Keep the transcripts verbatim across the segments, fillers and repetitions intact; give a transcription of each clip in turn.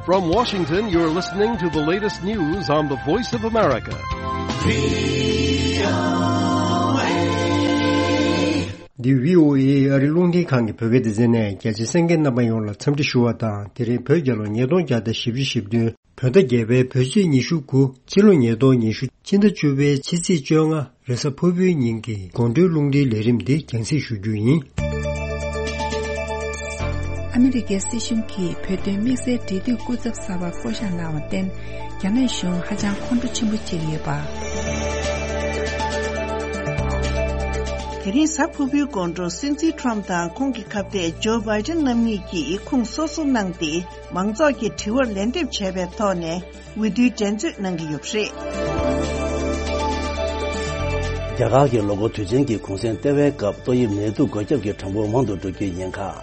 From Washington, you're listening to the latest news on the Voice of America. འདི་བྷི་ཨོ་ཨེ་ཨ་རི་རླུང་འཕྲིན་ཁང་གི་བོད་སྐད་སྡེ་ཚན་ནས། རྒྱ་ཆེ་གསན་མཁན་རྣམ་པ་ཡོངས་ལ་འཚམས་འདྲི་ཞུ་བ་དང་། དེ་རིང་བོད་རྒྱལ་ལོ་ཉིས་སྟོང་བརྒྱ་དང་བཞི་བཅུ་ཞེ་བདུན། བོད་ཟླ་བརྒྱད་པའི་བོད་ཚེས་ཉི་ཤུ་དགུ། ཕྱི་ལོ་ཉིས་སྟོང་ཉི་ཤུ། ཕྱི་ཟླ་བཅུ་པའི་ཕྱི་ཚེས་བཅོ་ལྔ། རེས་གཟའ་ཕུར་བུའི་ཉིན་གྱི་དགོང་དྲོའི་རླུང་འཕྲིན་ལས་རིམ་འདི་རྒྱང་སྲིང་ཞུ་རྒྱུ་ཡིན། ཨ་མི་རི་ཀའི་སྲིད་གཞུང་གིས་བོད་དོན་དམིགས་བསལ་འབྲེལ་མཐུད་སྐུ་ཚབ་གསར་པ་བསྐོ་བཞག་གནང་བར་བརྟེན། རྒྱ་ནག་གཞུང་ཧ་ཅང་ཁོང་ཁྲོ་ཆེན་པོ་བྱེད་ཀྱི་ཡོད་པ། དེ་རིང་གཟའ་ཕུར་བུའི་དགོང་དྲོ་སྲིད་འཛིན་ཁྲོམ་དང་ཁོང་གི་ཁ་གཏད་ཇོ་བྷའི་ཏན་རྣམ་གཉིས་ཀྱིས་ཁུངས་སོ་སོ་གནང་སྟེ། མང་ཚོགས་ཀྱི་དྲི་བར་ལན་འདེབས་བྱས་པའི་ཐོག་ནས། འོས་བསྡུའི་འགྲན་རྩོད་གནང་གི་ཡོད་པ་རེད། རྒྱ་གར་གྱི་ལོ་འཁོར་དུས་ཆེན་གྱི་གུང་སེང་ལྟེ་བའི་སྐབས་ཏོག་དབྱིབས་ནད་དུག་འགོས་ཁྱབ་ཀྱི་གྲངས་འབོར་མང་དུ་འགྲོ་རྒྱུའི་ཉེན་ཁ།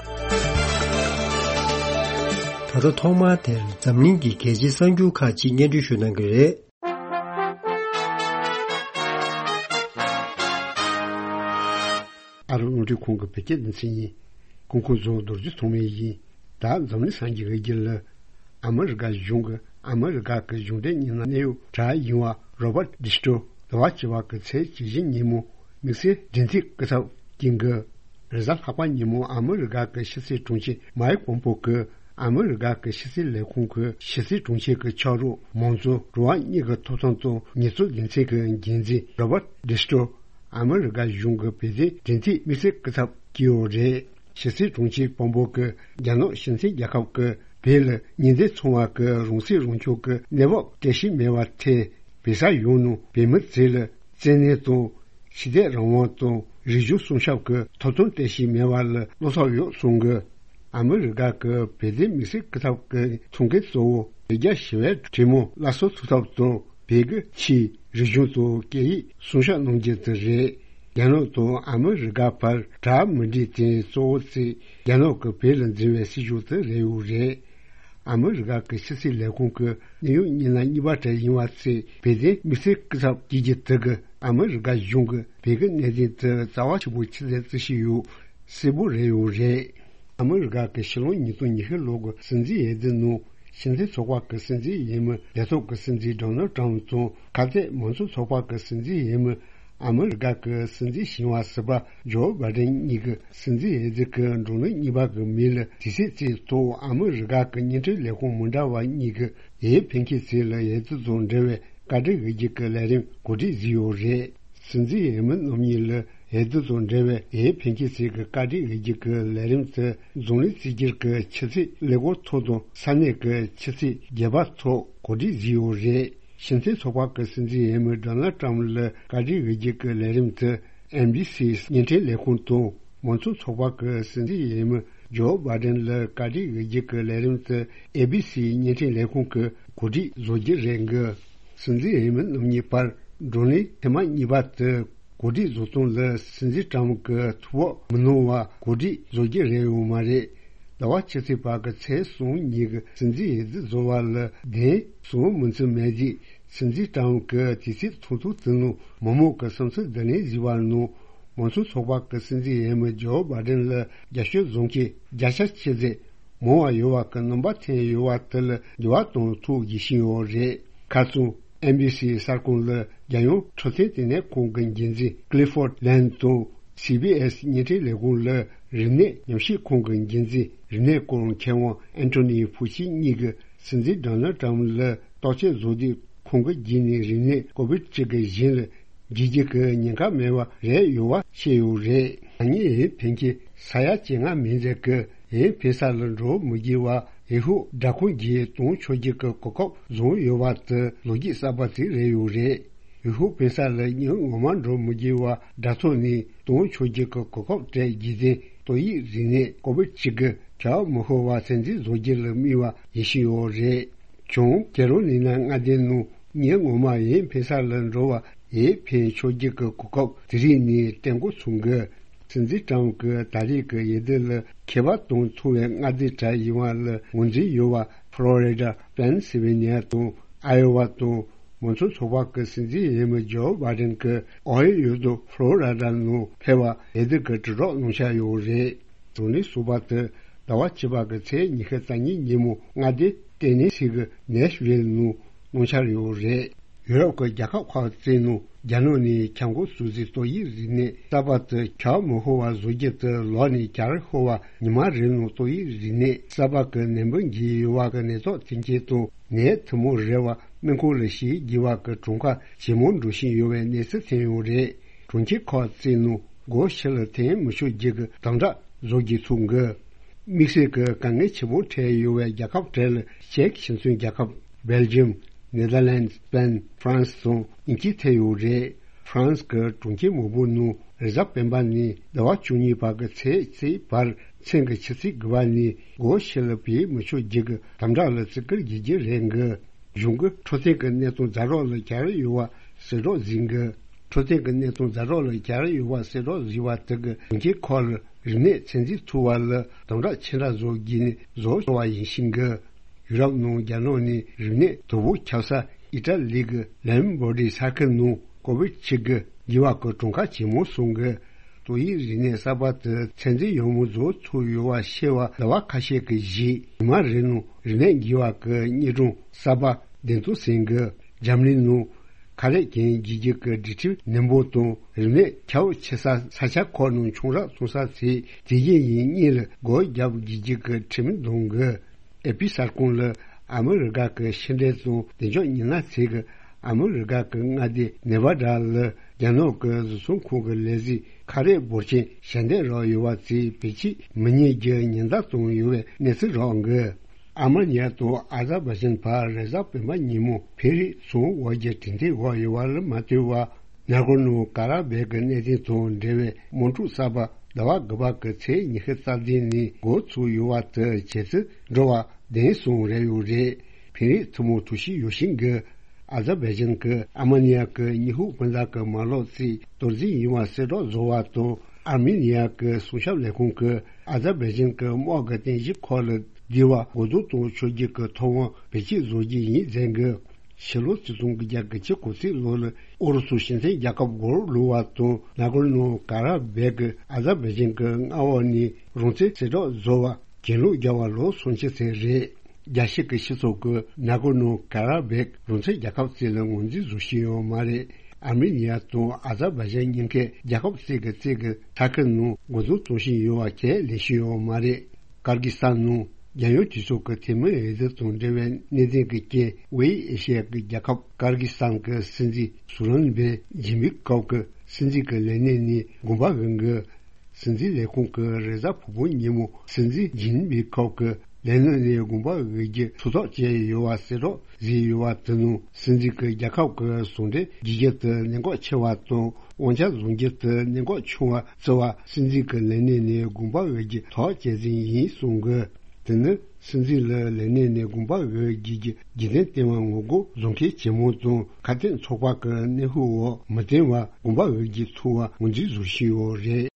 ད་ལྟ་ཐོག་མར་དེར་འཛམ་གླིང་གི་གལ་ཆེའི་གསར་འགྱུར་ཁག་ཅིག་སྙན་སྒྲོན་ཞུ་གནང་གི་རེད། ཨ་རི་རླུང་འཕྲིན་ཁང་གི་བོད་སྐད་སྡེ་ཚན་ཡིན། སྐུ་ཁམས་བཟང་། རྡོ་རྗེ་ཐོགས་མེད་ཡིན། ད་འཛམ་གླིང་ས་གཞི་གི་དཀྱིལ་ལ། ཨ་མི་རི་ཀ་གཞུང་གི་ཨ་མི་རི་ཀ་གི་གཞུང་འབྲེལ་རྙིང་ནང་གནད་ཡོད་གྲགས་ཡིན་པ་རོ་བར་ཌི་སི་ཏྲོ་ཟླ་བ་བཅུ་པ་གི་ཚེས་བཅུ་བཞི་ཉིན་མོ་དམིགས་བསལ་འབྲེལ་མཐུད་སྐུ་ཚབ་ཀྱིན་གི། རེས་གཟའ་ལྷག་པ་ཉིན་མོ་ཨ་མི་རི་ཀ་གི་ཕྱི་སྲིད་དྲུང་ཆེ་མའེ་པོམ་པོ་གི་ཨ་མི་རི་ཀ་གི་ཕྱི་སྲིད་ལས་ཁུངས་ཀྱི་ཕྱི་སྲིད་དྲུང་ཆེ་གི་ཕྱག་རོགས། མང་གཙོ་འགྲོ་བ་མིའི་གི་ཐོབ་ཐང་དང་ཉེས་འཛུགས་ལས་འཛིན་གྱི་འགན་འཛིན་རོ་བར་ཌི་སི་ཏྲོ། ཨ་མི་རི་ཀ་གཞུང་གི་བོད་དོན་འབྲེལ་མཐུད་དམིགས་བསལ་སྐུ་ཚབ་བསྐོས་ཡོད་རེད། ཕྱི་སྲིད་དྲུང་ཆེ་པོམ་པོ་གིས་རྒྱ་ནག་སྤྱི་མཐུན་རྒྱལ་ཁབ་ཀྱིས་བོད་ལ་ཉིན་བདུན་ཚང་བ་གི་རང་སྲིད་རང་སྐྱོང་གི་གནས་བབ་བརྟན་ཤོས་མེད་པར་ཐལ། བོད་ས་ཡོངས་ནང་བོད་མི་ཚོ་ལ་བཙན་གནོན་དང་། ཆོས་དད་རང་དབང་དང་རིག་གཞུང་སྲུང་སྐྱོབ་ཀྱི་ཐོབ་ཐང་བརྟན་ཤོས་མེད་པ་ལ་བློ་འཚབ་ཡོད་གསུངས་གི། ཨ་མི་རི་ཀ་གི་བོད་དོན་དམིགས་བསལ་སྐུ་ཚབ་ཀྱི་ཐུགས་འགན་གཙོ་བོ་བོད་རྒྱ་ཞི་བའི་གྲོས་མོལ་སླར་གསོ་ཐུབ་ཐབས་དང་། བོད་ཀྱི་ཆོས། རིག་གཞུང་དང་སྐད་ཡིག་སྲུང་སྐྱོབ་གནང་རྒྱུ་དེ་རེད། རྒྱ་ནག་དང་ཨ་མི་རི་ཀ་བར་གྲ་མི་འགྲིག་དེ་གཙོ་བོ་ཚིག་རྒྱ་ནག་གིས་བོད་ལ་འཛིན་པའི་སྲིད་ཇུས་དེ་རེད་ཡོད་རེད། ཨ་མི་རི་ཀ་གི་ཕྱི་སྲིད་ལས་ཁུངས་ཀྱི་གནད་ཡོད་རྙིང་ནང་རྙིང་པ་གྲས་ཡིན་པ་ཚོས་བོད་དོན་དམིགས་བསལ་སྐུ་ཚབ་བསྐོ་རྒྱུ་དེ་གིས་ཨ་མི་རི་ཀ་གཞུང་གིས་བོད་ཀྱི་གནད་དོན་དེ་རྩ་བ་ཆེན་པོ་ཆུད་ཟོས་བྱེད་བཞིན་ཡོད་གསལ་པོ་རེད་ཡོད་རེད། ཨ་མི་རི་ཀ་གི་ཕྱི་ལོ་ཉིས་སྟོང་ཉི་ཤུ་ལོ་གི་སྲིད་འཛིན་འོས་བསྡུ་ནང་སྤྱི་མཐུན་ཚོགས་པ་གི་སྲིད་འཛིན་འོས་མི་ལས་ཐོག་གི་སྲིད་འཛིན་ཌོ་ནལ་ཊམ་དང་། ཁ་གཏད་མང་གཙོ་ཚོགས་པ་གི་སྲིད་འཛིན་འོས་མི་ཨ་མི་རི་ཀ་གི་སྲིད་འཛིན་ཞི་བ་ཟུར་པ་ཇོ་བྷའི་ཌེན་གཉིས་ཀྱི་སྲིད་འཛིན་འོས་བསྡུ་གི་བགྲོ་གླེང་གཉིས་པ་གི་མི་ལ་དུས་ཚོད་ཅིག་ཐོག་ཨ་མི་རི་ཀ་གི་བརྙན་འཕྲིན་ལས་ཁུངས་མི་འདྲ་བ་གཉིས་ཀྱིས་འོས་འཕེན་མཁན་ཚོ་ལ་འོས་བསྡུ་དང་འབྲེལ་བའི་བཀའ་འདྲི་འོས་བསྡུ་གི་ལས་རིམ་གོ་སྒྲིག་བཟོས་ཡོད་རེད། སྲིད་འཛིན་འོས་མི་རྣམ་གཉིས་ལ་འོས་བསྡུ་དང་འབྲེལ་བའི་འོས་འཕེན་མཁན་ཚོ་གི་བཀའ་འདྲི་འོས་བསྡུ་གི་ལས་རིམ་དེ་འཛམ་གླིང་གཅིག་གྱུར་གྱི་ཆུ་ཚོད་ཀླད་ཀོར་ཐོག་དང་ས་གནས་ཀྱི་ཆུ་ཚོད་བརྒྱད་པ་ཐོག་གོ་སྒྲིག་བཟོས་ཡོད་རེད། སྤྱི་མཐུན་ཚོགས་པ་གི་སྲིད་འཛིན་འོས་མི་ཌོ་ནལ་ཊམ་ལ་བཀའ་འདྲི་འོས་བསྡུ་གི་ལས་རིམ་དེ་ཨེན་བྷི་སི་བརྙན་འཕྲིན་ལས་ཁུངས་དང་། མང་གཙོ་ཚོགས་པ་གི་སྲིད་འཛིན་འོས་མི་ཇོ་བྷའི་ཌེན་ལ་བཀའ་འདྲི་འོས་བསྡུ་གི་ལས་རིམ་དེ་ཨེ་བྷི་སི་བརྙན་འཕྲིན་ལས་ཁུངས་ཀྱིས་གོ་སྒྲིག་བཟོ་རྒྱུ་རེད་འགི། སྲིད་འཛིན་འོས་མི་རྣམ་གཉིས་བར་བགྲོ་གླེང་ཐེངས་མ་གཉིས་པ་དེ་གོ་སྒྲིག་བཟོ་སྟངས་ལ་སྲིད་འཛིན་ཊམ་གྱིས་ཐུགས་ཕམ་མི་གནང་བར་གོ་སྒྲིག་བཟོ་རྒྱུ་རེད་ཡོད་མ་རེད། ཟླ་བ་ཕྱི་ཚེས་པ་གི་ཚེས་གསུམ་ཉིན་གྱི་སྲིད་འཛིན་འོས་བསྡུ་བཟོ་བ་ལ་བདེན་གསུང་མུན་ཚུལ་མེད་རྗེས། སྲིད་འཛིན་ཊམ་གྱིས་དུས་ཚོད་ཐུང་ཐུང་དེ་ནང་མི་མང་གི་བསམ་ཚུལ་བསྡུ་ལེན་བཟོས་པ་ནང་། མང་གཙོ་ཚོགས་པ་གི་སྲིད་འཛིན་འོས་མི་ཇོ་བྷའི་ཌེན་ལ་རྒྱབ་སྐྱོར་བཟོ་མཁན་བརྒྱ་ཆ་ཆེ་ཚད་མང་བ་ཡོད་པ་གི་རྣམ་པ་ཐོན་ཡོད་པ་དེ་ལ་འགྱུར་བ་གཏོང་ཐུབ་བཞིན་ཡོད་རེད། ཁ་སང་ཨེན་བྷི་སི་གསར་ཁང་ལ་རྒྱལ་ཡོངས་འཕྲོད་བསྟེན་ལྟེ་གནས་ཁང་གི་འགན་འཛིན་ཀླི་ཕོར་ཌི་ལན་དང་། སི་བྷི་ཨེས་བརྙན་འཕྲིན་ལས་ཁུངས་ལ་རིག་གནས་ཉམས་ཞིབ་ཁང་གི་འགན་འཛིན་རིག་གནས་སྐོར་མཁས་དབང་ཨན་ཐོ་ནི་ཕུ་ཆི་གཉིས་ཀྱིས་སྲིད་འཛིན་ཌོ་ནལ་ཊམ་ལ་བརྟག་དཔྱད་བཟོ་དུས། ཁོང་གི་རྗེས་ནས་རིག་གནས་ཀོ་བིད་བཅུ་དགུ་གཞན་ལ་འགྱུར་རྒྱུ་གི་ཉེན་ཁ་མེད་པ་རེད་ཡོད་པ་བཤད་ཡོད་རེད། ད་ངས་འོས་འཕེན་མཁན་ས་ཡ་བཅོ་ལྔ་མན་ཆད་ཀྱིས་འོས་འཕེན་ས་ལ་འགྲོ་མི་དགོས་པར་འོས་ཤོག་སྦྲག་ཁང་བརྒྱུད་གཏོང་ཆོག་རྒྱུ་གི་གོ་སྐབས་བཟུང་ཡོད་པ་དེ་ལོ་རྒྱུས་གསར་པ་ཞིག་རེད་ཡོད་རེད། འོས་ཤོག་འཕེན་ས་ལ་ཉིན་ངོ་མ་འགྲོ་མི་དགོས་པར་དྲ་ཐོག་ནས་གཏོང་ཆོག་རྒྱུ་གི་གོ་སྐབས་སྤྲད་རྒྱུ་དེ་ཏོག་དབྱིབས་རིམས་ནད་ཀོ་བིད་བཅུ་དགུ་བྱ་བ་མི་ཤོར་བ་ཚོད་འཛིན་བཟོ་རྒྱུ་ལ་དམིགས་པ་ཡིན་བཞིན་ཡོད་རེད། བྱུང་། ཁེ་རོ་ལི་ན་མངའ་སྡེའི་ནང་ཉིན་ངོ་མ་འོས་འཕེན་ས་ལ་འགྲོ་བར་འོས་འཕེན་ཆོག་རྒྱུ་གི་གོ་སྐབས་དེ་རིང་ནས་སྤྲད་འགོ་ཚུགས་འགོ། སྲིད་འཛིན་ཊམ་གྱིས་ད་རེས་ཀྱི་འོས་བསྡུ་ལ་ཁེ་ཕན་གཏོང་ཐུབ་པའི་མངའ་སྡེ་གྲས་ཡིན་པ་ལ་ངོས་འཛིན་ཡོད་པ་ཕ་ལོ་རི་ཌ། པེན་སིལ་ཝེ་ནི་ཡ་དང་ཨ་ཡོ་ཝ་དང་། མང་གཙོ་ཚོགས་པ་གི་སྲིད་འཛིན་འོས་མི་ཇོ་བྷའི་ཌེན་གྱིས་ཨོ་ཧེ་ཡོ་དང་ཕ་ལོ་རི་ཌ་ནང་ཕེབས་པར་འོས་བསྡུ་གི་དྲིལ་སྒྲོག་གནང་འཆར་ཡོད་རེད། གཞུང་ནས་གསུངས་པ་དེ་ཟླ་བ་བཅུ་པ་གི་ཚེས་ཉི་ཤུ་རྩ་གཉིས་ཉིན་མོ་མངའ་སྡེ་ ཏེ་ནེ་སི་གི་ནེ་ཤི་ཝིལ་ནང་གནང་འཆར་ཡོད་རེད། ཡུ་རོབ་ཀྱི་རྒྱལ་ཁབ་ཁག་བཙལ་ནང་རྒྱ་ནག་ནས་གྱང་གོག་བཟོ་རྩིས་ཏོག་དབྱིབས་རིམས་ནད་གསར་པ་དེ་ཁྱབ་མི་ཤོར་བ་བཟོ་རྒྱུ་དེ་ལོག་ནས་གྱར་ཤོར་བ། ཉི་མ་རེ་ནང་ཏོག་དབྱིབས་རིམས་ནད་གསར་པ་གི་ནད་འབུ་འགོས་ཡོད་པ་གི་ནད་ཐོག་ཐེམ་སྐས་དང་ནད་ཐུན་མོང་རེད་བ། སྨན་ཁང་ལ་བཞུགས་དགོས་པ་གི་གྲངས་ཀ་ཇེ་མང་འགྲོ་བཞིན་ཡོད་པའི་གནས་ཚུལ་ཐོན་ཡོད་རེད། གྲོང་ཁྱེར་ཁག་བཙལ་ནང་སྒོ་ཕྱི་ལ་ཐོན་མི་ཆོག་རྒྱུ་གི་དམ་དྲག་བཟོ་རྒྱུ་ཚུགས་འགི། དམིགས་བསལ་གྱི་དཀའ་ངལ་ཆེན་པོ་འཕྲད་ཡོད་པའི་རྒྱལ་ཁབ་གྲས་ལ་ཅེཀ་ཆེན་མཚོན་རྒྱལ་ཁབ། སྦེལ་ཇམ། ནེ་དར་ལན། སྤེན། ཧྥ་རན་སི་སོགས་དབྱིན་ཇི་ཐེ་ཡོད་རེད། ཧྥ་རན་སི་གི་གྲོང་ཁྱེར་མང་པོ་ནང་རེས་གཟའ་སྤེན་པ་ནས་ཟླ་བ་བཅུ་གཉིས་བར་གྱི་ཚེས་གཅིག་བར་མཚན་གྱི་ཆུ་ཚོད་དགུ་པ་ནས་སྒོ་ཕྱི་ལ་བུད་མི་ཆོག་རྒྱུ་གི་དམ་དྲག་ལ་བརྩི་བཀུར་བྱེད་རྒྱུ་རེད་འགི། གཞུང་གི་འཕྲོད་བསྟེན་གྱི་གནས་སྟངས་ཛ་དྲག་ལ་གྱར་ཡོད་པ་གསལ་བསྒྲགས་ཟིན་གི། འཕྲོད་བསྟེན་གྱི་གནས་སྟངས་ཛ་དྲག་ལ་གྱར་ཡོད་པ་གསལ་བསྒྲགས་ཟིན་པ་དེ་གི་གྲོང་ཁྱེར་ཁག་ལ་རིམས་ནད་ཚོད་འཛིན་ཐུབ་པ་ལ་དམ་དྲག་ཆེ་དྲགས་བཟོ་དགོས་ནས་བཟོ་ཆོག་པ་ཡིན་ཤིང་གི། ཡུ་རོབ་ནང་རྒྱ་ནག་ནས་རིམས་ནད་དོ་ཕོག་ཁྱབ་ས་ཨི་ཏྲ་ལི་གི་ལེམ་བྷོ་ཌི་ས་ཁུལ་ནང་ཀོ་བིད་བཅུ་དགུ་འགོས་པ་གི་གྲངས་ཀ་ཇེ་མང་སོང་གི། ཏོག་དབྱིབས་རིམས་ནད་གསར་པ་དེ་ཚོད་འཛིན་ཡག་མོ་བཟོ་ཐུབ་ཡོད་པ་ཤེས་པ་ཟླ་བ་ཁ་ཤས་ཀྱི་རྗེས་ཉི་མ་རེ་ནང་རིམས་ནད་འགོས་པ་གི་དངོས་གྲངས་གསར་པ་བདུན་སྟོང་ཟིན་གི། འཇར་མ་ནི་ནང་ཁ་ལག་གྱོན་རྒྱུ་གི་སྒྲིག་ཁྲིམས་ནན་པོ་དང་རིམས་ནད་ཁྱབ་ཆེ་ས་ས་ཆ་ཁག་ནང་ཆང་རག་འཐུང་ས་དེ་དེ་བཞིན་ཡིན་གཉིས་ལ་སྒོ་རྒྱབ་རྒྱུ་གི་ཁྲིམས་འདོན་གི། ཨེ་པི་གསར་ཁང་ལ་ཨ་མི་རི་ཀ་གི་ཕྱི་འབྲེལ་དང་བདེ་འཇགས་ཉི་ན་ཚེ་གི་ཨ་མི་རི་ཀ་གི་མངའ་སྡེ་ནེ་བྷ་ཌ་ལ་རྒྱ་ནག་གི་བཟོ་ཚོང་ཁང་གི་ལས་གཞི་ཁ་རས་འབོར་ཆེན་ཞལ་འདེབས་རག་ཡོད་པ་དེ་བེད་སྤྱོད་མི་ཉན་རྒྱུ་ཉེན་བརྡ་བཏང་ཡོད་པའི་གནས་ཚུལ་རག་གི། ཨ་མ་ནི་ཡ་དང་ཨ་ཛར་བྷ་ཇན་བར་རེས་གཟའ་སྤེན་པ་ཉིན་མོ་ཕེ་རི་ཚོང་དབར་གྱི་གྲོས་མཐུན་འོག་ཡོད་པ་ལ་མ་ལྟོས་པར། ནཱ་གོར་ནོ་ཀ་ར་བེག་གི་གནད་དོན་དང་འབྲེལ་བའི་དམག་འཁྲུག་གསར་པ་ཟླ་བ་དགུ་པ་གི་ཚེས་ཉི་ཤུ་རྩ་བདུན་ནས་འགོ་ཚུགས་ཡོད་པ་དེ་བྱེད་ཚུལ་འགྲོ་བ་བདེན་སོང་རེ་ཡོད་རེད། ཕིན་རིགས་ཐུན་མོང་ཐུགས་ཤིག་ཡོད་ཤིང་གི། ཨ་ཛར་བྷའི་ཇན་གྱི་ཨ་མ་ནི་ཡ་གི་ཉི་ཧུ་སྤུན་ཟླ་གི་མ་ལག་རྩིས་གཏོར་རྩིས་ཡིན་པ་གསལ་བསྒྲགས་བཟོ་བ་དང་ཨར་མི་ནི་ཡ་གི་སྲུང་སྐྱོབ་ལས་ཁུངས་ཀྱིས་ཨ་ཛར་བྷའི་ཇན་གྱི་དམག་གི་རྟེན་གཞི་ཁག་ལ་བསྡུ་བ་འགོ་འཛུགས་གཏོང་ཆོག་རྒྱུ་གི་ཐོབ་དབང་བེད་སྤྱོད་བཟོ་རྒྱུ་ཡིན་ཟེར་གི། ཕྱི་ལོ་ཆིག་སྟོང་དགུ་བརྒྱ་དགུ་བཅུ་གོ་གཅིག་ལོ་ལ་ཨུ་རུ་སུ་སྤྱི་མཐུན་རྒྱལ་ཁབ་སྒོར་བླུགས་པ་དང་ནཱ་གོར་ནོ་ཀ་ར་བེག་གི་ཨ་ཛར་བྷའི་ཇན་གྱི་མངའ་འོག་ནས་རང་བཙན་གསལ་བསྒྲགས་བཟོ་བ་གྱེན་ལོག་རྒྱག་པ་ལོ་སུམ་ཅུ་ཚན་རེད། རྒྱལ་སྤྱི་གི་སྤྱི་ཚོགས་ཀྱིས་ནཱ་གོར་ནོ་ཀ་ར་བེག་རང་བཙན་རྒྱལ་ཁབ་རྩིས་ལ་ངོས་འཛིན་བཟོ་བཞིན་ཡོད་མ་རེད། ཨར་མི་ནི་ཡ་དང་ཨ་ཛར་བྷའི་ཇན་གཉིས་ཀས་རྒྱལ་ཁབ་རྩིས་ཀྱི་རྩིས་ཀྱི་ས་ཁུལ་ནང་འགོ་འཛུགས་གཏོང་བཞིན་ཡོད་པ་ཁས་ལེན་བཞིན་ཡོད་མ་རེད། ཀར་གི་སི་ཐན་ནང་རྒྱལ་ཡོངས་གྲོས་ཚོགས་ཀྱི་འཐུས་མི་འོས་བསྡུ་དང་འབྲེལ་བའི་གནད་དོན་གྱི་རྐྱེན་དབུས་ཨེ་ཤི་ཡ་གི་རྒྱལ་ཁབ་ཀར་གི་སི་ཐན་གྱི་སྲིད་འཛིན་སུ་རོན་བེ་ཇིན་པི་ཀོབ་ཀྱི་སྲིད་འཛིན་གྱི་ལས་གནས་ནས་དགོངས་པ་འོས་གི། སྲིད་འཛིན་ལས་ཁུངས་ཀྱིས་རེས་གཟའ་ཕུར་བུ་ཉིན་མོ་སྲིད་འཛིན་ཇིན་པི་ཁོབ་ཀྱི་ལས་གནས་ནས་དགོངས་པ་འོས་རྒྱུ་ཐུགས་ཐག་བཅད་ཡོད་པ་གསལ་བསྒྲགས་བཟོས་ཡོད་པ་དེ་ནང་སྲིད་འཛིན་གྱིས་རྒྱལ་ཁབ་ཀྱི་ཟུང་འབྲེལ་བརྗེ་རྒྱུ་དེ་གནད་འགག་ཆེ་བ་དང་དབང་ཆ་བཟུང་རྒྱུ་དེ་གནད་འགག་ཆུང་བ་བརྩི་བར་སྲིད་འཛིན་གྱི་ལས་གནས་ནས་དགོངས་པ་འོས་རྒྱུ་ཐག་བཅད་ཟིན་ཡིན་གསུངས་དགོས། དེ་ནི་སྲིད་འཛིན་ལ་ལས་གནས་ནས་དགོངས་པ་འོས་རྒྱུ་གི་རྒྱུན་ལྡན་ལྟེ་བ་ངོ་རྒོལ་བཟོ་མཁན་ཇེ་མང་དང་ཁ་གཏད་ཚོགས་པ་གི་གནོན་ཤུགས་འོག་མི་བརྟན་པ་དགོངས་པ་འོས་རྒྱུ་ཐུབ་པ་ངོས་འཛིན་བཟོ་བཞིན་ཡོད་རེད།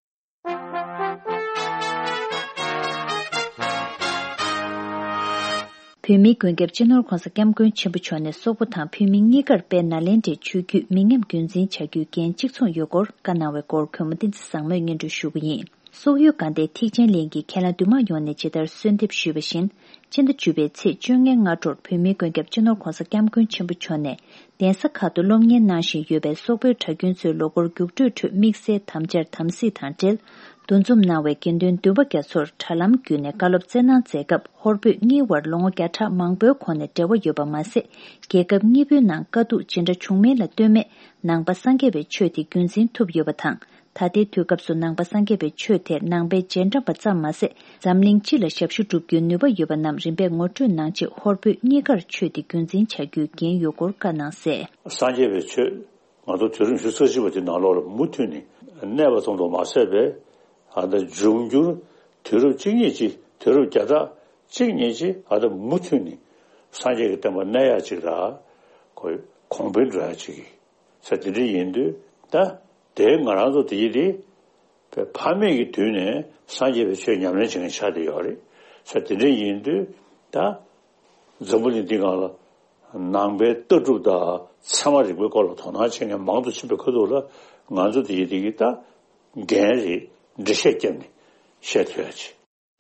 བོད་མིའི་མགོན་སྐྱབས་སྤྱི་ནོར་༸གོང་ས་༸སྐྱབས་མགོན་ཆེན་པོ་མཆོག་ནས་སོག་པོ་དང་བོད་མི་གཉིས་ཀར་དཔལ་ནཱ་ལེནྡྲའི་ཆོས་བརྒྱུད་མི་ཉམས་རྒྱུན་འཛིན་བྱ་རྒྱུའི་འགན་གཅིག་མཚུངས་ཡོད་སྐོར་བཀའ་གནང་བའི་སྐོར་གུས་མོ་བསྟན་འཛིན་བཟང་མོས་སྙན་སྒྲོན་ཞུ་གི་ཡིན། སོག་ཡུལ་དགའ་ལྡན་ཐེག་ཆེན་གླིང་གི་ཁྱེད་རང་འདུས་མང་ཡོངས་ནས་ཇི་ལྟར་གསོལ་འདེབས་ཞུས་པ་བཞིན། སྤྱི་ཟླ་བཅུ་པའི་ཚེས་བཅོ་ལྔའི་སྔ་དྲོར་བོད་མིའི་མགོན་སྐྱབས་སྤྱི་ནོར་༸གོང་ས་༸སྐྱབས་མགོན་ཆེན་པོ་མཆོག་ནས་གདན་ས་ཁག་ཏུ་སློབ་གཉེར་གནང་བཞིན་ཡོད་པའི་སོག་པོའི་གྲྭ་རྒྱུན་ཚོའི་ལོ་འཁོར་རྒྱུགས་སྤྲོད་ཁྲོད་དམིགས་བསལ་དམ་བཅར་དམ་སྲི་དང་འབྲེལ། འདུ་འཛོམས་གནང་བའི་དགེ་འདུན་འདུས་པ་རྒྱ་མཚོར་དྲ་ལམ་བརྒྱུད་ནས་བཀའ་སློབ་སྩལ་གནང་མཛད་སྐབས་ཧོར་བོད་གཉིས་དབར་ལོ་ངོ་བརྒྱ་ཕྲག་མང་པོའི་གོང་ནས་འབྲེལ་བ་ཡོད་པ་མ་ཟད། རྒྱལ་ཁབ་གཉིས་པོའི་ནང་དཀའ་སྡུག་ཇི་འདྲ་བྱུང་མིན་ལ་ལྟོས་མེད་ནང་པ་སངས་རྒྱས་པའི་ཆོས་དེ་རྒྱུན་འཛིན་ཐུབ་ཡོད་པ་དང་། ད་ལྟའི་དུས་སྐབས་སུ་ནང་པ་སངས་རྒྱས་པའི་ཆོས་དེ་ནང་པའི་རྗེས་འབྲང་པ་ཙམ་མ་ཟད། འཛམ་གླིང་སྤྱི་ལ་ཞབས་ཞུ་སྒྲུབ་རྒྱུའི་ནུས་པ་ཡོད་པ་རྣམས་རིམ་པས་ངོ་སྤྲོད་གནང་ཆེད་ཧོར་བོད་གཉིས་ཀར་ཆོས་དེ་རྒྱུན་འཛིན་བྱ་རྒྱུའི་འགན་ཡོད་སྐོར་བཀའ་གནང་གསལ། སངས་རྒྱས་པའི་ཆོས་ང་ཚོ་དུས་རབས་ཉི་ཤུ་རྩ་གཅིག་པ་དེ་ནང་ལོགས་ལ་མུ་མཐུད་ནས་གནས་པ་ཙམ་དུ་མ་ཟད་པའི་ཨ་ད་འབྱུང་འགྱུར་དུས་རབས་གཅིག་གཉིས་ཀྱི་དུས་རབས་བརྒྱ་ཕྲག་གཅིག་གཉིས་ཀྱི་ཨ་ད་མུ་མཐུད་ནས་སངས་རྒྱས་ཀྱི་བསྟན་པ་གནས་ཡག་ཅིག་ལ་ཁོ་གོང་འཕེལ་འགྲོ་ཡག་ཅིག་གི་ས་དེ་འདྲ་ཡིན་དུས་ད་དེ་ང་རང་ཚོ་དེ་ཡི་དེ་ཕ་མེས་ཀྱི་དུས་ནས་སངས་རྒྱས་པའི་ཆོས་ཉམས་ལེན་བྱེད་མཁན་ཆགས་བསྡད་ཡོད་རེད། ས་དེ་འདྲ་ཡིན་དུས་ད་འཛམ་བུ་གླིང་འདི་སྒང་ལ་ནང་པའི་ལྟ་གྲུབ་དང་ཚད་མ་རིག་པའི་སྐོར་ལ་དོ་སྣང་བྱེད་མཁན་མང་དུ་ཕྱིན་པའི་ཁ་ཐུག་ལ་ང་ཚོ་དེ་ཡི་དེ་གི་ད་འགན་རེད། འགྲེལ་བཤད་བརྒྱབ་ནས་བཤད་ཐུབ་ཡག་ཅིག་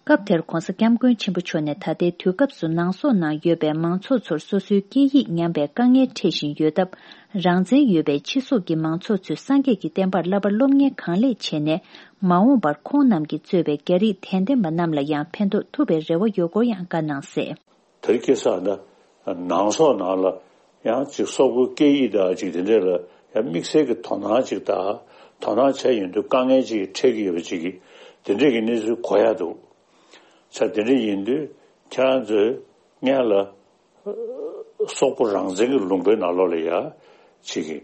སྐབས་དེར་༧གོང་ས་༧སྐྱབས་མགོན་ཆེན་པོ་མཆོག་ནས་ད་ལྟའི་དུས་སྐབས་སུ་ནང་སོག་ནང་ཡོད་པའི་མང་ཚོགས་ཚོར་སོ་སོའི་སྐད་ཡིག་ཉམས་པའི་དཀའ་ངལ་འཕྲད་བཞིན་ཡོད་སྟབས། རང་བཙན་ཡོད་པའི་ཕྱི་སོག་གི་མང་ཚོགས་ཚོས་སངས་རྒྱས་ཀྱི་བསྟན་པར་བསླབ་པ་སློབ་གཉེར་གང་ལེགས་བྱས་ནས། མ་འོངས་པར་ཁོང་རྣམས་ཀྱིས་གཙོས་པའི་རྒྱ་རིགས་དད་ལྡན་པ་རྣམས་ལ་ཡང་ཕན་ཐོགས་ཐུབ་པའི་རེ་བ་ཡོད་སྐོར་ཡང་བཀའ་གནང་གསལ། དེར་སྐྱེས་ས་ན་ནང་སོག་ནང་ལ་ཡང་ཅིག་སོག་པོའི་སྐད་ཡིག་དང་ཅིག་དེ་འདྲས་ལ་ཡང་དམིགས་བསལ་གྱི་དོ་སྣང་ཅིག་དང་དོ་སྣང་བྱས་ཡོང་དུས་དཀའ་ངལ་ཅིག་འཕྲད་ཀྱི་ཡོད་པ་ཅིག་གིས་དེ་འདྲས་ཀྱི་གནས་ཚུལ་གོ་ཡག་འདུག་ཆ་དེ་འདྲས་ཡིན་དུས་ཁྱེད་རང་ཚོས་སྔོན་ལ་སོག་པོ་རང་བཙན་གྱི་ལུང་པའི་ནང་ལོགས་ལ་ཡང་ཅིག་གི་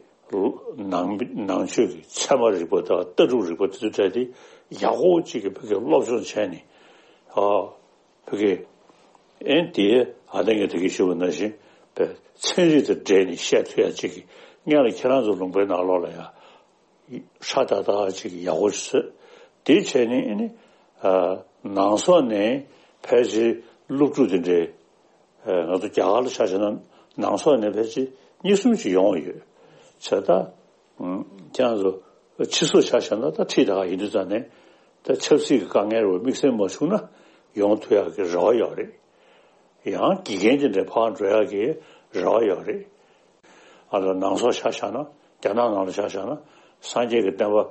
ནང་ནང་ཆོས་ཀྱི་ཚད་མ་རིག་པ་དང་ལྟ་གྲུབ་རིག་པ་དེ་ཚོ་སྤྲད་དེ་ཡག་པོ་ཅིག་གི་བོད་སྐད་སློབ་སྦྱོང་བྱས་ནས་ཨ། བོད་སྐད། ཨེ་དེ་ཨ་ད་ངས་ད་གིན་ཞུས་པ་ནང་བཞིན་པའི་ཚན་རིག་དང་འབྲེལ་ནས་བཤད་ཐུབ་ཡ་ཅིག་གི་སྔོན་ལ་ཁྱེད་རང་ཚོ་ལུང་པའི་ནང་ལོགས་ལ་ཡ་ཧྲ་ཏག་ཏག་ཅིག་ཡག་པོ་ཞིག་བཟོས། དེ་བྱས་ནས་ཨེ་ནི་ཨ་ནང་སོག་ནས་ཕལ་ཆེར་སློབ་ཕྲུག་དེ་འདྲའི་ཨ་ང་ཚོ་རྒྱ་གར་ལ་ཆ་བཞག་ན་ནང་སོག་ནས་ཕལ་ཆེར་གཉིས་གསུམ་ཅིག་ཡོང་བ་ཡོད། བྱས་ད། ཁྱེད་རང་ཚོ་ཕྱི་སོག་ཆ་བཞག་ན་ད་ཁྲིད་ད་ག་ཡིན་དུས་ཙང་ནས་ད་ཆབ་སྲིད་ཀྱི་དཀའ་ངལ་རུ་དམིགས་བསལ་མ་བྱུང་ན་ཡོང་ཐུབ་ཡག་གི་རེ་བ་ཡོད་རེད། ཡང་དགེ་རྒན་དེ་འདྲའི་ཕར་འགྲོ་ཡག་གི་རེ་བ་ཡོད་རེད། ཨ་ལ་ནང་སོག་ཆ་བཞག་ན་རྒྱ་ནག་ནང་ལ་ཆ་བཞག་ན་སངས་རྒྱས་ཀྱི་བསྟན་པ་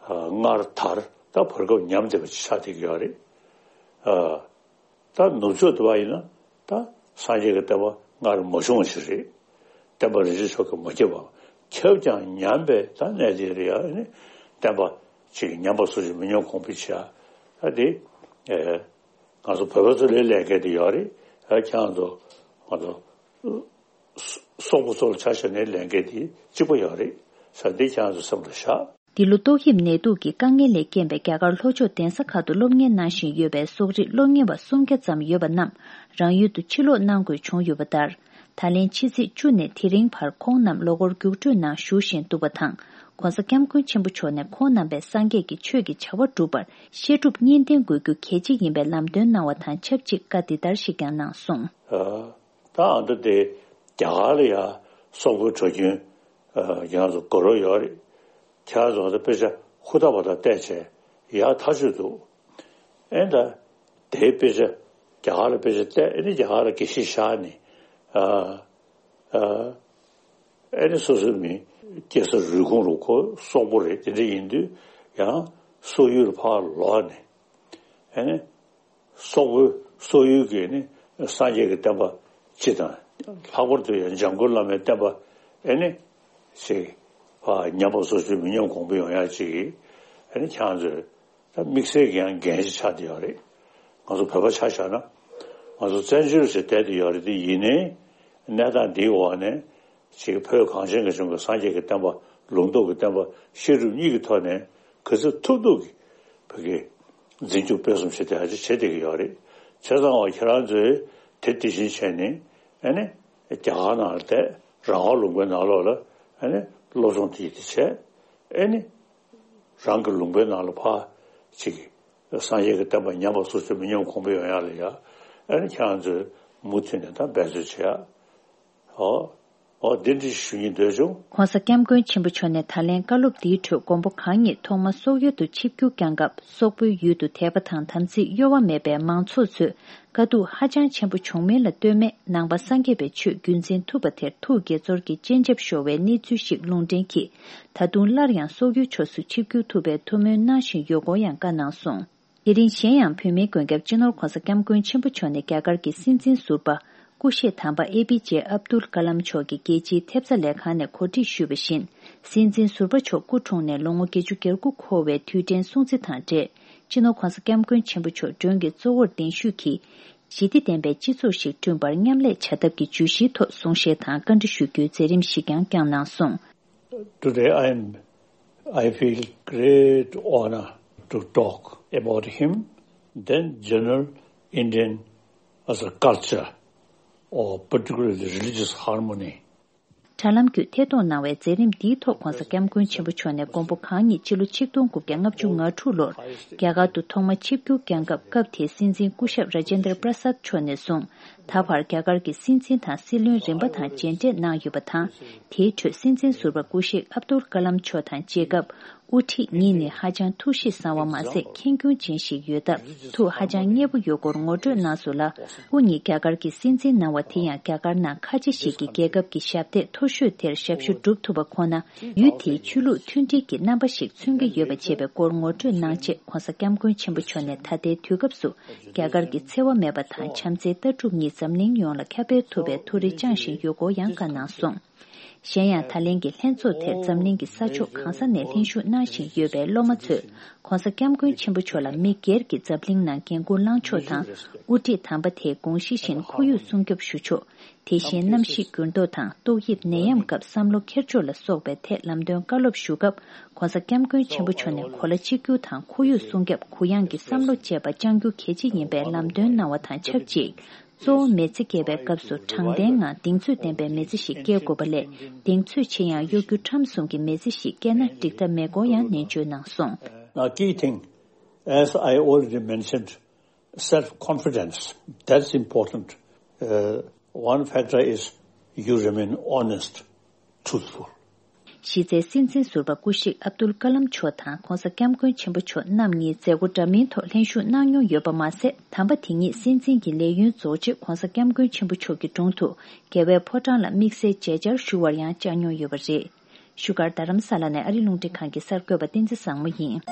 སྔར་དར་ད་བར་སྐབས་ཉམས་བསྡད་པ་ཅིག་ཆགས་བསྡད་ཀྱི་ཡོད་རེད། ད་ནུབ་ཕྱོགས་དུ་བ་ཡིན་ན་ད་སངས་རྒྱས་ཀྱི་བསྟན་པ་སྔར་མ་བྱུང་བ་ཞིག་རེད། བསྟན་པ་རིན་ཆེན་མཆོག་གིས་མ་ཁྱབ་པ། ཁྱབ་ཀྱང་ཉམས་པའི་ད་གནས་དེ་རེད་ཡ། ནི་བསྟན་པ་ཅིག་ཉམས་པ་སོ་སོས་མི་ཉམས་གོང་འཕེལ་བྱེད་ཡ། ད་དེ་ཨེ་ང་ཚོ་བོད་པ་ཚོ་ལས་ལས་ཀ་དེ་ཡོད་རེད། ཨ་ཁྱེད་རང་ཚོ་ང་ཚོ་སོག་པོ་ཚོ་ལ་ཆ་བཞག་ནས་ལས་ཀ་དེ་གཅིག་པ་ཡོད་རེད་ཟེར་འདི་ཁྱེད་རང་ཚོ་སེམས་ལ་བཞག་འདི་ལོ་ཏོག་དབྱིབས་ནད་དུག་གི་དཀའ་ངལ་ལས་རྐྱེན་པས་རྒྱ་གར་ལྷོ་ཕྱོགས་གདན་ས་ཁག་ཏུ་སློབ་གཉེར་གནང་བཞིན་ཡོད་པའི་སོག་རིགས་སློབ་གཉེར་བ་སུམ་བརྒྱ་ཙམ་ཡོད་པ་རྣམས་རང་ཡུལ་དུ་ཕྱིར་ལོག་གནང་དགོས་བྱུང་ཡོད་པ་ལྟར། ད་ལན་ཕྱི་ཚེས་བཅུ་ནས་དེ་རིང་བར་ཁོང་རྣམས་ལོ་འཁོར་རྒྱུགས་སྤྲོད་ནང་ཞུགས་བཞིན་འདུག་པ་དང་། ྋགོང་ས་ྋསྐྱབས་མགོན་ཆེན་པོ་མཆོག་ནས་ཁོང་རྣམ་པས་སངས་རྒྱས་ཀྱི་ཆོས་ཀྱི་བྱ་བ་སྒྲུབ་པར་བཤད་སྒྲུབ་གཉིས་ལྡན་དགོས་རྒྱུ་གལ་ཆེ་ཡིན་པའི་ལམ་སྟོན་གནང་བ་དང་ཆབས་ཅིག་བཀའ་འདི་ལྟར་ཞིག་ཀྱང་གནང་སོང་། ད་ཨ་འདི་དེ་རྒྱ་གར་ལ་ཡ་སོག་པོའི་གྲྭ་རྒྱུན་ཡང་ཚོ་དགའ་རོགས་ཡོད་རེད། ཁྱེད་རང་ཚོ་ད་དཔེ་ཆ་ཧུར་ཐག་པ་དང་བལྟས་བྱས་ཡག་ཐག་ཆོད་འདུག་ཨེ་ད་དེའི་དཔེ་ཆ་རྒྱ་གར་ལ་དཔེ་ཆ་བལྟས་ཨེ་ནི་རྒྱ་གར་ལ་དགེ་བཤེས་བཞག་ནས་ཨ་ཨ་ཨེ་ནི་སོ་སོའི་མི་སྐྱེས་ས་རུས་ཁུངས་རུ་ཁོ་སོག་པོ་རེད། དེ་འདྲ་ཡིན་དུས་ཡང་སོག་ཡུལ་ལ་ཕར་ལོག་ནས་ཨེ་ནི། སོག་པོའི་སོག་ཡུལ་གྱི་ནི་སངས་རྒྱས་ཀྱི་བསྟན་པ་སྤྱི་དང་ལྷག་པར་དུ་ཡང་འཇམ་མགོན་བླ་མའི་བསྟན་པ་ཨེ་ནི་ཞིག་ཨ་ཉམས་པ་སོར་ཆུད་མི་ཉམས་གོང་འཕེལ་ཡོང་ཡག་ཅིག་གི་ཨེ་ནི་ཁྱེད་རང་ཚོས་ད་དམིགས་བསལ་གྱི་ཡང་འགན་ཞིག་ཆགས་བསྡད་ཡོད་རེད། ང་ཚོ་བོད་པ་ཆ་བཞག་ན་ང་ཚོ་བཙན་བྱོལ་ཞིག་བསྡད་བསྡད་ཡོད་རེད། དེ་ཡིན་ནའི་གནས་སྟངས་འདིའི་འོག་ནས་ཅིག་བོད་གངས་ཅན་གྱི་ལྗོངས་ཀྱི་སངས་རྒྱས་ཀྱི་བསྟན་པ་ལུང་རྟོགས་ཀྱི་བསྟན་པ་བཤད་སྒྲུབ་གཉིས་ཀྱི་ཐོག་ནས་ག་ཚོད་ཐུབ་ཐུབ་ཀྱི་བོད་ཀྱི་འཛིན་སྐྱོང་སྤེལ་གསུམ་བྱེད་བསྡད་ཡག་ཅིག་བྱེད་བསྡད་ཀྱི་ཡོད་རེད། བྱས་ཙང་བ་ཁྱེད་རང་ཚོས་དེ་དེ་བཞིན་བྱས་ནས་ཨ་ནི་རྒྱ་གར་ནང་ལ་བསྡད་རང་དབང་ལུང་པའི་ནང་ལོགས་ལ་ཨ་ནི་སློབ་སྦྱོང་དེ་ཡིད་དེ་བྱས་ཨ་ནི་རང་གི་ལུང་པའི་ནང་ལ་ཕར་ཅིག་སངས་རྒྱས་ཀྱི་བསྟན་པ་ཉམས་པ་སོར་ཆུད་མི་ཉམས་གོང་འཕེལ་ཡོང་ཡག་ལ་ཡ་ཨ་ནི་ཁྱེད་རང་ཚོས་མུ་མཐུད་ནས་ད་འབད་རྩོལ་བྱེད་ཡག་ཨོ། ཨོ་འདི་འདྲ་ཞུ་སྙིང་འདོད་བྱུང་། ྋགོང་ས་ྋསྐྱབས་མགོན་ཆེན་པོ་མཆོག་ནས་ད་ལན་བཀའ་སློབ་འདིའི་ཁྲོད་མགོན་པོ་གང་ཉིད་ཐོག་མ་སོག་ཡུལ་དུ་ཆིབས་བསྒྱུར་བསྐྱངས་སྐབས་སོག་པོའི་ཡུལ་དུ་དད་པ་དང་དམ་ཚིག་གཡོ་བ་མེད་པའི་མང་ཚོགས་ཚོས་དཀའ་སྡུག་ཧ་ཅང་ཆེན་པོ་བྱུང་མིན་ལ་ལྟོས་མེད་ནང་པ་སངས་རྒྱས་པའི་ཆོས་རྒྱུན་འཛིན་ཐུབ་པ་དེར་ཐུགས་དགྱེས་ཚོར་གྱི་སྤྱན་ཆབ་ཤོར་བའི་གནས་ཚུལ་ཞིག་ལུང་འདྲེན་གྱིས་ད་དུང་སླར་ཡང་སོག་ཡུལ་ཕྱོགས་སུ་ཆིབས་བསྒྱུར་ཐུབ་པའི་ཐུགས་སྨོན་གནང་བཞིན་ཡོད་སྐོར་ཡང་བཀའ་གནང་སོང་། དེ་རིང་གཞན་ཡང་བོད་མིའི་མགོན་སྐྱབས་སྤྱི་ནོར་ྋགོང་ས་ྋསྐྱབས་མགོན་ཆེན་པོ་མཆོག་ནས་རྒྱ་གར་གྱི་སྲིད་འཛིན་ཟུར་པ་སྐུ་གཤེགས་དམ་པ་ཨེ་པི་ཇེ་ཨབ་དུལ་ཀ་ལམ་མཆོག་གིས་རྒྱལ་སྤྱིའི་ཐེབས་རྩ་ལས་ཁང་ནས་གོ་སྒྲིག་ཞུས་པ་བཞིན། སྲིད་འཛིན་ཟུར་པ་མཆོག་སྐུ་འཁྲུངས་ནས་ལོ་ངོ་བརྒྱད་ཅུ་གྱ་དགུ་འཁོར་བའི་དུས་དྲན་སྲུང་བརྩི་དང་འབྲེལ། སྤྱི་ནོར་ྋགོང་ས་ྋསྐྱབས་མགོན་ཆེན་པོ་མཆོག་མགྲོན་གྱི་གཙོ་བོར་གདན་ཞུས་ཀྱིས། ཞི་བདེ་ལྡན་པའི་སྤྱི་ཚོགས་ཤིག་བསྐྲུན་པར་མཉམ་ལས་བྱ་ཐབས་ཀྱི་བརྗོད་གཞིའི་ཐོག་གསུང་བཤད་དང་བཀའ་འདྲི་ཞུ་རྒྱུའི་མཛད་རིམ་ཞིག་ཀྱང་བསྐྱངས་གནང་སོང་། Today I am, I feel great honor to talk about him, then general Indian as a culture, or particularly religious harmony. དྲ་ལམ་བརྒྱུད་ཐད་གཏོང་གནང་བའི་མཛད་རིམ་འདིའི་ཐོག་ྋགོང་ས་ྋསྐྱབས་མགོན་ཆེན་པོ་མཆོག་ནས་མགོན་པོ་གང་ཉིད་སྤྱི་ལོ་ཆིག་སྟོང་དགུ་བརྒྱ་ལྔ་བཅུ་ང་དྲུག་ལོར་རྒྱ་གར་དུ་ཐོག་མ་ཆིབས་བསྒྱུར་བསྐྱངས་སྐབས། སྐབས་དེའི་སྲིད་འཛིན་སྐུ་ཞབས་ར་ཇེན་དྲ་པྲ་སཱད་མཆོག་ནས་བཟུང་ད་བར་རྒྱ་གར་གྱི་སྲིད་འཛིན་དང་སྲིད་བློན་རིམ་པ་དང་མཇལ་འཕྲད་གནང་ཡོད་པ་དང་། དེའི་ཁྲོད་སྲིད་འཛིན་ཟུར་པ་སྐུ་གཤེགས་ཨབ་དུལ་ཀ་ལམ་མཆོག་དང་མཇལ་སྐབས། དབུ་ཁྲིད་གཉིས་ནི་ཧ་ཅང་ཐུགས་གཤིས་བཟང་བ་མ་ཟད་ཁྱད་མཁྱེན་ཅན་ཞིག་ཡོད་སྟབས་ཐུགས་ཧ་ཅང་མཉེས་པོ་ཡོད་སྐོར་ངོ་སྤྲོད་གནང་སོང་ལ། སྐུ་ཉིད་རྒྱ་གར་གྱི་སྲིད་འཛིན་གནང་བ་དེ་ཡང་རྒྱ་གར་ནང་ཁ་ཆེ་ཞིག་གི་རྒྱལ་ཁབ་ཀྱི་ཞབས་སྟེགས་མཐོ་ཤོས་དེར་ཞབས་ཞུ་སྒྲུབ་ཐུབ་པ་ཁོ་ན་ཡུལ་དེའི་ཆོས་ལུགས་མཐུན་སྒྲིལ་གྱི་རྣམ་པ་ཞིག་མཚོན་གྱི་ཡོད་པ་བཅས་པའི་སྐོར་ངོ་སྤྲོད་གནང་རྗེས་༧གོང་ས་༧སྐྱབས་མགོན་ཆེན་པོ་མཆོག་ནས་ད་ལྟའི་དུས་སྐབས་སུ་རྒྱ་གར་གྱི་འཚེ་བ་མེད་པ་དང་བྱམས་བརྩེའི་ལྟ་གྲུབ་གཉིས་འཛམ་གླིང་ཡོངས་ལ་ཁྱབ་སྤེལ་ཐུབ་པའི་ཐུགས་རེ་བཅངས་བཞིན་ཡོད་སྐོར་ཡང་བཀའ་གནང་སོང་། གཞན་ཡང་ད་ལན་གྱི་ལྷན་ཚོགས་དེར་འཛམ་གླིང་གི་ས་ཕྱོགས་གང་ས་ནས་ལྷན་ཞུགས་གནང་བཞིན་ཡོད་པའི་སློབ་མ་ཚོས་༧གོང་ས་༧སྐྱབས་མགོན་ཆེན་པོ་མཆོག་ལ་མི་སྒེར་གྱི་འཛམ་གླིང་ནང་འགན་འཁུར་བླངས་ཕྱོགས་དང་། དབུ་ཁྲིད་དམ་པ་དེའི་དགོངས་གཞི་བཞིན་ཁོར་ཡུག་སྲུང་སྐྱོབ་ཞུ་ཕྱོགས། དེ་བཞིན་གནམ་གཤིས་འགྱུར་ལྡོག་དང་ཏོག་དབྱིབས་ནད་ཡམས་སྐབས་བསམ་བློ་འཁྱེར་ཕྱོགས་ལ་སོགས་པའི་ཐད་ལམ་སྟོན་བཀའ་སློབ་ཞུ་སྐབས་༧གོང་ས་༧སྐྱབས་མགོན་ཆེན་པོ་མཆོག་ནས་གོ་ལ་གཅིག་གྱུར་དང་ཁོར་ཡུག་སྲུང་སྐྱོབ་གུ་ཡངས་ཀྱི་བསམ་བློ་བཅས་པ་བཅངས་རྒྱུ་གལ་ཆེ་ཡིན་པའི་ལམ་སྟོན་གནང་བ་དང་ཆབས་ཅིག་གཙོ་བོ་མི་ཚེ་སྐྱེལ་བའི་སྐབས་སུ་དྲང་བདེན་ངང་གདེང་ཚོད་ལྡན་པའི་མི་ཚེ་ཞིག་སྐྱེལ་དགོས་པ་ལས་གདེང་ཚོད་ཆེ་ཡང་གཡོ་སྒྱུ་ཁྲམ་གསུམ་གྱི་མི་ཚེ་ཞིག་སྐྱེལ་ན་འགྲིག་ཐབས་མེད་སྐོར་ཡང་ནན་བརྗོད་གནང་སོང་། Now, key thing, as I already mentioned, self confidence. That's important. Uh, one factor is you remain honest, truthful. གཞི་རྩའི་སྲིད་འཛིན་ཟུར་པ་སྐུ་གཤེགས་ཨབ་དུལ་ཀ་ལམ་མཆོག་དང་༧གོང་ས་༧སྐྱབས་མགོན་ཆེན་པོ་མཆོག་རྣམ་གཉིས་མཛད་སྒོ་འདྲ་མིན་ཐོག་ལྷན་ཞུགས་གནང་མྱོང་ཡོད་པ་མ་ཟད། དམ་པ་དེ་ཉིད་སྲིད་འཛིན་གྱི་ལས་ཡུན་རྫོགས་རྗེས་༧གོང་ས་༧སྐྱབས་མགོན་ཆེན་པོ་མཆོག་གི་དྲུང་དུ་རྒྱལ་བའི་ཕོ་བྲང་ལ་དམིགས་བསལ་མཇལ་བཅར་ཞུ་བར་ཡང་བཅར་མྱོང་ཡོད་པ་རེད། བཞུགས་སྒར་རྡ་རམ་ས་ལ་ནས་ཨ་རི་རླུང་འཕྲིན་ཁང་གི་གསར་འགོད་པ་བསྟན་འཛིན་བཟང་མོ་ཡིན།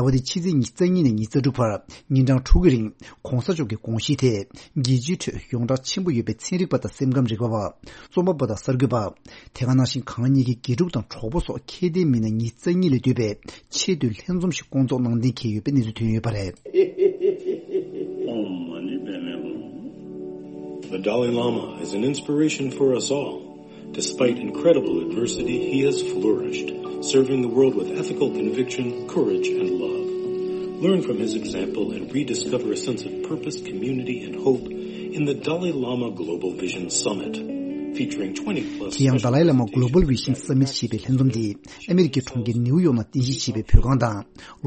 ཟླ་བ་འདིའི་ཕྱི་ཚེས་ཉི་ཤུ་རྩ་གཉིས་ནས་ཉི་ཤུ་རྩ་དྲུག་བར་ཉིན་གྲངས་དྲུག་གི་རིང་༧གོང་ས་མཆོག་གི་དགོངས་གཞི་དེ་རྒྱལ་སྤྱིའི་ཁྲོད་ཡོངས་གྲགས་ཆེན་པོ་ཡོད་པའི་ཚན་རིག་པ་དང་སེམས་ཁམས་རིག་པ་བ། རྩོམ་པ་པོ་དང་གསར་འགོད་པ། དེ་ག་ནང་བཞིན་གང་ཉིད་ཀྱི་དགེ་ཕྲུག་དང་གྲོགས་པོ་སོགས་ཁྱད་ལྡན་མི་སྣ་ཉི་ཤུ་རྩ་གཉིས་ལས་འདུས་པའི་ཆེས་མཐོའི་ལྷན་འཛོམས་ཤིག་བསྐོང་ཚོགས་གནང་གཏན་འཁེལ་ཡོད་པའི་གནས་ཚུལ་ཐོན་ཡོད་པ་རེད། Om Mani Padme Hum. The Dalai Lama is an inspiration for us all. Despite incredible adversity, he has flourished, serving the world with ethical conviction, courage, and love. Learn from his example and rediscover a sense of purpose, community, and hope in the Dalai Lama Global Vision Summit, featuring twenty plus དེ་ཡང་། ཌ་ལའི་བླ་མ་Global Vision Summit ཞེས་པའི་ལྷན་འཛོམས་འདི་ཨ་མེ་རི་ཁའི་གྲོང་ཁྱེར་ནིའུ་ཡོག་ནང་རྟེན་གཞི་བྱས་པའི་བོད་ཁང་དང་།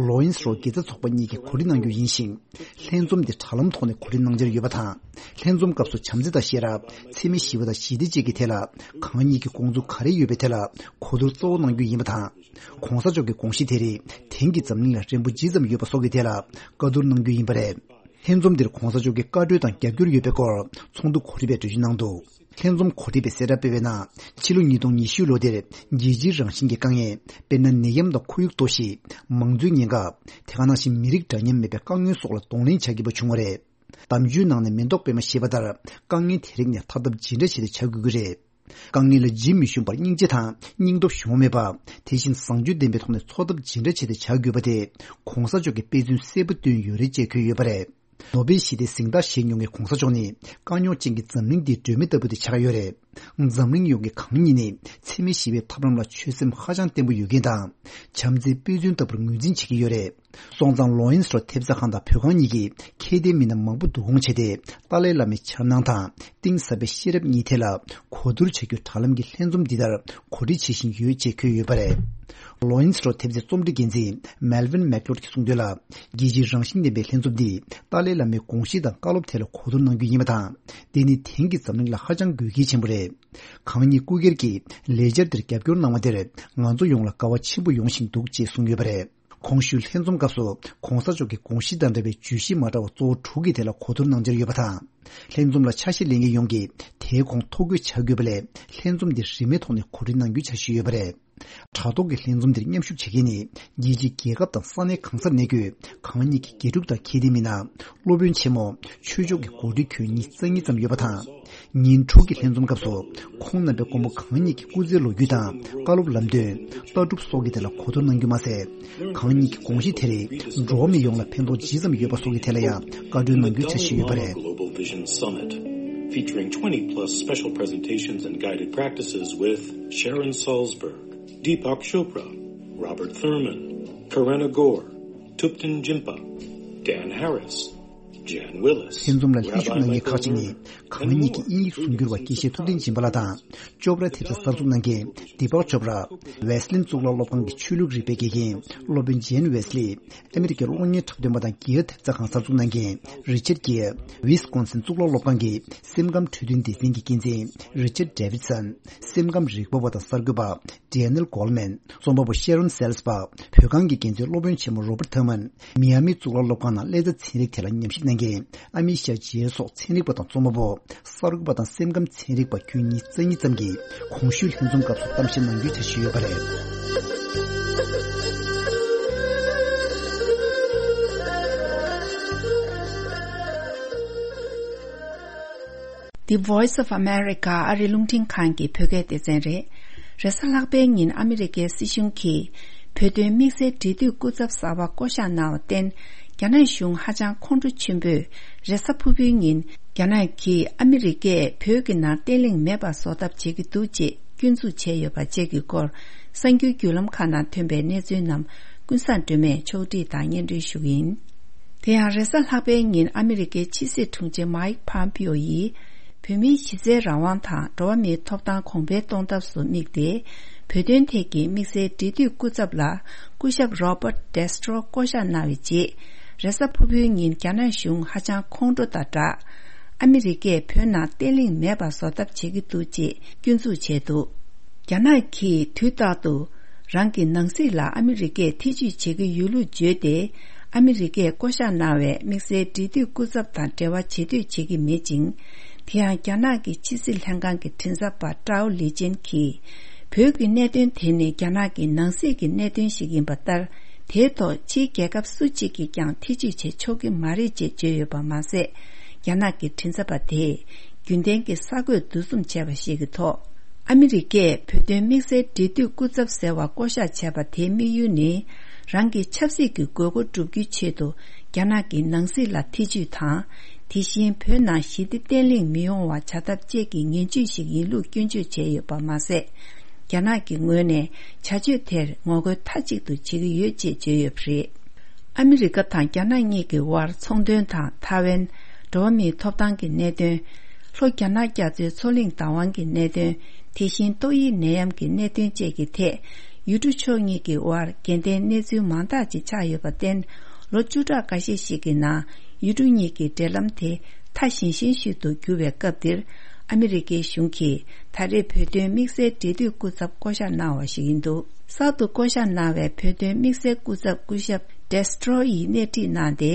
ལོ་ཨིན་སི་རོ་དགེ་རྩ་ཚོགས་པ་གཉིས་ཀྱིས་གོ་སྒྲིག་གནང་རྒྱུ་ཡིན་ཞིང་། ལྷན་འཛོམས་འདི་དྲ་ལམ་ཐོག་ནས་གོ་སྒྲིག་གནང་འཆར་ཡོད་པ་དང་། ལྷན་འཛོམས་སྐབས་སུ་བྱམས་བརྩེ་དང་ཤེས་རབ། འཚེ་མེད་ཞི་བ་དང་ཞི་བདེ་བཅས་ཀྱི་ཐད་ལ་གང་ཉིད་ཀྱི་དགོངས་ཚུལ་ག་རེ་ཡོད་པའི་ཐད་ལ་གོ་བསྡུར་གཙོ་བོ་གནང་རྒྱུ་ཡིན་པ་དང་། ༧གོང་ས་མཆོག་གི་དགོངས་གཞི་དེ་རིགས་དེང་གི་འཛམ་གླིང་ལ་རན་པོ་ཇི་ཙམ་ཡོད་པ་སོགས་ཀྱི་ཐད་ལ་བཀའ་བསྡུར་གནང་རྒྱུ་ཡིན་པ་རེད། ལྷན་འཛོམས་འདིར་༧གོང་ས་མཆོག་གིས་བཀའ་གྲོས་དང་རྒྱབ་སྐྱོར་ཡོད་པའི་སྐོར་ཚོགས་འདུ་གོ་སྒྲིག་པས་གྲོས་ཆོད་གནང་འདུག་ལྷན་འཛོམས་གོ་སྒྲིག་པས་གསལ་བསྒྲགས་སྤེལ་བའི་ནང་། ཕྱི་ལོ་ཉིས་སྟོང་ཉི་ཤུ་ལོ་དེར་རྒྱལ་སྤྱིའི་རང་བཞིན་གྱི་དཀའ་ངལ། དཔེར་ན། ནད་ཡམས་དང་ཁོར་ཡུག་གཏོར་བཤིག་མང་གཙོའི་ཉེན་ཁ། དེ་ག་ནང་བཞིན་མི་རིགས་འདྲ་མཉམ་མེད་པའི་དཀའ་ངལ་སོགས་ལ་གདོང་ལེན་བྱ་དགོས་པ་བྱུང་བ་རེད། གཏམ་བརྗོད་ནང་ནས་མེ་ཏོག་པད་མ་ཞེས་པ་ལྟར། དཀའ་ངལ་དེ་རིགས་ནས་ཐར་ཐབས་ཇི་འདྲ་བྱས་ཏེ་བྱ་དགོས་ཀྱི་རེད། དཀའ་ངལ་ལ་ཇི་མི་ཞུམ་པར་སྙིང་རྗེ་དང་སྙིང་སྟོབས་ཞུམ་པ་མེད་པ། དེ་བཞིན་བཟང་སྤྱོད་ལྡན་པའི་ཐོག་ནས་འཚོ་ཐབས་ཇི་འདྲ་བྱས་ཏེ་བྱ་དགོས་པ་དེ་༧གོང་ས་མཆོག་གིས་དཔེ་མཚོན་གསལ་པོ་བསྟན་ཡོད་རེད་ཅེས་འཁོད་ཡོད་པ་རེད། ནོ་བེལ་ཞི་བདེའི་གཟེངས་རྟགས་བཞེས་མྱོང་མཁན་༧གོང་ས་མཆོག་ནི་དཀའ་རྙོག་ཅན་གྱི་འཛམ་གླིང་འདིའི་སྒྲོན་མེ་ལྟ་བུ་དེ་ཆགས་ཡོད་རེད། འཛམ་གླིང་ཡོངས་ཀྱི་གང་ཉིད་ནི་འཚེ་མེད་ཞི་བའི་ཐབས་ལམ་ལ་ཆོད་སེམས་ཧ་ཅང་བརྟན་པོ་ཡོད་མཁན་དང་། བྱམས་བརྩེའི་དཔེ་མཚོན་ལྟ་བུར་ངོས་འཛིན་བྱེད་ཀྱི་ཡོད་རེད། སོང་ཙང་ལོ་ཨིན་སི་རོ་ཐེབས་རྩ་ཁང་དང་བོད་ཁང་གཉིས་ཀྱིས་ཁྱད་ལྡན་མི་སྣ་མང་པོ་བསྡུ་སྐོང་བྱས་ཏེ། ཏཱ་ལའི་བླ་མའི་འཆར་སྣང་དང་གཏིང་ཟབ་པའི་ཤེས་རབ་གཉིས་ཐད་ལ་གོ་བསྡུར་བྱ་རྒྱུའི་དྲ་ལམ་གྱི་ལྷན་འཛོམས་འདི་ལྟར་གོ་སྒྲིག་བྱེད་བཞིན་ཡོད་ཅེས་འཁོད་ཡོད་པ་རེད། ལོ་ཨིན་སི་རོ་ཐེབས་རྩའི་རྩོམ་སྒྲིག་འགན་འཛིན་མེལ་ཝིན་མེག་ལོཌ་ཀྱིས་གསུངས་དོན་ལ། རྒྱལ་སྤྱིའི་རང་བཞིན་ལྡན་པའི་ལྷན་འཛོམས་འདིས་ཏཱ་ལའི་བླ་མའི་དགོངས་གཞི་དང་བཀའ་སློབ་ཐད་ལ་གོ་བསྡུར་གནང་རྒྱུ་ཡིན་པ་དང་། འདི་ནི་དེང་གི་འཛམ་གླིང་ལ་ཧ་ཅང་དགོས་གལ་ཆེན་པོ་རེད། གང་ཉིད་སྐུ་སྒེར་གྱིས་ལས་འཆར་འདིར་རྒྱབ་སྐྱོར་གནང་བ་དེར་ང་ཚོ་ཡོངས་ལ་དགའ་བ་ཆེན་པོ་ཡོང་བཞིན་འདུག་ཅེས་གསུངས་ཡོད་པ་རེད། གོང་ཞུས་ལྷན་འཛོམས་སྐབས་སུ་༧གོང་ས་མཆོག་གི་དགོངས་གཞི་དང་འབྲེལ་བའི་བརྗོད་གཞི་མ་འདྲ་བ་གཙོ་བོ་དྲུག་གི་ཐད་ལ་གོ་བསྡུར་གནང་འཆར་ཡོད་པ་དང་། ལྷན་འཛོམས་ལ་ཆ་ཤས་ལེན་མཁན་ཡོངས་ཀྱིས་དེའི་གོང་ཐོ་འགོད་བྱ་དགོས་པ་ལས། ལྷན་འཛོམས་འདི་རིན་མེད་ཐོག་ནས་གོ་སྒྲིག་གནང་རྒྱུའི་འཆར་གཞི་ཡོད་པ་རེད། དྲ་ཐོག་གི་ལྷན་འཛོམས་འདིར་མཉམ་ཞུགས་བྱེད་མཁན་ནི། རྒྱལ་སྤྱིའི་རྒྱལ་ཁབ་དང་ས་གནས་གང་སར་གནས་འཁོད་གང་ཉིད་ཀྱི་དགེ་ཕྲུག་དང་ཁྱད་ལྡན་མི་སྣ། སློབ་དཔོན་ཆེན་མོ། ཆོས་ཕྱོགས་ཀྱི་འགོ་ཁྲིད་ཁྱོན་ཉི་ཤུ་རྩ་གཉིས་ཙམ་ཡོད་པ་དང་། ཉིན་དྲུག་གི་ལྷན་འཛོམས་སྐབས་སུ། ཁོང་རྣམ་པས་མགོན་པོ་གང་ཉིད་ཀྱི་སྐུ་ཚེའི་ལོ་རྒྱུས་དང་། བཀའ་སློབ་ལམ་སྟོན། ལྟ་གྲུབ་སོགས་ཀྱི་ཐད་ལ་གོ་བསྡུར་གནང་རྒྱུ་མ་ཟད། གང་ཉིད་ཀྱི་དགོངས་གཞི་དེ་རིགས་འགྲོ་བ་མི་ཡོངས་ལ་ཕན་ཐོགས་ཇི་ཙམ་ཡོད་པ་སོགས་ཀྱི་ཐད་ལ་ཡང་བཀའ་འཁྲོལ་གནང་རྒྱུའི་འཆར་གཞི་ཡོད་པ་རེད། Global Vision Summit, featuring twenty plus special presentations and guided practices with Sharon Salzberg, Deepak Chopra, Robert Thurman, Karen Agor, Thupten Jimpa, Dan Harris, Jan Willis. ལྷན་འཛོམས་ལ་ལྷན་ཞུགས་གནང་མཁན་ཁག་ཅིག་ནི། གང་ཉིད་ཀྱི་དབྱིན་ཡིག་གསུང་སྒྱུར་བ་དགེ་བཤེས་ཐུབ་བསྟན་སྦྱིན་པ་ལགས་དང་། ཅོབ་ར་ཐེ་ཏྲ་གསར་འཛུགས་གནང་མཁན་དི་པག་ཅོབ་ར། ཝེ་སི་ལིན་གཙུག་ལག་སློབ་ཁང་གི་ཆོས་ལུགས་རིག་པའི་དགེ་རྒན་སློབ་དཔོན་ཇེན་ཝེ་སི་ལི། ཨ་མི་རི་ཀའི་གློག་བརྙན་འཁྲབ་སྟོན་པ་དང་རྒྱལ་ཡོངས་ཐེབས་རྩ་ཁང་གསར་འཛུགས་གནང་མཁན་རི་ཆར་གྱིར། ཝིས་ཀོན་སིན་གཙུག་ལག་སློབ་ཁང་གི་སེམས་ཁམས་འཕྲོད་བསྟེན་སྡེ་ཚན་གྱི་འགན་འཛིན་རི་ཆར་ཌེ་ཝིད་སན། སེམས་ཁམས་རིག་པ་བ་དང་གསར་འགོད་པ་ཌེ་ནེལ་གོལ་མན། རྩོམ་པ་པོ་ཤེ་རོན་སེལ་སི་པག་བོད་ཁང་གི་འགན་འཛིན་སློབ་དཔོན་ཆེན་མོ་རོ་པར་ཐར་མན། མི་ཡ་མི་གཙུག་ལག་སློབ་ཁང་ནང་ཀླད་རྩ་ཚན་རིག་ཐད་ལ་ཉམས་ཞིབ་གནང་མཁན་ཨ་མི་ཤ་ཇེ་སོགས་ཚན་རིག་པ་དང་རྩོམ་པ་པོ། གསར་འགོད་པ་དང་སེམས་ཁམས་ཚན་རིག་པ་ཁྱོན་ཉིས་རྩ་གཉིས་ཙམ་གྱིས་གོང་ཞུས་ལྷན་འཛོམས་སྐབས་སུ་གཏམ་བཤད་གནང་རྒྱུའི་འཆར་གཞི་ཡོད་པ་རེད། The Voice of America ཨ་རིའི་རླུང་འཕྲིན་ཁང་གི་བོད་སྐད་སྡེ་ཚན་རེད། རེས་གཟའ་ལྷག་པའི་ཉིན་ཨ་མི་རི་ཀའི་སྲིད་གཞུང་གིས་བོད་དོན་དམིགས་བསལ་འབྲེལ་མཐུད་སྐུ་ཚབ་གསར་པ་བསྐོ་གཞག་གནང་བར་བརྟེན། རྒྱ་ནག་གཞུང་ཧ་ཅང་ཁོང་ཁྲོ་ཆེན་པོས། རེས་གཟའ་ཕུར་བུའི་ཉིན། རྒྱ་ནག་གིས་ཨ་མི་རི་ཀས་བོད་ཀྱི་ནང་བརྟན་ལྷིང་མེད་པ་བཟོ་ཐབས་བྱེད་ཀྱི་འདུག་ཅེས་སྐྱོན་འཛུགས་བྱས་ཡོད་པ་བཅས་ཀྱི་སྐོར། གསར་འགྱུར་བརྒྱུད་ལམ་ཁག་ནང་ཐོན་པའི་གནས་ཚུལ་རྣམས་ཀུན་བཟང་སྒྲོལ་མས་ཕྱོགས་སྒྲིག་དང་སྙན་སྒྲོན་ཞུ་གི་ཡིན། དེ་ཡང་རེས་གཟའ་ལྷག་པའི་ཉིན་ཨ་མི་རི་ཀའི་ཕྱི་སྲིད་དྲུང་ཆེ་མཱིག་ཕམ་པིའོ་ཡིས། བོད་མིའི་གཞི་རྩའི་རང་དབང་དང་འགྲོ་བ་མིའི་ཐོབ་ཐང་གོང་འཕེལ་གཏོང་ཐབས་སུ་དམིགས་ཏེ། བོད་དོན་ཐད་ཀྱི་དམིགས་བསལ་འབྲེལ་མཐུད་སྐུ་ཚབ་ལ་སྐུ་ཞབས་རོ་པར་ཌེ་སི་ཊྲོ་བསྐོ་གཞག་གནང་བའི་རྗེས། རེས་གཟའ་ཕུར་བུའི་ཉིན་རྒྱ་ནག་གཞུང་ཧ་ཅང་ཁོང་ཁྲོ་དང་སྦྲགས། ཨ་མི་རི་ཀས་བོད་ནང་བརྟན་ལྷིང་མེད་པ་བཟོ་ཐབས་བྱེད་ཀྱི་འདུག་ཅེས་སྐྱོན་འཛུགས་བྱས་འདུག་རྒྱ་ནག་གིས་དུས་རྟག་ཏུ། རང་གི་ནང་སྲིད་ལ་ཨ་མི་རི་ཀས་ཐེ་ཇུས་བྱེད་ཀྱི་ཡོད་ལུགས་བརྗོད་དེ། ཨ་མི་རི་ཀས་བསྐོ་གཞག་གནང་བའི་དམིགས་བསལ་འབྲེལ་མཐུད་སྐུ་ཚབ་དང་འབྲེལ་བ་བྱེད་འདོད་བྱེད་ཀྱི་མེད་ཅིང་། དེ་ཡང་རྒྱ་ནག་གི་ཕྱི་སྲིད་ལྷན་ཁང་གི་མགྲིན་ཚབ་པ་ཀྲའོ་ལི་ཅན་གྱིས། བོད་ཀྱི་གནད་དོན་དེ་ནི་རྒྱ་ནག་གི་ནང་སྲིད་ཀྱི་གནད་དོན་ཞིག་ཡིན་པ་ལྟར། དེའི་ཐོག་ཕྱིའི་རྒྱལ་ཁབ་སུ་གཅིག་གིས་ཀྱང་ཐེ་ཇུས་བྱེད་ཆོག་གི་མ་རེད་ཅེས་བརྗོད་ཡོད་པ་མ་ཟད། རྒྱ་ནག་གི་མགྲིན་ཚབ་པ་དེས། རྒྱུན་ལྡན་གྱི་གསར་འགོད་འདུ་འཛོམས་བྱས་པ་ཞིག་གི་ཐོག་ཨ་མི་རི་ཀས་བོད་དོན་དམིགས་བསལ་འབྲེལ་མཐུད་སྐུ་ཚབ་ཟེར་བ་བསྐོ་གཞག་བྱས་པ་དེའི་དམིགས་ཡུལ་ནི། རང་གི་ཆབ་སྲིད་ཀྱི་དགོས་མཁོ་བསྒྲུབ་རྒྱུའི་ཆེད་དུ། རྒྱ་ནག་གི་ནང་སྲིད་ལ་ཐེ་ཇུས་དང་། དེ་བཞིན་བོད་ནང་ཞི་བདེ་བརྟན་ལྷིང་མི་ཡོང་བ་བྱ་ཐབས་བཅས་ཀྱི་ངན་ཇུས་ཤིག་ཡིན་ལུགས་སྐྱོན་བརྗོད་བྱས་ཡོད་པ་མ་ཟད། རྒྱ་ནག་གི་ངོས་ནས་བྱ་སྤྱོད་དེར་ངོ་རྒོལ་མཐའ་གཅིག་ཏུ་བྱེད་ཀྱི་ཡོད་ཅེས་བརྗོད་ཡོད་པ་རེད། ཨ་མི་རི་ཀ་དང་རྒྱ་ནག་གཉིས་ཀྱི་དབར་ཚོང་དོན་དང་ཐའེ་ཝན། འགྲོ་བ་མིའི་ཐོབ་ཐང་གི་གནད་དོན། ལྷོ་རྒྱ་ནག་རྒྱ་མཚོའི་མཚོ་གླིང་བདག་དབང་གི་གནད་དོན། དེ་བཞིན་ཏོག་དབྱིབས་ནད་ཡམས་ཀྱི་གནད་དོན་བཅས་ཀྱི་ཐད། ཡུལ་གྲུ་ཕྱོགས་གཉིས་ཀྱི་དབར་འགལ་ཟླའི་གནས་ཚུལ་མང་དག་ཅིག་ཆགས་ཡོད་པར་བརྟེན། ལོ་བཅུ་ཕྲག་འགའ་ཤས་ཤིག་གི་ནང་ཡུལ་གྲུ་གཉིས་ཀྱི་འབྲེལ་ལམ་དེ་ཐག་ཞན་ཞན་ཞིག་ཏུ་གྱུར་བའི་སྐབས་འདིར། ཨ་མི་རི་ཀའི་གཞུང་གིས་ད་རེས་བོད་དོན་དམིགས་བསལ་འབྲེལ་མཐུད་སྐུ་ཚབ་བསྐོ་གཞག་གནང་བ་ཞིག་ཡིན་འདུག་གསར་དུ་བསྐོ་གཞག་གནང་བའི་བོད་དོན་དམིགས་བསལ་སྐུ་ཚབ་སྐུ་ཞབས་ཌེ་སི་ཊྲོ་ཡིས་སྣེ་ཁྲིད་གནང་སྟེ།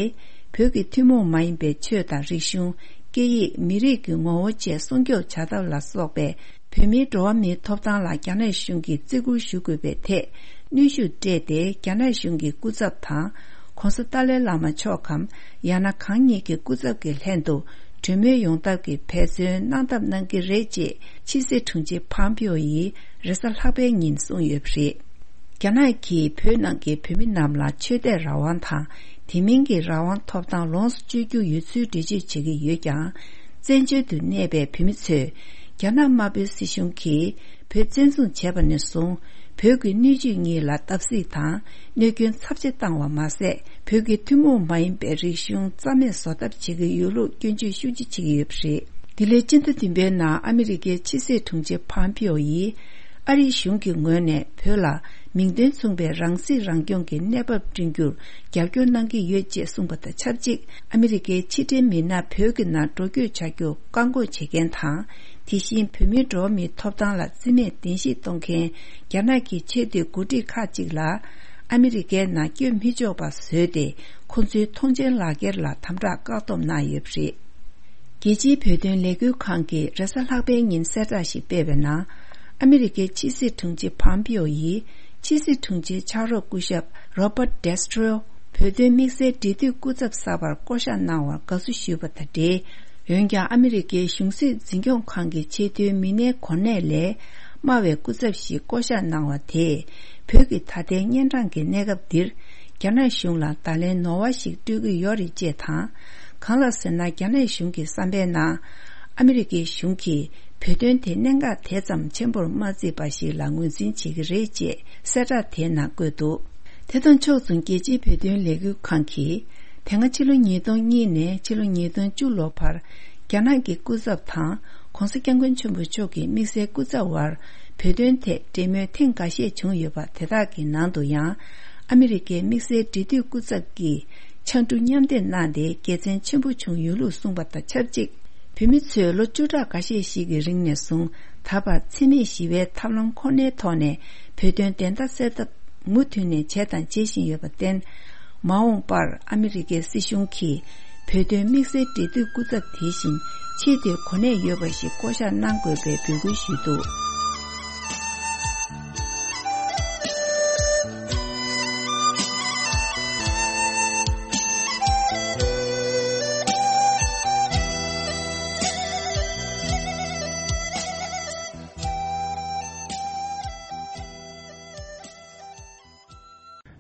བོད་ཀྱི་ཐུན་མོང་མ་ཡིན་པའི་ཆོས་དང་རིག་གཞུང་། སྐད་ཡིག་མི་རིགས་ཀྱི་ངོ་བོ་བཅས་སྲུང་སྐྱོབ་བྱ་ཐབས་ལ་སོགས་པའི་བོད་མིའི་འགྲོ་བ་མིའི་ཐོབ་ཐང་ལ་རྒྱ་ནག་གཞུང་གིས་བརྩི་བཀུར་ཞུ་དགོས་པའི་ཐད་གནོན་ཤུགས་སྤྲད་དེ། རྒྱ་ནག་གཞུང་གི་སྐུ་ཚབ་དང་། ྋགོང་ས་ཏཱ་ལའི་བླ་མ་མཆོག་གམ། ཡང་ན་གང་ཉིད་ཀྱི་སྐུ་ཚབ་ཀྱི་ལྷན་དུ་གྲོས་མོལ་ཡོང་ཐབས་ཀྱི་འབད་བརྩོན་གནང་ཐབས་གནང་གི་རེད་ཅེས་ཕྱི་སྲིད་དྲུང་ཆེ་ཕམ་པིའོ་ཡིས་རེས་གཟའ་ལྷག་པའི་ཉིན་གསུངས་ཡོད་པ་རེད། རྒྱ་ནག་གིས་བོད་ནང་གི་བོད་མི་རྣམས་ལ་ཆོས་དད་རང་དབང་དང་། དེ་མིན་གྱི་རང་དབང་ཐོབ་ཐང་ལོངས་སུ་སྤྱོད་རྒྱུ་ཡོད་ཚུལ་འགྲེལ་བརྗོད་བྱེད་ཀྱི་ཡོད་ཀྱང་། བཙན་བྱོལ་དུ་གནས་པའི་བོད་མི་ཚོས་རྒྱ་ནག་དམར་པོའི་སྲིད་གཞུང་གིས་བོད་བཙན་བཟུང་བྱས་པ་ནས་བཟུང་། བོད་ཀྱི་སྣོད་བཅུད་གཉིས་ལ་བརྡབ་གསིག་དང་གནོད་སྐྱོན་ཚབས་ཆེ་བཏང་བ་མ་ཟད། བོད་ཀྱི་ཐུན་མོང་མ་ཡིན་པའི་རིག་གཞུང་རྩ་མེད་བཟོ་ཐབས་བྱེད་ཀྱི་ཡོད་ལུགས་སྐྱོན་བརྗོད་ཤུགས་ཆེ་བྱེད་ཀྱི་ཡོད་པ་རེད། འདི་ལོའི་སྤྱི་ཟླ་བདུན་པའི་ནང་ཨ་མི་རི་ཀའི་ཕྱི་སྲིད་དྲུང་ཆེ་ཕམ་པིའོ་ཡིས། ཨ་རིའི་གཞུང་གི་ངོས་ནས་བོད་ལ་མིང་དོན་མཚུངས་པའི་རང་སྲིད་རང་སྐྱོང་གི་གནས་བབ་བསྐྲུན་རྒྱུར་རྒྱབ་སྐྱོར་གནང་གི་ཡོད་ཅེས་གསུངས་པ་དང་ཆབས་ཅིག་ཨ་མི་རི་ཀའི་ཕྱི་འབྲེལ་མི་སྣ་བོད་ཀྱི་ནང་འགྲོ་སྐྱོད་བྱ་རྒྱུར་བཀག་འགོག་བྱེད་མཁན་དང་། དེ་བཞིན་བོད་མིའི་འགྲོ་བ་མིའི་ཐོབ་ཐང་ལ་བརྩི་མེད་བདེན་བཞིས་གཏོང་མཁན་རྒྱ་ནག་གི་ཆེས་མཐོའི་འགོ་ཁྲིད་ཁག་ཅིག་ལ། ཨ་མི་རི་ཀའི་ནང་བསྐྱོད་མི་ཆོག་པ་བཟོས་ཏེ། ཁོ་ཚོའི་ཐོངས་མཆན་ལག་འཁྱེར་ལ་དམ་དྲག་བཀག་སྡོམ་གནང་ཡོད་པ་རེད། རྒྱལ་སྤྱིའི་བོད་དོན་ལས་འགུལ་ཁང་གིས་རེས་གཟའ་ལྷག་པའི་ཉིན་གསལ་བསྒྲགས་ཤིག་སྤེལ་བའི་ནང་། ཨ་མི་རི་ཀའི་ཕྱི་སྲིད་དྲུང་ཆེ་ཕམ་པིའོ་ཡིས། ཕྱི་སྲིད་དྲུང་ཆེའི་ཕྱག་རོགས་སྐུ་ཞབས་རོ་པར་ཌེ་སི་ཊྲོ། བོད་དོན་དམིགས་བསལ་འབྲེལ་མཐུད་སྐུ་ཚབ་གསར་པར་བསྐོ་གཞག་གནང་བར་དགའ་བསུ་ཞུས་པ་དང་འབྲེལ། འོན་ཀྱང་ཨ་མི་རི་ཀའི་གཞུང་སྲིད་འཛིན་སྐྱོང་ཁང་གི་ཆེས་མཐོའི་མི་སྣའི་གོ་གནས་ལས་དམའ་བའི་སྐུ་ཚབ་ཞིག་བསྐོ་གཞག་གནང་བ་དེས། བོད་ཀྱི་ད་ལྟའི་གཉན་འཕྲང་གི་གནས་སྐབས་འདིར། རྒྱ་ནག་གཞུང་ལ་བརྡ་ལན་ནོར་བ་ཞིག་སྤྲོད་ཀྱི་ཡོད་རེད་ཅེས་དང་། གང་ལགས་ཟེར་ན། རྒྱ་ནག་གཞུང་གི་བསམ་པའི་ནང་། ཨ་མི་རི་ཀའི་གཞུང་གིས་བོད་དོན་དེ་གནད་འགག་དེ་ཙམ་ཆེན་པོར་མ་བརྩིས་པ་ཞིག་ལ་ངོས་འཛིན་བྱེད་ཀྱི་རེད་ཅེས་གསལ་བསྒྲགས་དེའི་ནང་བཀོད་འདུག་དེ་དང་ཕྱོགས་མཚུངས། རྒྱལ་སྤྱིའི་བོད་དོན་ལས་འགུལ་ཁང་གིས། དེ་སྔ་ཕྱི་ལོ་ཉིས་སྟོང་གཉིས་ནས་ཕྱི་ལོ་ཉིས་སྟོང་བཅུ་ལོ་བར། རྒྱ་ནག་གི་སྐུ་ཚབ་དང་༸གོང་ས་༸སྐྱབས་མགོན་ཆེན་པོ་མཆོག་གི་དམིགས་བསལ་སྐུ་ཚབ་དབར་བོད་དོན་ཐད་འབྲེལ་མོལ་ཐེངས་འགའ་ཤས་བྱུང་ཡོད་པ། དེ་དག་གི་ནང་དུ་ཡང་ཨ་མི་རི་ཀའི་དམིགས་བསལ་འབྲེལ་མཐུད་སྐུ་ཚབ་ཀྱིས་ཕྱར་གྲུ་མཉམ་འདེགས་གནང་སྟེ་དགེ་མཚན་ཆེན་པོ་བྱུང་ཡོད་ལུགས་གསུངས་པ་དང་ཆབས་ཅིག་བོད་མི་ཚོས་ལོ་བཅུ་ཕྲག་འགའ་ཤས་ཤིག་གི་རིང་ནས་བཟུང་ད་བར་འཚེ་མེད་ཞི་བའི་ཐབས་ལམ་ཁོ་ནའི་ཐོག་ནས་བོད་དོན་བདེན་མཐའ་གསལ་ཐབས་མུ་མཐུད་ནས་བྱས་དང་བྱེད་བཞིན་ཡོད་པར་བརྟེན། མ་འོངས་པར་ཨ་མི་རི་ཀའི་སྲིད་གཞུང་གིས་བོད་དོན་དམིགས་བསལ་འབྲེལ་མཐུད་སྐུ་ཚབ་དེ་བཞིན་ཆེས་མཐོའི་གོ་གནས་ཡོད་པ་ཞིག་བསྐོ་གཞག་གནང་དགོས་པའི་འབོད་སྐུལ་ཞུས་འདུག་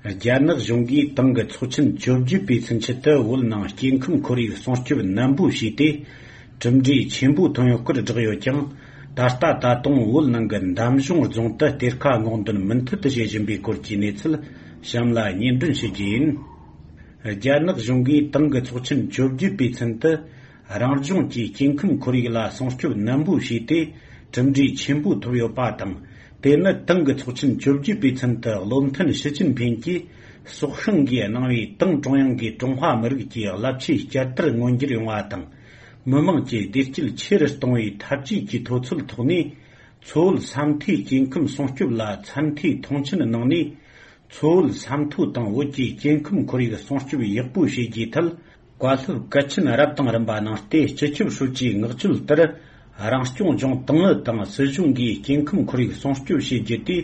རྒྱ་ནག་གཞུང་གིས་ཏང་གི་ཚོགས་ཆེན་བཅོ་བརྒྱད་པའི་ཚུན་ཆད་དུ་བོད་ནང་སྐྱེ་ཁམས་ཁོར་ཡུག་སྲུང་སྐྱོབ་ནན་པོ་བྱས་ཏེ། གྲུབ་འབྲས་ཆེན་པོ་ཐོན་ཡོད་སྐོར་བསྒྲགས་ཡོད་ཀྱང་། ད་ལྟ་ད་དུང་བོད་ནང་གི་འདམ་གཞུང་རྫོང་དུ་གཏེར་ཁ་སྔོག་འདོན་མུ་མཐུད་དུ་བྱེད་བཞིན་པའི་སྐོར་གྱི་གནས་ཚུལ་གཤམ་ལ་སྙན་སྒྲོན་ཞུ་རྒྱུ་ཡིན། རྒྱ་ནག་གཞུང་གིས་ཏང་གི་ཚོགས་ཆེན་བཅོ་བརྒྱད་པའི་ཚུན་དུ། རང་ལྗོངས་ཀྱི་སྐྱེ་ཁམས་ཁོར་ཡུག་ལ་སྲུང་སྐྱོབ་ནན་པོ་བྱས་ཏེ། གྲུབ་འབྲས་ཆེན་པོ་ཐོབ་ཡོད་པ་དང་། དེ་ནི་ཏང་གི་ཚོགས་ཆེན་བཅོ་བརྒྱད་པའི་ཚུན་དུ་བློ་མཐུན་ཞི་ཅིན་ཕིང་གིས་སྲོག་ཤིང་གིས་གནང་བའི་ཏང་ཀྲུང་དབྱང་གིས་ཀྲུང་ཧྭ་མི་རིགས་ཀྱི་རླབས་ཆེའི་བསྐྱར་དར་མངོན་འགྱུར་ཡོང་བ་དང་། མི་དམངས་ཀྱི་བདེ་སྐྱིད་ཆེ་རུ་གཏོང་བའི་འཐབ་ཇུས་ཀྱི་མཐོ་ཚད་ཐོག་ནས། མཚོ་བོད་ས་མཐོའི་སྐྱེ་ཁམས་སྲུང་སྐྱོབ་ལ་ཚད་མཐོའི་མཐོང་ཆེན་གནང་ནས། མཚོ་བོད་ས་མཐོ་དང་བོད་ཀྱི་སྐྱེ་ཁམས་ཁོར་ཡུག་སྲུང་སྐྱོབ་ཡག་པོ་བྱེད་རྒྱུའི་ཐད། བཀའ་སློབ་གལ་ཆེན་རབ་དང་རིམ་པ་གནང་སྟེ། སྤྱི་ཁྱབ་ཧྲུའུ་ཅིའི་མངགས་བཅོལ་ལྟར། རང་སྐྱོང་ལྗོངས་ཏང་ཨུ་དང་སྲིད་གཞུང་གིས་སྐྱེ་ཁམས་ཁོར་ཡུག་སྲུང་སྐྱོབ་བྱེད་རྒྱུ་དེ།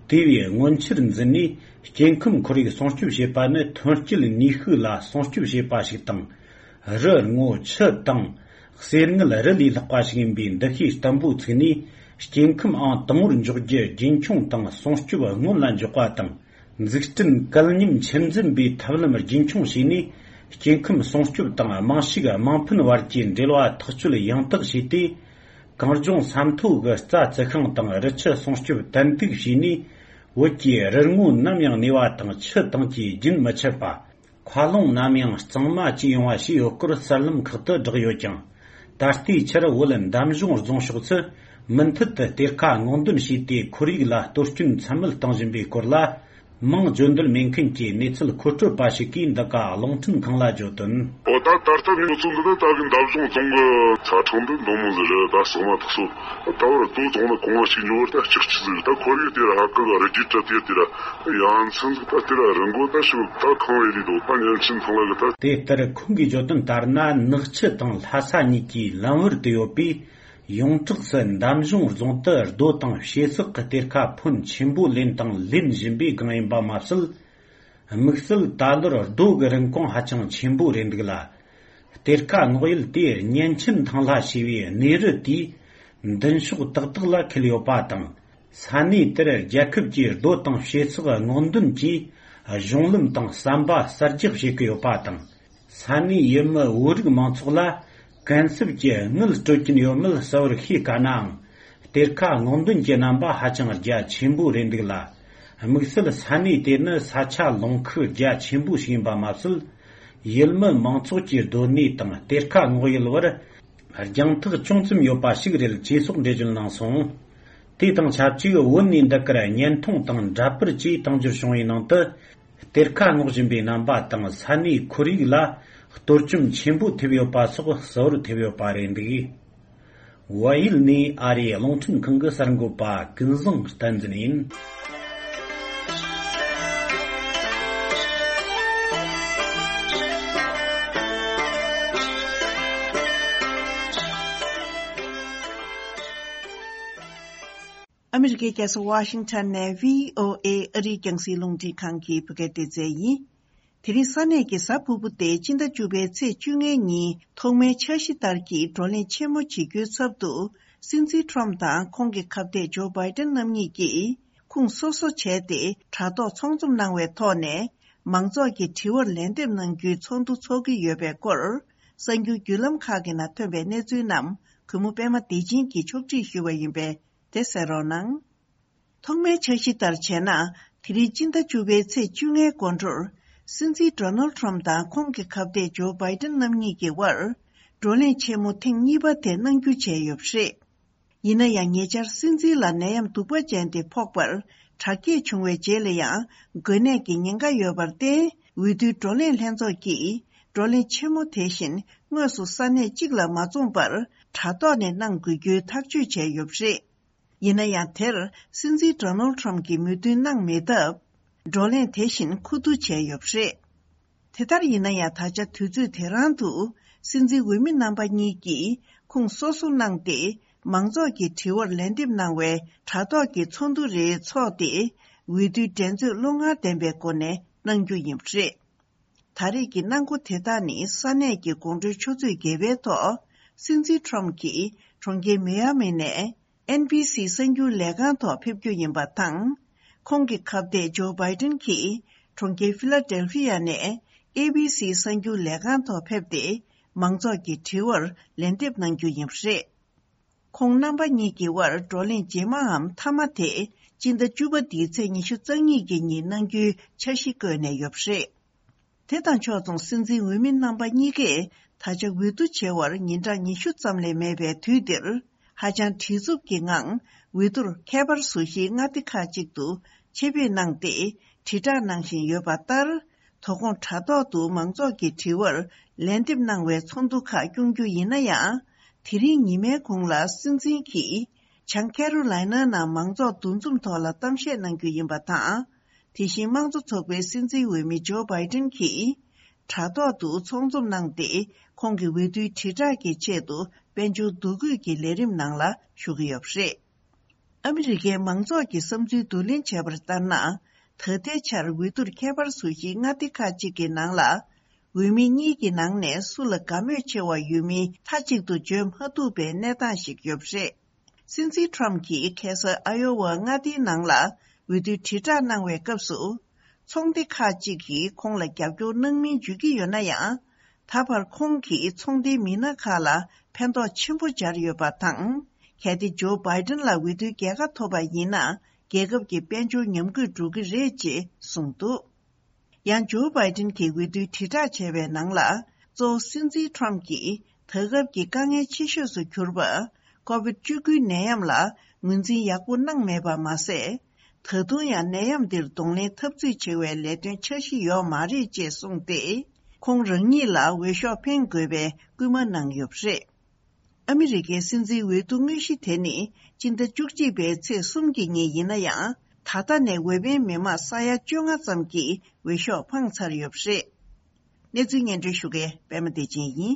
དེ་བས་མངོན་ཆེར་འཛིན་ནས། སྐྱེ་ཁམས་ཁོར་ཡུག་སྲུང་སྐྱོབ་བྱེད་པ་ནི་ཐོན་སྐྱེད་ནུས་ཤུགས་ལ་སྲུང་སྐྱོབ་བྱེད་པ་ཞིག་དང་། རི་སྔོ་ཆུ་དྭངས། གསེར་དངུལ་རི་ལས་ལྷག་པ་ཞིག་ཡིན་པའི་འདུ་ཤེས་བརྟན་པོ་ཚུགས་ནས། སྐྱེ་ཁམས་ཨང་དང་པོར་འཇོག་རྒྱུ་རྒྱུན་འཁྱོངས་དང་སྲུང་སྐྱོབ་སྔོན་ལ་འཇོག་པ་དང་། འཛུགས་སྐྲུན་གལ་མཉམ་ཆུད་འཛིན་པའི་ཐབས་ལམ་རྒྱུན་འཁྱོངས་བྱས་ནས། སྐྱེ་ཁམས་སྲུང་སྐྱོབ་དང་དམངས་ཕྱུག་དམངས་ཕན་བར་གྱི་འབྲེལ་བ་ཐག་གཅོད་ཡང་དག་བྱས་ཏེ། གངས་ལྗོངས་ས་མཐོ་གི་རྩྭ་བཙུགས་ཤིང་དང་རི་ཆུ་སྲུང་སྐྱོབ་ཏན་ཏིག་བྱས་ནས། བོད་ཀྱི་རི་སྔོ་ནམ་ཡང་གནས་པ་དང་། ཆུ་དྭངས་ཀྱིས་རྒྱུན་མི་འཆད་པ། མཁའ་རླུང་ནམ་ཡང་གཙང་མ་བཅས་ཡོང་བ་བྱས་ཡོད་སྐོར་གསར་ལམ་ཁག་ཏུ་བསྒྲགས་ཡོད་ཀྱང་། ད་ལྟའི་ཆར་བོད་འདམ་གཞུང་རྫོང་ཕྱོགས་སུ་མུ་མཐུད་དུ་གཏེར་ཁ་སྔོག་འདོན་བྱས་ཏེ། ཁོར་ཡུག་ལ་གཏོར་སྐྱོན་ཚད་མེད་གཏོང་བཞིན་པའི་སྐོར་ལ། མིང་བརྗོད་འདོད་མེད་མཁན་གྱི་གནས་ཚུལ་མཁོ་སྤྲོད་པ་ཞིག་གིས་འདི་ག་རླུང་འཕྲིན་ཁང་ལ་བརྗོད་དོན། འོ་ད་ད་ལྟ་ནི་ཁོ་ཚོ་འདི་ད་ལྟ་གི་འདམ་གཞུང་རྫོང་གི་ཆ་ཚང་འདི་འདི་མོ་ཟིག་རེད། ད་ཟག་མ་ཐག་སོ་ད་བར་དོ་ཚང་ན་གོང་ཞིག་འཇོག་བར་ད་ལྕགས་ཆུ་ཟིག་ད་ཁོར་ཡུག་དེ་ར་ཧ་ཀ་ག་རི་རྒྱུད་གྲ་དེ་དེ་ར་ཡང་ཚན་ཟིག་ད་དེ་ར་རི་མགོ་ད་ཞིག་ད་ཁང་བའི་རི་དོ་ད་ཉན་ཆིན་ཐང་ལ་གི་ད། དེ་ལྟར་ཁོང་གིས་བརྗོད་དོན་ལྟར་ན། ནག་ཆུ་དང་ལྷ་ས་གཉིས་ཀྱི་ལམ་བར་དུ་ཡོད་པའི་ཡོངས་གྲགས་སུ་འདམ་གཞུང་རྫོང་དུ་རྡོ་དང་བྱེ་ཟག་གི་གཏེར་ཁ་ཕོན་ཆེན་པོ་ལེན་དང་ལེན་བཞིན་པའི་སྒང་ཡིན་པ་མ་ཟད། དམིགས་བསལ་ད་ལོར་རྡོ་གི་རིན་གོང་ཧ་ཅང་ཆེན་པོ་རེད་འདུག་ལ། གཏེར་ཁ་སྔོག་ཡུལ་དེ་ཉན་ཆིན་ཐང་ལྷ་ཞེས་པའི་གནས་རི་དེའི་མདུན་ཕྱོགས་ཏག་ཏག་ལ་འཁེལ་ཡོད་པ་དང་། ས་གནས་དེར་རྒྱལ་ཁབ་ཀྱི་རྡོ་དང་བྱེ་ཟག་སྔོག་འདོན་གྱི་གཞུང་ལམ་དང་ཟམ་པ་གསར་རྒྱག་བྱེད་ཀྱི་ཡོད་པ་དང་། ས་གནས་ཡུལ་མི་བོད་རིགས་མང་ཚོགས་ལ་གུན་གསབ་ཀྱི་དངུལ་སྤྲོད་ཀྱིན་ཡོད་མེད་གསལ་བོར་ཤེས་དཀའ་ནའང་། གཏེར་ཁ་སྔོག་འདོན་གྱི་རྣམ་པ་ཧ་ཅང་རྒྱ་ཆེན་པོ་རེད་འདུག་ལ། དམིགས་བསལ་ས་གནས་དེ་ནི་ས་ཆ་ལུང་ཁུག་རྒྱ་ཆེན་པོ་ཞིག་ཡིན་པ་མ་ཟད། ཡུལ་མི་མང་ཚོགས་ཀྱི་སྡོད་གནས་དང་གཏེར་ཁ་སྔོག་ཡུལ་བར་རྒྱང་ཐག་ཅུང་ཙམ་ཡོད་པ་ཞིག་རེད་ཅེས་སོགས་འགྲེལ་བརྗོད་གནང་སོང་། དེ་དང་ཆབས་ཅིག་བོད་ནས་འདི་གར་བརྙན་ཐུང་དང་འདྲ་པར་བཅས་བཏང་འབྱོར་བྱུང་བའི་ནང་དུ། གཏེར་ཁ་སྔོག་བཞིན་པའི་རྣམ་པ་དང་ས་གནས་ཁོར་ཡུག་ལ་གཏོར་བཅོམ་ཆེན་པོ་ཐེབས་ཡོད་པ་སོགས་གསལ་བོར་ཐེབས་ཡོད་པ་རེད་འདུག། ཝཱ་ཡུལ་ནས་ཨ་རིའི་རླུང་འཕྲིན་ཁང་གི་གསར་འགོད་པ་ཀུན་བཟང་བསྟན་འཛིན་ཡིན། ཨ་མི་རི་ཀའི་རྒྱལ་ས་ཝ་ཤིང་ཊོན་ནས་བྷི་ཨོ་ཨེ་ཨ་རིའི་རྒྱང་སྲིང་རླུང་འཕྲིན་ཁང་གི་བོད་སྐད་སྡེ་ཚན་ཡིན། དེ་རིང་ས་གནས་ཀྱི་གཟའ་ཕུར་བུ་སྟེ་སྤྱི་ཟླ་བཅུ་པའི་ཚེས་བཅོ་ལྔའི་ཉིན་ཐོག་མའི་འཆར་གཞི་ལྟར་གྱི་བགྲོ་གླེང་ཆེན་མོ་བྱེད་རྒྱུའི་ཚབ་ཏུ། སྲིད་འཛིན་ཊམ་དང་ཁོང་གི་ཁ་གཏད་ཇོ་བྷའི་ཏན་རྣམ་གཉིས་ཀྱིས་ཁུངས་སོ་སོ་བྱས་ཏེ་དྲ་ཐོག་ཚོགས་འཛོམས་གནང་བའི་ཐོག་ནས། མང་ཚོགས་ཀྱི་དྲི་བར་ལན་འདེབས་གནང་རྒྱུའི་ཚོགས་འདུ་འཚོགས་ཀྱི་ཡོད་པའི་སྐོར། གསར་འགྱུར་བརྒྱུད་ལམ་ཁག་གི་ནང་ཐོན་པའི་གནས་ཚུལ་རྣམས་གུས་མོ་པད་མ་བདེ་ཆེན་གྱིས་ཕྱོགས་སྒྲིག་ཞུས་པ་ཡིན་པས། དེ་གསན་རོགས་གནང་། ཐོག་མའི་འཆར་གཞི་ལྟར་བྱས་ན། དེ་རིང་སྤྱི་ཟླ་བཅུ་པའི་ཚེས་བཅོ་ལྔའི་འགོར་འགྲོར། སྲིད་འཛིན་ཌོ་ནལ་ཊམ་དང་ཁོང་གི་ཁ་གཏད་ཇོ་བྷའི་ཏིན་རྣམ་གཉིས་ཀྱི་དབར་བགྲོ་གླེང་ཆེན་མོ་ཐེངས་གཉིས་པ་དེ་གནང་རྒྱུ་བྱས་ཡོད་པ་རེད། ཡིན་ན་ཡང་ཉེ་ཆར་སྲིད་འཛིན་ལ་ནད་ཡམས་གདུག་པ་ཅན་དེ་ཕོག་པར་དྲག་སྐྱེད་བྱུང་བའི་རྗེས་ལ་ཡང་འགོས་ནད་ཀྱི་ཉེན་ཁ་ཡོད་པར་བརྟེན། འོས་བསྡུའི་བགྲོ་གླེང་ལྷན་ཚོགས་ཀྱིས་བགྲོ་གླེང་ཆེན་མོ་དེ་བཞིན་དངོས་སུ་ས་གནས་གཅིག་ལ་མ་འཛོམས་པར་དྲ་ཐོག་ནས་གནང་དགོས་རྒྱུའི་ཐག་གཅོད་བྱས་ཡོད་པ་རེད། ཡིན་ན་ཡང་དེར་སྲིད་འཛིན་ཌོ་ནལ་ཊམ་གྱིས་མོས་མཐུན་གནང་མེད་སྟབས། བགྲོ་གླེང་དེ་བཞིན་ཁུ་བསྡུ་བྱས་ཡོད་པ་རེད། དེ་ལྟར་ཡིན་ན་ཡང་ད་ཆ་དུས་ཚོད་དེ་རང་དུ་སྲིད་འཛིན་འོས་མི་རྣམ་པ་གཉིས་ཀྱིས་ཁུངས་སོ་སོ་གནང་སྟེ་མང་ཚོགས་ཀྱི་དྲི་བར་ལན་འདེབས་གནང་བའི་དྲ་ཐོག་གི་ཚོགས་འདུ་རེ་འཚོགས་ཏེ་འོས་བསྡུའི་འགྲན་རྩོད་བློ་ངར་ལྡན་པའི་སྒོ་ནས་གནང་རྒྱུ་ཡིན་པ་རེད། ད་རེས་ཀྱི་གནང་སྒོ་དེ་དག་ནི་ས་གནས་ཀྱི་དགོང་དྲོའི་ཆུ་ཚོད་བརྒྱད་པའི་ཐོག་སྲིད་འཛིན་ཊམ་གྱིས་གྲོང་ཁྱེར་མི་ཡ་མི་ནས་ཨེན་བྷི་སི་གསར་འགྱུར་ལས་ཁང་ཐོག་ཕེབས་རྒྱུ་ཡིན་པ་དང་། ཁོང་གི་ཁ་གཏད་ཇོ་བྷའི་ཏིན་གྱིས་གྲོང་ཁྱེར་ཕི་ལ་ཌེལ་ཕི་ཡ་ནས་ཨེ་བྷི་སི་གསར་འགྱུར་ལས་ཁང་ཐོག་ཕེབས་ཏེ་མང་ཚོགས་ཀྱི་དྲི་བར་ལན་འདེབས་གནང་རྒྱུ་ཡིན་པ་རེད། ཁོང་རྣམ་པ་གཉིས་ཀྱི་དབར་བགྲོ་གླེང་རྗེས་མའམ་མཐའ་མ་དེ་སྤྱི་ཟླ་བཅུ་པ་འདིའི་ཚེས་ཉི་ཤུ་རྩ་གཉིས་ཀྱི་ཉིན་གནང་རྒྱུའི་འཆར་གཞི་བཀོད་ནས་ཡོད་པ་རེད། དེ་དང་ཕྱོགས་མཚུངས་སྲིད་འཛིན་འོས་མི་རྣམ་པ་གཉིས་ཀས་ད་ཆ་འོས་བསྡུ་བྱེད་པར་ཉིན་གྲངས་ཉི་ཤུ་ཙམ་ལས་མེད་པའི་དུས་འདིར། ཧ་ཅང་བྲེལ་འཚུབ་ཀྱི་ངང་འོས་བསྡུར་ཁྱད་པར་བཟོ་གཞིའི་མངའ་སྡེ་ཁག་ཅིག་ཏུ་ཆེད་ཕེབས་གནང་སྟེ་དྲིལ་བསྒྲགས་གནང་བཞིན་ཡོད་པ་ལྟར། དོ་དགོང་དྲ་ཐོག་ཏུ་མང་ཚོགས་ཀྱི་དྲི་བར་ལན་འདེབས་གནང་བའི་ཚོགས་འདུ་ཁག་སྐྱོང་རྒྱུ་ཡིན་ན་ཡང་། དེ་རིང་ཉི་མའི་གུང་ལ་སྲིད་འཛིན་གྱིས་བྱང་ཁེ་རོ་ལའི་ན་ནང་མང་ཚོགས་འདུ་འཛོམས་ཐོག་ལ་གཏམ་བཤད་གནང་རྒྱུ་ཡིན་པ་དང་། དེ་བཞིན་དམངས་གཙོ་ཚོགས་པའི་སྲིད་འཛིན་འོས་མི་ཇོ་བྷའི་ཏིན་གྱིས་དྲ་ཐོག་ཏུ་ཚོགས་འཛོམས་གནང་སྟེ་ཁོང་གི་འོས་བསྡུའི་དྲིལ་བསྒྲགས་ཀྱི་ཆེད་དུ་དཔལ་འབྱོར་འདུ་འགོད་ཀྱི་ལས་རིམ་ནང་ལ་ཞུགས་ཀྱི་ཡོད་པ་རེད། ཨ་མི་རི་ཀའི་མང་ཚོགས་ཀྱི་བསམ་ཚུལ་བསྡུ་ལེན་བྱས་པར་ལྟར་ན། ད་ལྟའི་ཆར་འོས་བསྡུར་ཁྱད་པར་བཟོ་གཞིའི་མངའ་སྡེ་ཁག་ཅིག་གི་ནང་ལ། འོས་མི་གཉིས་ཀྱི་ནང་ནས་སུ་ལ་དགའ་མོས་ཆེ་བ་ཡོད་མིན་མཐའ་གཅིག་ཏུ་བརྗོད་མ་ཐུབ་པའི་གནས་སྟངས་ཤིག་ཡོད་པ་རེད། སྲིད་འཛིན་ཊམ་གྱིས་ཁ་སང་ཨ་ཡོ་ཝ་མངའ་སྡེའི་ནང་ལ་འོས་བསྡུའི་དྲིལ་བསྒྲགས་གནང་བའི་སྐབས་སུ། ཚོང་སྡེ་ཁག་ཅིག་གིས་ཁོང་ལ་རྒྱབ་སྐྱོར་གནང་མིན་བརྗོད་ཀྱི་ཡོད་ན་ཡང་། ད་བར་ཁོང་གིས་ཚོང་སྡེའི་མི་སྣ་ཁག་ལ་ཕན་ཐོགས་ཆེན་པོ་སྦྱར་ཡོད་པ་དང་། གལ་ཏེ་ཇོ་བྷའི་ཏིན་ལ་འོས་བསྡུའི་རྒྱལ་ཁ་ཐོབ་པ་ཡིན་ན། རྒྱལ་ཁབ་ཀྱི་དཔལ་འབྱོར་ཉམས་རྒུད་འགྲོ་གི་རེད་ཅེས་གསུངས་འདུག་ཡང་ཇོ་བྷའི་ཏིན་གྱིས་འོས་བསྡུའི་དྲིལ་བསྒྲགས་བྱས་པའི་ནང་ལ། གཙོ་བོ་སྲིད་འཛིན་ཊམ་གྱིས་ད་སྐབས་ཀྱི་དཀའ་ངལ་ཆེ་ཤོས་སུ་གྱུར་པ། ཀོ་བིད་བཅུ་དགུའི་ནད་ཡམས་ལ་ངོས་འཛིན་ཡག་པོ་གནང་མེད་པ་མ་ཟད། ད་དུང་ཡང་ནད་ཡམས་འདིར་གདོང་ལེན་འཐབ་རྩོད་བྱེད་པའི་ལས་དོན་འཆར་གཞི་ཡོད་མ་རེད་ཅེས་གསུངས་ཏེ། ཁོང་རང་ཉིད་ལ་འོས་ཤོག་འཕེན་དགོས་པའི་སྐུལ་མ་གནང་ཡོད་པ་རེད། ཨ་མི་རི་ཀའི་སྲིད་འཛིན་འོས་བསྡུ་དངོས་གཞི་དེ་ནི་སྤྱི་ཟླ་བཅུ་གཅིག་པའི་ཚེས་གསུམ་གྱི་ཉིན་ཡིན་ན་ཡང་། ད་ལྟ་ནས་འོས་འཕེན་མི་མང་ས་ཡ་བཅོ་ལྔ་ཙམ་གྱིས་འོས་ཤོག་འཕངས་ཚར་ཡོད་པ་རེད། གནས་ཚུལ་སྙན་སྒྲོན་ཞུ་མཁན་པད་མ་བདེ་ཆེན་ཡིན།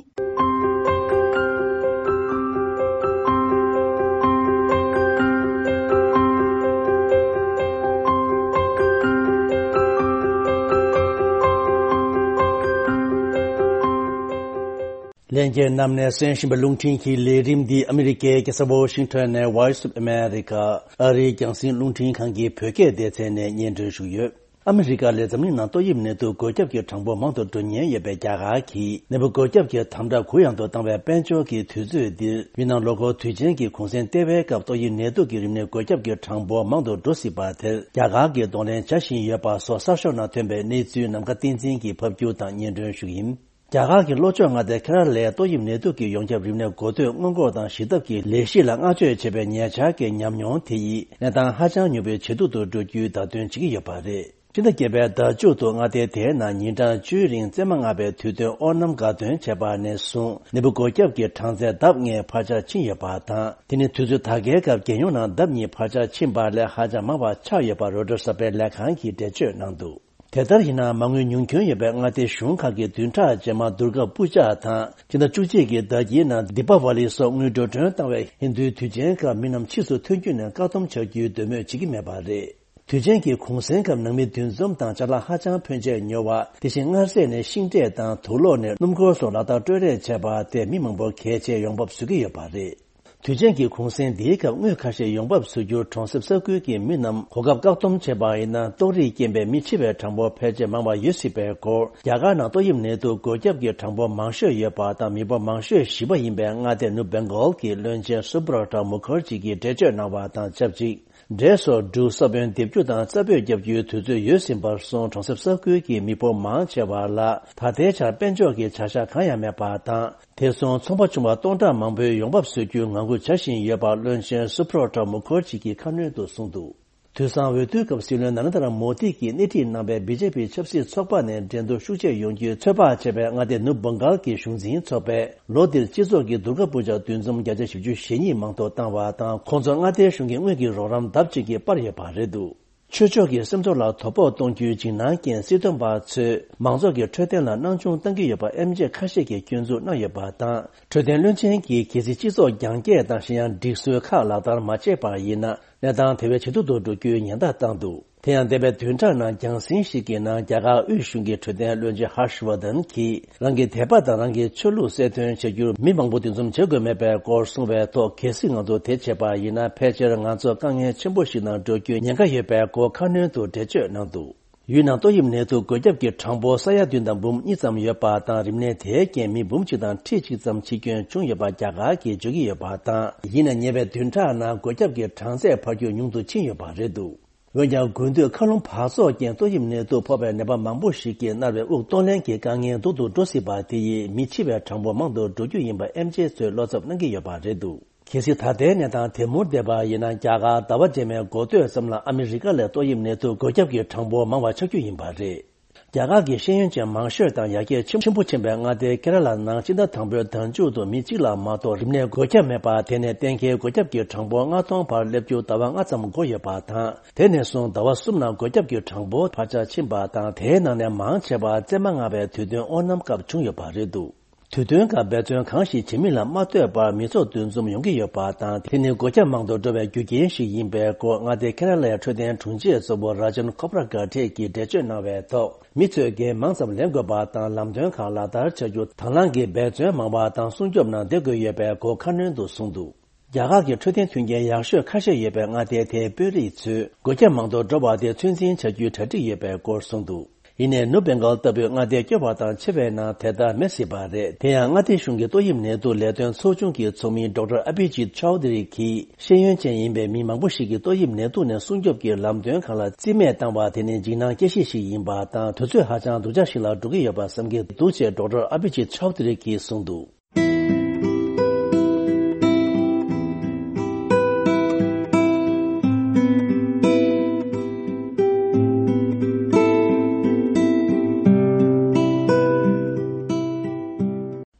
ལྷན་རྒྱས་རྣམས་ནས་གསན་བཞིན་པའི་རླུང་འཕྲིན་གྱི་ལས་རིམ་འདི་ཨ་མི་རི་ཀའི་རྒྱལ་ས་ཝོ་ཤིང་ཊོན་ནས་Voice of America ཨ་རིའི་རྒྱང་སྲིང་རླུང་འཕྲིན་ཁང་གི་བོད་སྐད་སྡེ་ཚན་ནས་སྙན་སྒྲོན་ཞུས་ཡོད། ཨ་མི་རི་ཀ་ལས་འཛམ་གླིང་ནང་ཏོག་དབྱིབས་ནད་དུག་འགོས་ཁྱབ་ཀྱི་གྲངས་འབོར་མང་དུ་འགྲོ་ཉེན་ཡོད་པའི་རྒྱ་གར་གྱིས་ནད་འབུ་འགོས་ཁྱབ་ཀྱི་དམ་དྲག་གུ་ཡངས་དུ་བཏང་བའི་དཔལ་འབྱོར་གྱི་དུས་ཚོད་འདིར། མི་རྣམས་ལོ་འཁོར་དུས་ཆེན་གྱི་གུང་སེང་སྟེར་བའི་སྐབས་ཏོག་དབྱིབས་ནད་དུག་གི་རིམས་ནད་འགོས་ཁྱབ་ཀྱི་གྲངས་འབོར་མང་དུ་འགྲོ་སྲིད་པ་དེར་རྒྱ་གར་གྱིས་གདོང་ལེན་བྱ་བཞིན་ཡོད་པ་སོགས་གསར་ཤོག་ནང་ཐོན་པའི་གནས་ཚུལ་ནམ་མཁའ་བསྟན་འཛིན་གྱིས་ཕབ་སྒྱུར་དང་སྙན་སྒྲོན་ཞུ་གི་ཡིན། རྒྱ་གར་གྱི་ལྷོ་ཕྱོགས་མངའ་སྡེ་ཁེ་ར་ལའི་ཏོག་དབྱིབས་ནད་དུག་གི་ཡོངས་ཁྱབ་རིམས་ནད་འགོ་ཐོས་སྔོན་འགོག་དང་ཞི་ཐབས་ཀྱི་ལས་གཞི་ལ་བསྔགས་བརྗོད་བྱེད་པའི་ཉེ་ཆར་གྱི་ཉམས་མྱོང་དེ་ཡིས་གནས་སྟངས་ཧ་ཅང་མྱུར་པོའི་ཇེ་སྡུག་ཏུ་འགྲོ་རྒྱུའི་བརྡ་སྟོན་བྱེད་ཀྱི་ཡོད་པ་རེད། སྤྱི་ཟླ་བརྒྱད་པའི་ཟླ་མཇུག་ཏུ་མངའ་སྡེ་དེའི་ནང་ཉིན་གྲངས་བཅུའི་རིང་བཙས་མ་མངའ་བའི་དུས་སྟོན་ཨོ་ནམ་དགའ་སྟོན་བྱས་པ་ནས་བཟུང་ནད་འབུ་འགོས་ཁྱབ་ཀྱི་གྲངས་ཚད་ལྡབ་ལྔས་འཕར་ཆག་ཕྱིན་ཡོད་པ་དང་། དེ་ནི་དུས་ཚོད་ད་གའི་སྐབས་རྒྱལ་ཡོངས་ནང་ལྡབ་གཉིས་འཕར་ཆག་ཕྱིན་པ་ལས་ཧ་ཅང་མང་བ་ཆགས་ཡོད་པ་རོའི་ཊར་གསར་པའི་ལས་ཁང་གིས་འགྲེལ་བརྗོད་གནང་འདུག་དེ་ལྟར་ཡིན་ན་མ་དངུལ་ཉུང་སྐྱོན་ཡོད་པའི་མངའ་སྡེ་གཞུང་ཁག་གི་བདུན་ཕྲག་རྗེས་མ་དུར་ཁ་པུ་ཅག་དང་སྤྱི་ཟླ་བཅུ་གཅིག་གི་ཟླ་དཀྱིལ་ནང་དི་པ་ཝ་ལི་སོགས་དངུལ་འགྲོ་གྲོན་བཏང་བའི་ཧིན་རྡུའི་དུས་ཆེན་སྐབས་མི་རྣམས་ཕྱིས་སུ་ཐོན་རྒྱུ་ནས་བཀག་སྡོམ་བྱ་རྒྱུའི་འདོད་མོས་བྱེད་ཀྱི་མེད་པ་རེད། དུས་ཆེན་གྱི་གུང་སེང་སྐབས་ནང་མི་འདུ་འཛོམས་དང་ཅ་ལག་ཧ་ཅང་ཕོན་ཆེ་ཉོ་བ། དེ་བཞིན་མངར་ཟས་ནས་ཤིང་འབྲས་དང་དུག་ལོག་ནས་སྣུམ་འཁོར་སོགས་ལག་བསྟར་སྤྲོད་རེས་བྱས་པ་དེས་མི་མང་པོར་གལ་ཆེའི་ཡོང་འབབ་བཟོ་གི་ཡོད་པ་རེད། དུས་ཆེན་གྱི་གུང་སེང་འདིའི་སྐབས་དངུལ་ཁ་ཤས་ཡོང་འབབ་བཟོ་རྒྱུར་གྲོང་གསེབ་ས་ཁུལ་གྱི་མི་རྣམས་གོ་སྐབས་བཀག་སྡོམ་བྱས་པ་ཡིན་ན་ཏོག་དབྱིབས་རྐྱེན་པས་མི་འཆི་བའི་གྲངས་འབོར་ཕལ་ཆེར་མང་བ་ཡོད་སྲིད་པའི་སྐོར། རྒྱ་གར་ནང་ཏོག་དབྱིབས་ནད་དུག་འགོས་ཁྱབ་ཀྱི་གྲངས་འབོར་མང་ཤོས་ཡོད་པ་དང་མི་འབོར་མང་ཤོས་བཞི་པ་ཡིན་པའི་མངའ་སྡེ་ནུབ་བེང་གོལ་གྱི་བློན་ཆེན་སུབ་ར་ཊ་མུ་ཁར་ཇི་གིས་འགྲེལ་བརྗོད་གནང་བ་དང་ཆབས་ཅིག་འབྲས་སོགས་འབྲུ་ས་བོན་འདེབས་རྒྱུ་དང་རྩྭ་སྤོས་བརྒྱབ་རྒྱུའི་དུས་ཚོད་ཡོལ་ཟིན་པར་སོང་། གྲོང་གསེབ་ས་ཁུལ་གྱི་མི་འབོར་མང་ཆེ་བ་ལ་ད་ལྟའི་ཆར་དཔལ་འབྱོར་གྱི་བྱ་གཞག་གང་ཡང་མེད་པ་དང་། དེ་སོང་ཚོང་པ་ཆུང་བ་སྟོང་ཕྲག་མང་པོའི་ཡོང་འབབ་བཟོ་རྒྱུའི་ངང་སྒུག་བྱ་བཞིན་ཡོད་པ་བློན་ཆེན་སུ་བྷྲོ་ཊ་མུ་ཁར་ཇི་གིས་ཁ་སྣོན་དུ་གསུངས་འདུག་དུས་བཟང་འོས་བསྡུའི་སྐབས་སྲིད་བློན་ན་རེན་དྲ་མོ་དི་གིས་སྣེ་ཁྲིད་གནང་བའི་བི་ཇེ་པི་ཆབ་སྲིད་ཚོགས་པ་ནས་འགྲན་བསྡུར་ཤུགས་ཆེ་ཡོང་རྒྱུའི་ཚོད་དཔག་བྱས་པའི་མངའ་སྡེ་ནུབ་བྷང་གལ་གྱི་གཞུང་འཛིན་ཚོགས་པས་ལོ་འདིར་སྤྱི་ཚོགས་ཀྱི་སྡུར་དཀའ་སྤུས་ཆ་འདུ་འཛོམས་བརྒྱ་ཆ་བཞི་བཅུ་ཞེ་གཉིས་མང་དུ་བཏང་བ་དང་། ཁོང་ཚོར་མངའ་སྡེའི་གཞུང་གིས་དངུལ་གྱི་རོགས་རམ་ལྡབ་གཅིག་གིས་སྤར་ཡོད་པ་རེད་འདུག་ཆོས་ཕྱོགས་ཀྱི་སེམས་ཚོར་ལ་དོ་ཕོག་གཏོང་རྒྱུའི་འཇིགས་སྣང་རྐྱེན་སྲིད་དོན་པ་ཚོས་མང་ཚོགས་ཀྱི་འཕྲོད་བསྟེན་ལ་སྣང་ཆུང་གཏང་གི་ཡོད་པ་ཨེམ་ཆི་ཁ་ཤས་ཀྱིས་སྐྱོན་འཛུགས་གནང་ཡོད་པ་དང་། འཕྲོད་བསྟེན་བློན་ཆེན་གྱིས་གལ་སྲིད་སྤྱི་ཚོགས་རྒྱང་བཀྱེད་དང་གཞན་ཡང་སྒྲིག་སྲོལ་ཁག་ལག་བསྟར་མ་བྱས་པ་ཡིན་ན། གནས་སྟངས་དེ་བས་ཇེ་སྡུག་ཏུ་འགྲོ་རྒྱུའི་ཉེན་བརྡ་བཏང་འདུག་དེ་ཡང་འདས་པའི་བདུན་ཕྲག་ནང་རྒྱང་སྲིང་ཞིག་གི་ནང་རྒྱ་གར་དབུས་གཞུང་གི་འཕྲོད་བསྟེན་བློན་ཆེན་ཧར་ཤ་ཝར་དན་གྱིས་རང་གི་དད་པ་དང་རང་གི་ཆོས་ལུགས་གསལ་སྟོན་བྱ་རྒྱུར་མི་མང་པོ་འདུ་འཛོམས་བྱེད་དགོས་མེད་པའི་སྐོར་གསུངས་པའི་ཐོག་གལ་སྲིད་ང་ཚོ་དེ་བྱས་པ་ཡིན་ན་ཕལ་ཆེར་ང་ཚོ་དཀའ་ངལ་ཆེན་པོ་ཞིག་ནང་འགྲོ་རྒྱུའི་ཉེན་ཁ་ཡོད་པའི་སྐོར་ཁ་སྣོན་དུ་འགྲེལ་བརྗོད་གནང་འདུག་ཡུལ་ནང་ཏོག་དབྱིབས་ནད་དུག་འགོས་ཁྱབ་ཀྱི་གྲངས་འབོར་ས་ཡ་བདུན་དང་འབུམ་གཉིས་ཙམ་ཡོད་པ་དང་། རིམས་ནད་དེའི་རྐྱེན་མི་འབུམ་གཅིག་དང་ཁྲི་གཅིག་ཙམ་འཆི་སྐྱོན་བྱུང་ཡོད་པ་རྒྱ་གར་གྱིས་བརྗོད་ཀྱི་ཡོད་པ་དང་། ཡིན་ན་ཉེ་བའི་བདུན་ཕྲག་ནང་འགོས་ཁྱབ་ཀྱི་གྲངས་ཚད་འཕར་རྒྱུ་ཉུང་དུ་ཕྱིན་ཡོད་པ་རེད་འདུག་འོན་ཀྱང་། དགུན་དུས་མཁའ་རླུང་འབག་བཙོག་རྐྱེན་ཏོག་དབྱིབས་ནད་དུག་ཕོག་པའི་ནད་པ་མང་པོ་ཞིག་གིས་མནར་བའི་དབུགས་གཏོང་ལེན་གྱི་དཀའ་ངལ་སྡུག་ཏུ་འགྲོ་སྲིད་པ་དེ་ཡིས་མི་འཆི་བའི་གྲངས་འབོར་མང་དུ་འགྲོ་རྒྱུ་ཡིན་པ་ཨེམ་ཆིའི་ཚོས་བློ་འཚབ་གནང་གི་ཡོད་པ་རེད་འདུག་གལ་སྲིད་ད་ལྟའི་གནས་སྟངས་དེ་མུར་བསྡད་པ་ཡིན་ན། རྒྱ་གར་ཟླ་བ་རྗེས་མའི་འགོ་སྟོད་ཙམ་ལ་ཨ་མི་རི་ཀ་ལས་ཏོག་དབྱིབས་ནད་དུག་འགོས་ཁྱབ་ཀྱི་གྲངས་འབོར་མང་བ་ཆགས་རྒྱུ་ཡིན་པ་རེད། རྒྱ་གར་གྱི་ཤེས་ཡོན་ཅན་མང་ཤོས་དང་ཡར་རྒྱས་ཆེན་པོ་ཕྱིན་པའི་མངའ་སྡེ་ཁེ་ར་ལ་ནང་སྤྱི་ཟླ་དང་པོའི་ཟླ་མཇུག་ཏུ་མི་གཅིག་ལ་མ་གཏོགས་རིམས་ནད་འགོས་ཁྱབ་མེད་པ། དེ་ནས་གཏན་འཁེལ་འགོས་ཁྱབ་ཀྱི་གྲངས་འབོར་ལྔ་སྟོང་བར་སླེབས་རྒྱུ་ཟླ་བ་ལྔ་ཙམ་འགོར་ཡོད་པ་དང་། དེ་ནས་བཟུང་ཟླ་བ་གསུམ་ནང་འགོས་ཁྱབ་ཀྱི་གྲངས་འབོར་བར་ཆད་ཕྱིན་པ་དང་། དེའི་ནང་ནས་མང་ཆེ་བ་བཙས་མ་མངའ་བའི་དུས་སྟོན་དབོ་ནམ་སྐབས་བྱུང་ཡོད་པ་རེད་འདུག་དུས་སྟོན་སྐབས་འབད་བརྩོན་གང་ཞིག་བྱེད་མིན་ལ་མ་ལྟོས་པར་མི་ཚོགས་འདུ་འཛོམས་ཡོང་གི་ཡོད་པ་དང་། དེ་ནི་འགོས་ཁྱབ་མང་དུ་འགྲོ་བའི་རྒྱུ་རྐྱེན་ཞིག་ཡིན་པའི་སྐོར་མངའ་སྡེ་ཁེ་ར་ལའི་འཕྲོད་བསྟེན་དྲུང་ཆེ་གཙོ་བོ་ར་ཇན་ཁོབ་ར་གྷ་ཊེ་གིས་འགྲེལ་བརྗོད་གནང་བའི་ཐོག་མི་ཚོས་འགན་མང་ཙམ་ལེན་དགོས་པ་དང་། ལམ་སྟོན་ཁག་ལག་བསྟར་བྱ་རྒྱུ་དང་བླངས་ཀྱིས་འབད་བརྩོན་མང་བ་དང་སྲུང་སྐྱོབ་ནང་བསྡད་དགོས་ཡོད་པའི་སྐོར་ཁ་སྣོན་དུ་གསུངས་འདུག་རྒྱ་གར་གྱི་འཕྲོད་བསྟེན་མཐུན་རྐྱེན་ཡག་ཤོས་ཁ་ཤས་ཡོད་པའི་མངའ་སྡེ་དེའི་དཔོན་རིགས་ཚོས་འགོས་ཁྱབ་མང་དུ་འགྲོ་བ་དེ་ཚོད་འཛིན་བྱ་རྒྱུའི་གྲ་སྒྲིག་ཡོད་པའི་སྐོར་གསུངས་འདུག་ཡིན་ནའི་ནུབ་བྷེང་གལ་ལྟ་བུའི་མངའ་སྡེ་སྐྱོ་བ་དང་ཆེ་བའི་ནང་དེ་ལྟར་མེད་སྲིད་པ་རེད། དེ་ཡང་མངའ་སྡེ་གཞུང་གི་ཏོག་དབྱིབས་ནད་དུག་ལས་དོན་ཚོགས་ཆུང་གི་ཚོགས་མི་ཌོག་ཊར་ཨ་བྷི་ཇིད་ཆའོ་དྷི་རི་གིས་ཤེས་ཡོན་ཅན་ཡིན་པའི་མི་མང་པོ་ཞིག་གིས་ཏོག་དབྱིབས་ནད་དུག་ནས་སྲུང་སྐྱོབ་ཀྱི་ལམ་སྟོན་ཁག་ལ་རྩིས་མེད་བཏང་བ་དེ་ནི་འཇིགས་སྣང་སྐྱེ་གཞི་ཞིག་ཡིན་པ་དང་། དུས་ཚོད་ཧ་ཅང་སྡུག་ཅག་ཞིག་ལ་འགྲོ་གི་ཡོད་པ་བསམ་གྱི་འདུག་ཅེས་ཌོག་ཊར་ཨ་བྷི་ཇིད་ཆའོ་དྷི་རི་གིས་གསུངས་འདུག་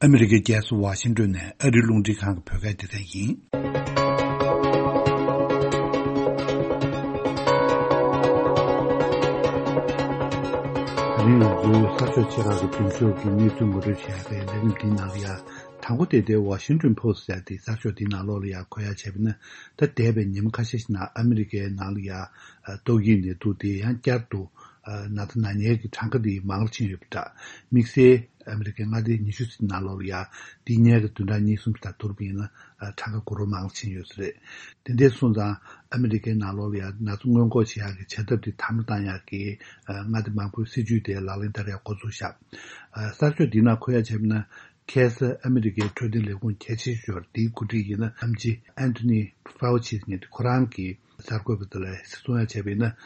ཨ་མི་རི་ཀའི་རྒྱལ་ས་ཝ་ཤིང་ཏོན་ནས་ཨ་རིའི་རླུང་འཕྲིན་ཁང་གི་བོད་སྐད་སྡེ་ཚན་ཡིན། ད་རིང་ང་ཚོའི་གསར་ཤོག་ཆེ་ཁག་གི་མདུན་ཤོག་གི་གནས་ཚུལ་ངོ་སྤྲོད་བྱེད་ཡག་གི་ལས་རིམ་འདིའི་ནང་ལ་ཡ། དང་པོ་དེ་དེ་ཝ་ཤིང་ཏོན་པོ་སི་ཊི་ཟེར་དེ་གསར་ཤོག་དེའི་ནང་ལོགས་ལ་ཡ་འཁོད་ཡ་བྱས་པ་ཡིན་ན། ད་འདས་པའི་ཉིན་མོ་ཁ་ཤས་ཤིག་ནང་ཨ་མི་རི་ཀའི་ནང་ལ་ཡ་ཏོག་དབྱིབས་ནད་དུག་དེ་ཡང་བསྐྱར་དུ་ན་ཚ་ན་མཁན་གྱི་གྲངས་ཀ་དེ་མང་རུ་ཕྱིན་ཡོད་པ་འདྲ། དམིགས་བསལ་ཨ་མི་རི་ཀའི་མངའ་སྡེ་ཉི་ཤུ་ཙམ་ནང་ལོགས་ལ་ཡ་དེའི་སྔོན་གྱི་བདུན་ཕྲག་གཉིས་གསུམ་ཙམ་དང་བསྡུར་བ་ཡིན་ན་གྲངས་ཀ་དགུ་རུ་མང་རུ་ཕྱིན་ཡོད་ས་རེད། དེ་འདྲ་སོང་ཙང་ཨ་མི་རི་ཀའི་ནང་ལོགས་ལ་ཡ་ན་ཚ་སྔོན་འགོག་བྱེད་ཡག་གི་བྱ་ཐབས་དེ་དམ་བློ་བཏང་ཡག་གི་མངའ་སྡེ་མང་པོའི་སྲིད་ཇུས་དེ་ལག་ལེན་བསྟར་ཡག་འགོ་ཚུགས་ཤག་གསར་ཤོག་འདིའི་ནང་འཁོད་ཡ་བྱས་པ་ཡིན་ན། ཁ་སང་ཨ་མི་རི་ཀའི་འཕྲོད་བསྟེན་ལས་ཁུངས་གལ་ཆེ་ཤོས་འདིའི་འགོ་ཁྲིད་ཡིན་ན་ཨེམ་ཆི་ཨན་ཐོ་ནི་ཕའོ་ཆི་ཟེར་མཁན་དེ་ཁོ་རང་གིས་གསར་འགོད་པ་དེ་ལ་གསུང་ཡ་བྱས་པ་ཡིན་ན།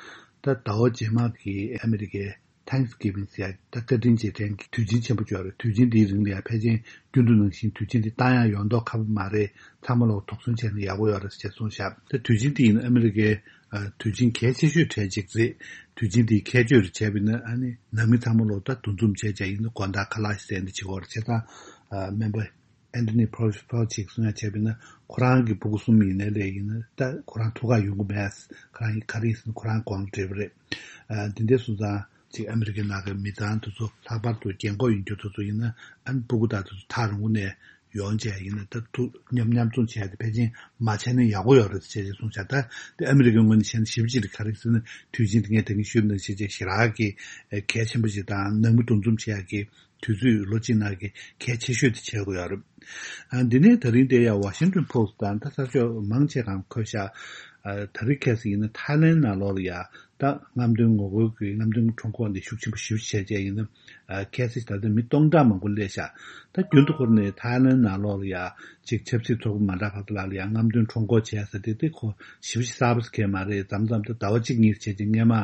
ད་ཟླ་བ་རྗེས་མ་གི་ཨ་མི་རི་ཀའི་ཐེངས་གི་བིང་ཟེར་ཡ་ད་བཀའ་དྲིན་རྗེས་དྲན་གྱི་དུས་ཆེན་ཆེན་པོ་ཅིག་ཡོད་རེད། དུས་ཆེན་འདིའི་རིང་ལ་ཡ་ཕལ་ཆེར་རྒྱུན་དུ་ནང་བཞིན་དུས་ཆེན་འདི་བཏང་ཡ་ཡོང་མདོག་ཁ་པོ་མ་རེད། ཚང་མ་ལོག་དོགས་ཟོན་བྱས་ན་ཡག་པོ་ཡོད་རེད་ཅེས་གསུངས་ཤག་ད་དུས་ཆེན་འདི་ཡིན་ན་ཨ་མི་རི་ཀའི་དུས་ཆེན་གལ་ཆེ་ཤོས་གྲས་གཅིག་རེད། དུས་ཆེན་འདིའི་ཁྱད་ཆོས་རེ་བྱས་པ་ཡིན་ན་ཨ་ནི་ནང་མི་ཚང་མ་ལོག་ད་འདུ་འཛོམས་བྱས་བྱས་ཡིན་ན་དགོང་དག་ཁ་ལག་ཞིག་ཟས་འདི་བྱེད་དགོས་རེད། བྱས་ཙང་སྨན་པ་ཨན་ཐོ་ནི་ཕའོ་ཕའོ་ཆིས་གསུང་ཡ་བྱས་པ་ཡིན་ན་ཁོ་རང་གི་ཕྲུ་གུ་གསུམ་ཡིན་ནའི་ལས་ཡིན་ན་ད་ཁོ་རང་ཐུག་ག་ཡོང་གི་མེད། ཁོ་རང་ག་རེ་ཡིན་ཟེར་ན་ཁོ་རང་དགོངས་བྲེལ་བ་རེད། འདི་འདྲ་སོང་ཙང་ཅིག་ཨ་མི་རི་ཀའི་ནང་གི་མི་ཚང་དེ་ཚོ་ལྷག་པར་དུ་རྒན་འཁོགས་ཡིན་རྒྱུ་དེ་ཚོ་ཡིན་ན་ཨ་ནི་ཕྲུ་གུ་དང་དེ་ཚོ་ཐག་རིང་པོ་ནས་ཡོང་བྱས་ཡིན་ན་ད་ཐུག་མཉམ་མཉམ་འཛོམས་བྱས་ཏེ་ཕལ་ཆེར་མ་བྱས་ན་ཡག་པོ་ཡོད་རེད་ཅེས་གསུངས་བྱས། ད་དེ་ཨ་མི་རི་ཀའི་ངོས་ནས་བྱས་ན་ཞིབ་ཅིག་ག་རེ་ཟེར་ན་དུས་ཆེན་དེ་ངས་ད་གིན་ཞུས་པ་ནང་བཞིན་ཅིག་ཞེ་དྲག་གི་གལ་ཆེན་པོ་ཞིག་དང་ནང་མི་འདུ་འཛོམས་བྱེད་ཡག་གི་དུས་ཚོད་ལོ་གཅིག་ནང་གི་གལ་ཆེ་ཤོས་དེ་བྱེད་དགོས་ཡོད་རེད། ཨ་འདི་ནས་ད་རིང་དེ་ཡང་ཝ་ཤིང་ཏོན་པོ་སི་ཊི་དང་ད་གསར་ཤོག་མང་ཆེ་གང་འཁོད་ཤག་ཨ་ད་རིང་ཁ་སང་ཡིན་ན་ཐའི་ལེན་ནང་ལོགས་ལ་ཡ་ ད་རྔམ་སྟོན་ངོ་རྒོལ་གྱི་རྔམ་སྟོན་ཁྲོམ་སྐོར་འདི་ཤུགས་ཆེན་པོ་ཞེ་པོ་ཅིག་བྱས་བྱས་ཡིན་ན། ཨ་ཁ་སང་ད་ལྟ་མི་སྟོང་ཕྲག་མང་པོ་སླེབས་ཤག་ད་རྒྱུན་དུ་འཁོར་ནས་ཐའི་ལན་ནང་ལོགས་ལ་ཡ་ཅིག་ཆབ་སྲིད་ཚོགས་པ་མ་འདྲ་བ་ལ་ལ་ཡ་རྔམ་སྟོན་ཁྲོམ་སྐོར་བྱས་ཟེར་དེ་དེ་ཁོ་ཞེ་པོ་ཅིག་གསར་པ་ཟེར་མཁན་མ་རེད། མཚམས་མཚམས་ད་ཟླ་བ་གཅིག་གཉིས་བྱས་ཀྱི་སྔས་མ་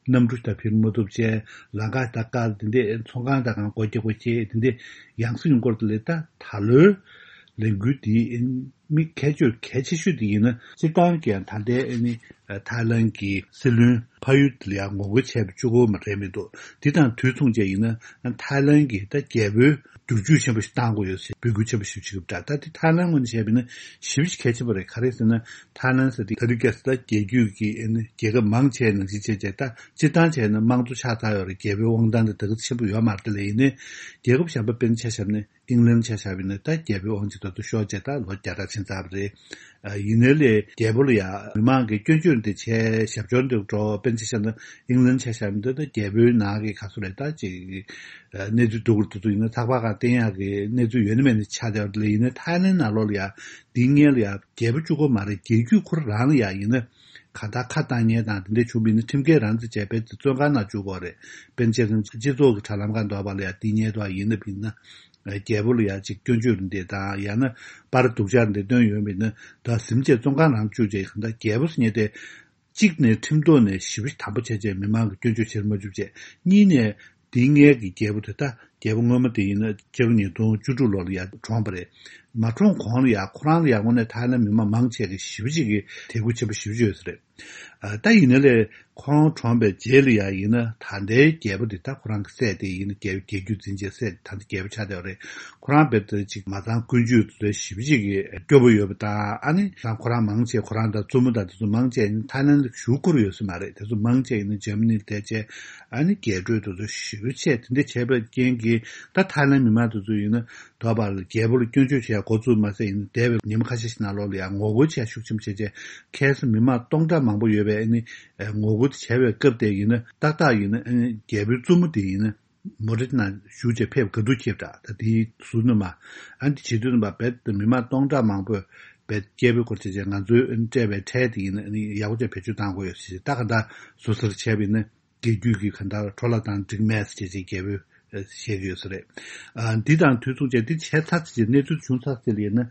གནམ་གྲུ་ད་འཕུར་མ་ཐུབ་བྱས། ལམ་ཁ་ད་བཀག་དེ་འདྲས་ཚོང་ཁང་ད་གང་སྒོ་རྒྱག་དགོས་བྱས་དེ་འདྲས་ཡང་སེ་ཡོང་སྐོར་དེ་ལས། ད་ད་ལོའི་ལས་འགུལ་འདི་མི་ཁྱད་ཆོས་གལ་ཆེ་ཤོས་དེ་ཡིན་ན། སྤྱིར་བཏང་གི་ད་ལྟའི་ཨ་ནི་ཐའི་ལན་གྱི་སྲིད་བློན་ཕ་ཡུལ་དེ་ལ་ཡང་ངོ་རྒོལ་བྱས་པ་གཅིག་པོ་མ་རེད་མི་འདུག་འདི་དང་དུས་མཚུངས་བཅས་ཡིན་ན་ཐའི་ལན་གྱི་ད་རྒྱལ་པོའི་བསྒྱུར་བཅོས་ཆེན་པོ་ཞིག་བཏང་དགོས་ཡོད་ཟེར་འབོད་སྐུལ་ཆེན་པོ་ཞིག་བྱེད་ཀྱི་འདུག་ད་དེ་ཐའི་ལན་ངོས་ནས་བཤད་པ་ཡིན་ན་ཞེ་པོ་ཅིག་གལ་ཆེན་པོ་རེད། ག་རེ་ཟེར་ན་ཐའི་ལན་ཟེར་དེ་ད་རེས་ཀྱི་ད་རྒྱལ་རྒྱུད་ཀྱི་ཨ་ནི་རྒྱལ་ཁབ་མང་ཆེ་ནང་བཞིན་བྱས་བྱས། ད་སྤྱིར་བཏང་བྱས་ན་དམངས་གཙོ་ཆགས་ཚར་ཡོད་རེད། རྒྱལ་པོའི་དབང་ཐང་དེ་ད་ག་ཚོད་ཆེན་པོ་ཡོད་མ་རེད། དེ་ལ་ཡིན་ནའི་རྒྱལ་ཁབ་གཞན་པ་དཔེར་ན་ཆ་བཞག་ན། ཨིང་ལན་ཆ་བཞག་པ་ཡིན་ན་ད་རྒྱལ་པོའི་དབང་ཆ་ད་དུང་ཤོར་བྱས་ད་ལོ་བརྒྱ་ཕྲག་ཕྱིན་ཚར་བ་རེད། ཨ་ཡིན་ནའི་ལས་རྒྱལ་པོ་ལ་ཡ་མི་མང་གིས་སྐྱོན་བརྗོད་འདི་བྱས་ཞབས་ཞུ་འདི་འགྲོ། དཔེར་ན་ཆ་བཞག་ན་ཨིང་ལན་ཆ་བཞག་པ་ཡིན་ན་ད་རྒྱལ་པོའི་ནང་གི་ག་ཚོད་རེད། ད་ཅིག་གནས་ཚུལ་སྡུག་རུ་འགྲོ་དུས་ཡིན་ན་ཚགས་པར་སྒང་བསྟན་ཡག་གི་གནས་ཚུལ་ཡོད་ན་མེད་ན་ཆགས་བསྡད་པ་རེད། ཡིན་ནའི་ཐའི་ལན་ནང་ལོགས་ལ་ཡ་འདི་སྔོན་ལ་ཡ་རྒྱལ་པོ་གཅིག་པོ་མ་རེད། རྒྱལ་རྒྱུད་ཁོ་རང་ལ་ཡ་ཡིན་ན། གང་ལྟར་ཁ་བཏང་མཁན་དང་དེ་འདྲ་བྱུང་བ་ཡིན་ན་ཁྲིམས་འགལ་རང་བཙན་བྱས་པའི་བཙོན་ཁང་ནང་བཅུག་དགོས་རེད། དཔེར་ན་ཆ་བཞག་ན་སྤྱི་ཚོགས་ཀྱི་དྲ་ལམ་སྒང་འདྲ་བ་ལ་ཡ་དེ་ཉེས་དོན་ཡིན་ན་བིན་ན། རྒྱལ་པོ་ལ་ཡ་ཅིག་སྐྱོན་བརྗོད་འདི་དང་ཡང་ན་པར་སྡུག་ཅག་འདི་བཏོན་ཡོད་པ་ཡིན་ན་ད་ཟིན་བྱས་བཙོན་ཁང་ནང་བཅུག་བྱས། གང་ལྟར་རྒྱལ་པོ་ཟེར་མཁན་དེ་གཅིག་ནས་ཁྲིམས་ཐོག་ནས་ཞེ་པོ་དམ་པོ་བྱས་བྱས་མི་མང་གི་སྐྱོན་བརྗོད་བྱེད་མ་བཅུག་བྱས། གཉིས་ནས། དེའི་སྔོན་གྱི་རྒྱལ་པོ་དེ་ད་རྒྱལ་པོ་སྔོན་མ་དེ་ཡིན་ན་སྤྱི་ལོ་ཉིས་སྟོང་བཅུ་དྲུག་ལོ་ལ་ཡར་གྲོངས་པ་རེད། མ་གྲོངས་གོང་ལ་ཡར་ཁོ་རང་ལ་ཡར་དངོས་གནས་ཐའི་ལན་མི་མང་མང་ཆེ་གི་ཞེ་པོ་ཅིག་གིས་དད་གུས་ཆེན་པོ་ཞེ་པོ་ཅིག་ཡོད་ས་རེད། ཨ་ད་ཡིན་ན་ལས་ཁོང་གྲོངས་པའི་རྗེས་ལ་ཡར་ཡིན་ན་ད་ལྟའི་རྒྱལ་པོ་དེ་ད་ཁོ་རང་གི་སྲས་དེ་ཡིན་ན་རྒྱལ་རྒྱལ་རྒྱུད་འཛིན་བྱས་སྲས་ད་ལྟ་རྒྱལ་པོ་ཆགས་བསྡད་པ་རེད། ཁོ་རང་རྦད་དེ་ཅིག་མ་ཚང་ཀུན་སྤྱོད་དེ་ཞེ་པོ་ཅིག་གི་སྐྱོ་པོ་ཡོད་པ་དང་། ཨ་ནི་ཁོ་རང་མང་ཆེ་ཁོ་རང་དང་བཙུན་མོ་དང་དེ་ཚོ་མང་ཆེ་ཐའི་ལན་ལ་བཞུགས་ཁུར་ཡོད་ས་མ་རེད། དེ་ཚོ་མང་ཆེ་ཡིན་ན་འཇར་མ་ནི་ལ་བསྡད་བྱས། ཨ་ནི་རྒྱས་སྤྲོས་དེ་ཚོ་ཞེ་པོ་ཆེ་དེ་འདྲ་བྱས་པའི་རྐྱེན་གྱིས་ད་ཐའི་ལན་མི་མང་དེ་ཚོ་ཡིན་ན་དོ་བར་རྒྱལ་པོ་ལ་སྐྱོན་བརྗོད་བྱས་འགོ་བཙུགས་མ་ཟད་ཡིན་ན་འདས་པའི་ཉིན་མ་ཁ་ཤས་ཤིག་ནང་ལོགས་ལ་ཡང་ངོ་རྒོལ་བྱས་ཤུགས་ཆེན་པོ་བྱས་བྱས། ཁ་སང་མི་མང་སྟོང་ཕྲག་མང་པོ་ཡོད་པའི་ཨ་ནི་ངོ་རྒོལ་དེ་བྱས་པའི་སྐབས་དེ་ཡིན་ན་ཏག་ཏག་ཡིན་ན་ཨ་ནི་རྒྱལ་པོའི་བཙུན་མོ་དེ་ཡིན་ན། མོ་ཊའི་ནང་བཞུགས་བྱས་ཕེབས་ག་དུས་ཁེབས་འདྲ། ད་དེའི་ཟུར་ནས་མ་ཨ་ནི་བྱེད་དུས་ནས་མ་རྦད་དེ་མི་མང་སྟོང་ཕྲག་མང་པོས་རྦད་སྐྱེས་བུ་སྐོར་བྱས་བྱས་ང་ཚོའི་སྤྲད་པའི་ཁྲལ་དེ་ཡིན་ན་ཨ་ནི་ཡག་པོ་བྱས་བེད་སྤྱོད་གཏང་དགོས་ཡོད་ཟེར། ད་ག་འདྲ་ཟུར་ཟུར་བྱས་པ་ཡིན་ན་རྒྱལ་རྒྱུད་ཀྱི་ག་འདྲ་འཕྲོ་བརླག་བཏང་འགྲིག་མེད་ཟེར་བྱས་བྱས་རྒྱལ་པོས་བཤད་ཀྱི་ཡོད་ས་རེད། ཨ་འདི་དང་དུས་མཚུངས་བྱས་འདི་བྱས་ཚར་ཚེ་གནས་ཚུལ་བྱུང་ཚར་ཚེ་ལ་ཡིན་ན་